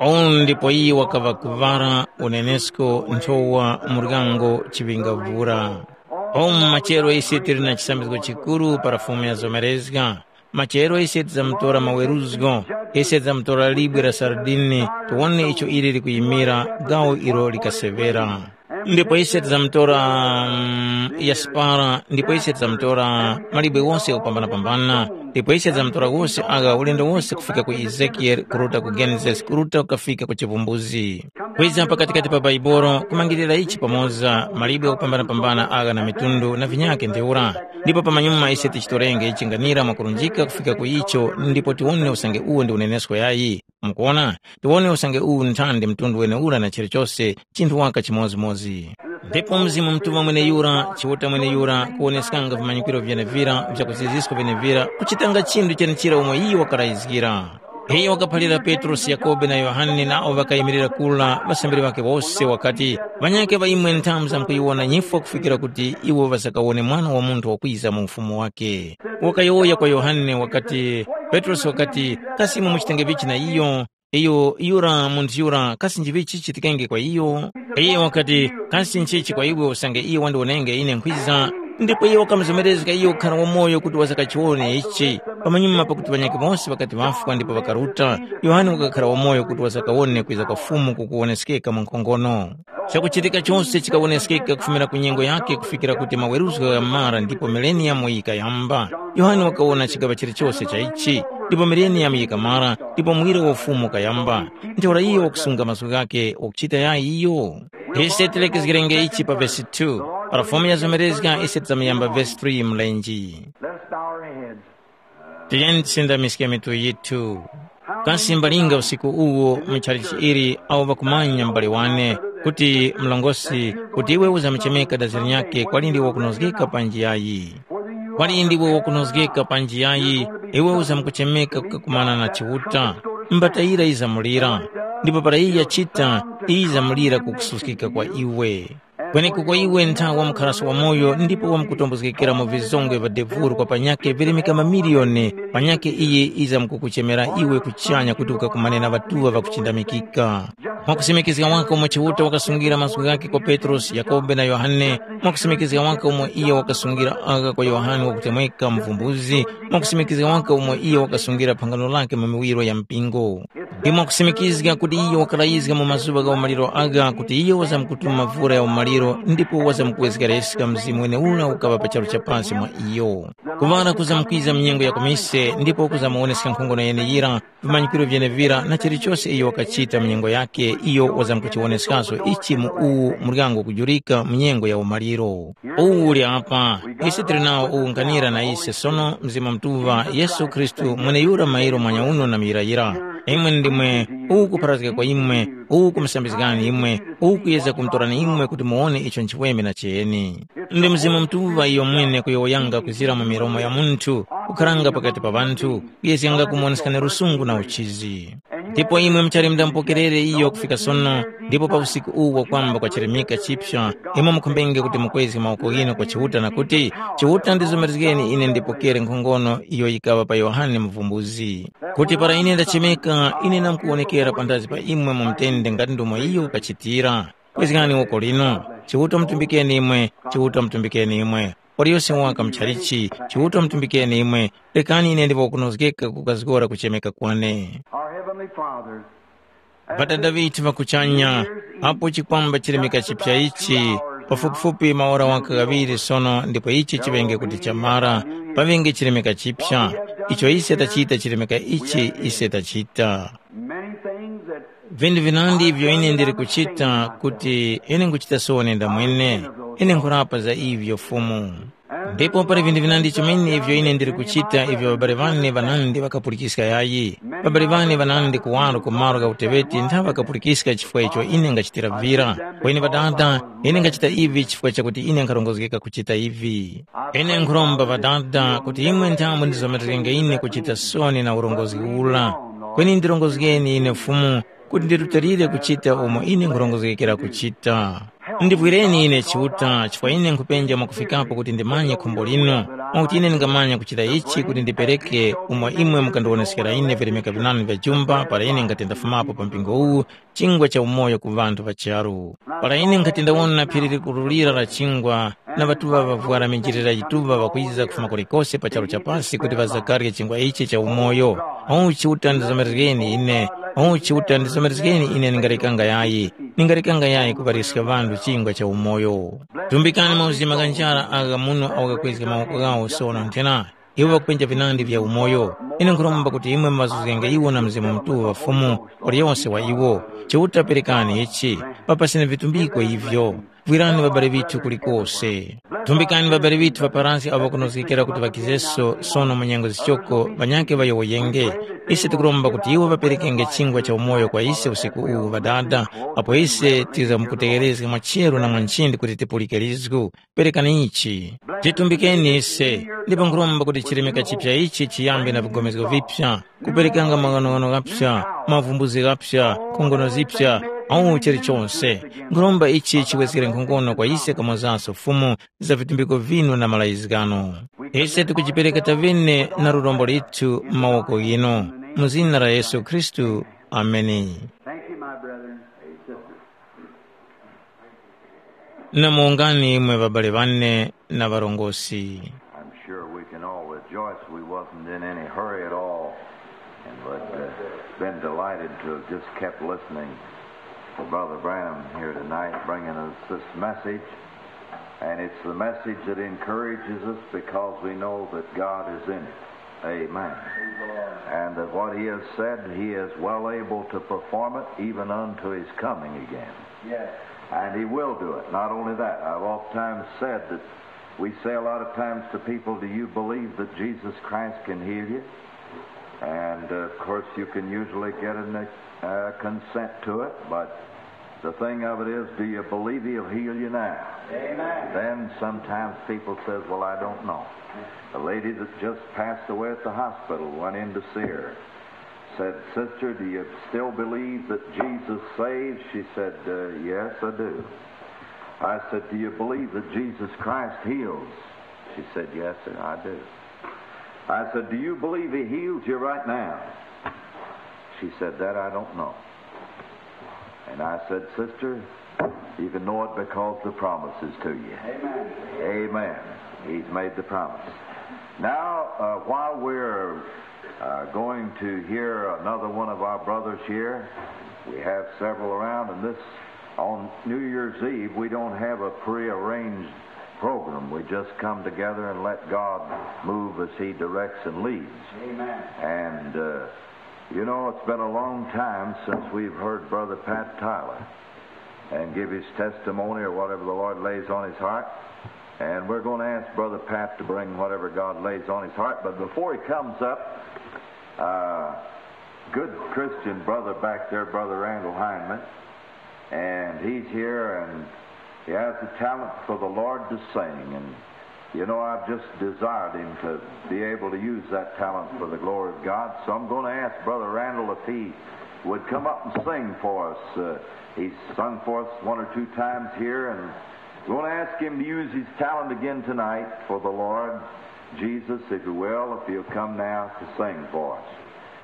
Uwu ndipo iye wakaŵa kuŵala unenesko nthowa muryango chiŵingavura. Umu machero ise tili na chisambizgo chikuru para Fumu yazomerezga. Machero ise tizamutora maweruzgo, ise tizamutora libwe la saradini, tiwone icho ili likuyimira gawo ilo likaseŵera. Ndipo ise tizamutora mm, yasipara, ndipo ise tizamutora malibwe wose kupambana-pambana, ndipo ise tizamutora wose agha ulendo wose kufika ku Ezekiyele, kuruta ku Genesis, kuruta kukafika ku Chivumbuzi. Kwiza pakatikati pa Baibolo, kumangirira ichi pamoza, malibwe kupambana-pambana agha na mitundu na vinyakhe ntheura. Ndipo pamanyuma ise tichitorenge chinganira mwakurunjika kufika ku icho ndipo tiwone usange uwo ndi unenesko yayi. Mukuona, tiwone usange uwu nthandi mtundu wenewura na chilichose chinthu waka chimodzimodzi. Ndipo Mzimu Mutuŵa mweneyura, Chiuta mweneyura, kuwoneskanga vimanyikiro vyenevira vya kuziziska vyenevira, kuchitanga chinthu chenechira umo iyo wakalayizgira. Iyo wakaphalira Petrosi, Yakhobe na Yohane nawo ŵakayimirira kura ŵasambiri ŵakhe wose wakati, “Ŵanyakhe ŵa imwe nthamu zamkuyiwona nyifwa kufikira kuti iwo ŵasakawone Mwana wa Munthu wakwiza mu ufumu wakhe.” Wakayowoya kwa Yohane wakati, Petrosi wakati, “Kasi imwe muchitenge vichi na iyo?” Iyo yura munthu yura kasi njivichi chichitikenge kwa iyo? Iye wakati, “Kasi nchichi kwa iwe usange iyo wandiwonenge ine nkhwiza?” Ndipo iye wakamuzomerezga iyo kukhara wamoyo kuti wazakachiwone ichi. Pamanyuma pakuti ŵanyakhe wose ŵakati ŵafwa ndipo ŵakaruta, Yohane wakakhara wamoyo kuti wazakawone kwiza kwa Fumu kukuwoneskeka mu nkhongono. Chakuchitika chose chikawoneskeka kufumira ku nyengo yakhe kufikira kuti maweruzgo ghamara ndipo mileniyamu yikayamba. Yohane wakawona chigaŵa chilichose cha ichi, ndipo mileniyamu yikamara, ndipo muwiro wa Ufumu ukayamba. Ntheura iyo wakusunga mazgu ghakhe wakuchita yayi iyo? Ise tilekezgerenge ichi pa vesi two. Para Fumu yazomerezga ise tizamuyamba vesi three mlenji. Let us bow our heads. Tiyeni tisindamiske mitu yithu. Kasi mbalinga usiku uwu mu chalichi ili awo ŵakumanya m'bale wane kuti mlongosi kuti iwe uzamuchemeka dazi linyakhe kwali ndi wakunozgeka pa njiyayi? Kwali ndiwe wakunozgeka pa njiyayi, iwe uzamukuchemeka kukakumana na Chiuta, mbatayira yizamulira, ndipo para iyo yachita, yizamulira kukususkika kwa iwe. Kwenekuko iwe ntha wamkharaso wamoyo ndipo wamkutombozgekera mu vizongwe vya devuru kwa panyakhe virimika mamiliyoni, panyakhe iyi yizamkukuchemera iwe kuchanya kuti ukakumane na ŵatuŵa ŵakuchindamikika. Mwakusimikizga waka umo Chiuta wakasungira mazgu ghakhe kwa Petrosi, Yakhobe na Yohane, mwakusimikizga waka umo iyo wakasungira agha kwa Yohane wakutemweka muvumbuzi, mwakusimikizga waka umo iyo wakasungira phangano lakhe mu miwiro ya mpingo. Ndi mwakusimikizga kuti iyo wakalayizga mu mazuŵa gha umaliro agha kuti iyo wazamkutuma mvura ya umaliro ndipo wazamkuwezgereska mzimu weneura ukaŵa pa charu cha pasi mwa iyo. Kuŵala kuzamkwiza mu nyengo ya kumise ndipo kuzamuwoneska nkhongono yeneyira, vimanyikiro vyenevira na chilichose iyo wakachita mu nyengo yakhe iyo wazamkuchiwoneskaso ichi mu uwu muryango kujurika mu nyengo ya umaliro. Uwu uli apa, ise tili nawo uwunganira na ise sono Mzimu Mutuŵa, Yesu Khristu mweneyura mairo mwanyauno na muyirayira. Imwe ndimwe uwu kupharazgika kwa imwe, uwu kumusambizgani imwe, uwu kuyezga kumutorani imwe kuti muwone icho nchiweme na cheni. Ndi Mzimu Mutuŵa iyo mwene kuyowoyanga kuzira mu milomo ya munthu, kukharanga pakati pa ŵanthu, kuyezganga kumuwoneskani lusungu na uchizi. Ndipo imwe muchali mudampokerere iyo kufika sono, ndipo pa usiku uwu wakwamba kwa chirimika chipsa, imwe mukhumbenge kuti mukwezge mawoko ghinu kwa Chiuta na kuti, “Chiuta ndizomerezgeni ine ndipokere nkhongono iyo yikaŵa pa Yohane Muvumbuzi. Kuti para ine ndachemeka, ine ndamkuwonekera panthazi pa imwe mu mtende ngati ndomwe iyo wakachitira. Kwezgani woko linu, Chiuta mutumbikeni imwe, Chiuta mutumbikeni imwe. Waliyose waka muchalichi, Chiuta mutumbikeni imwe, rekani ine ndiwe wakunozgeka kukazgora kuchemeka kwane.” Our Heavenly Father, Ŵadada ŵithu ŵa kuchanya, apo chikwamba chilemeka chipya ichi, pafupifupi maora waka ghaŵiri sono ndipo ichi chiŵenge kuti chamara, paŵenge chilemeka chipya, icho ise tachita chilemeka ichi ise tachita. Many things that Vinthu vinandi ivyo ine ndili kuchita kuti ine nkuchita sono ndamwene, ine nkhurapa za ivyo Fumu. Ndipo pali vinthu vinandi chomene ivyo ine ndili kuchita ivyo ŵabale ŵane ŵanandi ŵakapulikiska yayi. Ŵabale ŵane ŵanandi kuwaro ku malo gha uteŵeti ntha ŵakapulikiska chifukwa icho ine ngachitira vira. Kweni Ŵadada, ine ngachita ivi chifukwa chakuti ine nkharongozgeka kuchita ivi. Ine nkhuromba Ŵadada kuti imwe nthambo ndizomerezgenge ine kuchita soni na urongozgi ura. Kweni ndirongozgeni ine Fumu kuti ndirutilire kuchita umo ine nkhurongozgekera kuchita. Ndivwireni ine Chiuta chifukwa ine nkhupenja mwakufikapo kuti ndimanye khumbo linu, mwakuti ine ndingamanya kuchita ichi kuti ndipereke umo imwe mukandiwoneskera ine vilemeka vinanu vya jumba para ine nkhati ndafumapo pa mpingo uwu chingwa cha umoyo ku ŵanthu ŵa charu. Para ine nkhati ndawona phiri likurulira la chingwa na ŵatuŵa ŵavwara minjilira yituŵa ŵakwiza kufuma kulikose pa charu cha pasi kuti ŵazakarye chingwa ichi cha umoyo, uchi utandizomerezgeni ine, uchi utandizomerezgeni ine ningarekanga yayi, ningarekanga yayi kuŵariska ŵanthu chingwa cha umoyo. Tumbikani mauzima gha njara agha muno awo ghakwezga mawoko ghawo sono nthena, iwo ŵakupenja vinandi vya umoyo. Ine nkhuromba kuti imwe muŵazuzgenge iwo na Mzimu Mutuŵa Fumu, waliyose wa iwo, Chiuta perekani ichi, papaseni vitumbiko ivyo. Vwirani ŵabale ŵithu kulikose. Thumbikani ŵabale ŵithu ŵa Paransi awo kunozgekera kuti ŵakizeso sono mu nyengo zichoko ŵanyakhe ŵayowoyenge. Ise tikuromba kuti iwo ŵaperekenge chingwa cha umoyo kwa ise usiku uwu Ŵadada, apo ise tizamkutegherezga mwa cheru na mwa nchindi kuti tipulike lizgu. Perekani ichi. Titumbikeni ise, ndipo nkhuromba kuti chilemeka chipya ichi chiyambe na vigomezgo vipya, kuperekanga maghanoghano ghapya, mavumbuzi ghapya, nkhongono zipya, au chilichonse. Nkhuromba ichi chiweskere nkhongono kwa ise kamonzanso Fumu za vitumbiko vinu na malayizgano. Ise tikujipereka tavine na lurombo lithu mu mawoko ghinu, mu zina la Yesu Khristu. Ameni. Thank you, my brethren. Hey, sister. Namongani mwe ŵabale ŵane na ŵarongozgi. I'm sure we can all rejoice we wasn't in any hurry at all and would uh, been delighted to have just kept listening to Brother Branham here tonight bringing us this message. And it's the message that encourages us because we know that God is in it. Amen. And that what he has said, he is well able to perform it even unto his coming again. Yes. And he will do it. Not only that, I've oftentimes said that we say a lot of times to people, "Do you believe that Jesus Christ can heal you?" And uh, of course, you can usually get an uh, consent to it, but the thing of it is, do you believe he'll heal you now? Amen. Then sometimes people says, "Well, I don't know." The lady that just passed away at the hospital went in to see her. Said, "Sister, do you still believe that Jesus saves?" She said, uh, "Yes, I do." I said, "Do you believe that Jesus Christ heals?" She said, "Yes, sir, I do." I said, "Do you believe he heals you right now?" She said, "That I don't know." And I said, "Sister, you can know it because the promise is to you." Amen. Amen. He's made the promise. Now, uh, while we're uh, going to hear another one of our brothers here, we have several around, and this on New Year's Eve, we don't have a prearranged program. We just come together and let God move as He directs and leads. Amen. And uh, you know, it's been a long time since we've heard Brother Pat Tyler and give his testimony or whatever the Lord lays on his heart. And we're going to ask Brother Pat to bring whatever God lays on his heart. But before he comes up, uh, good Christian brother back there, Brother Randall Hindman, and he's here and he has the talent for the Lord to sing. And you know, I've just desired him to be able to use that talent for the glory of God. So I'm going to ask Brother Randall if he would come up and sing for us. Uh, he's sung for us one or two times here, and we want to ask him to use his talent again tonight for the Lord Jesus, if you will, if you'll come now to sing for us.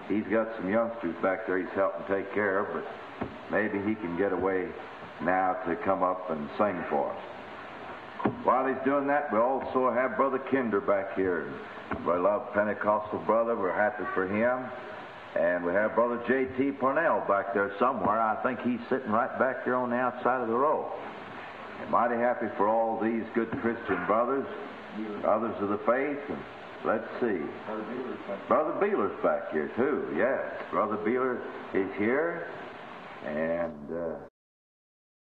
He's got some youngsters back there he's helping take care of, but maybe he can get away now to come up and sing for us. While he's doing that, we also have Brother Kinder back here. Beloved Pentecostal brother, we're happy for him. And we have Brother J T Parnell back there somewhere. I think he's sitting right back there on the outside of the row. And mighty happy for all these good Christian brothers, brothers of the faith. And let's see. Brother Beeler's back here, too. Yes, Brother Beeler is here. And uh,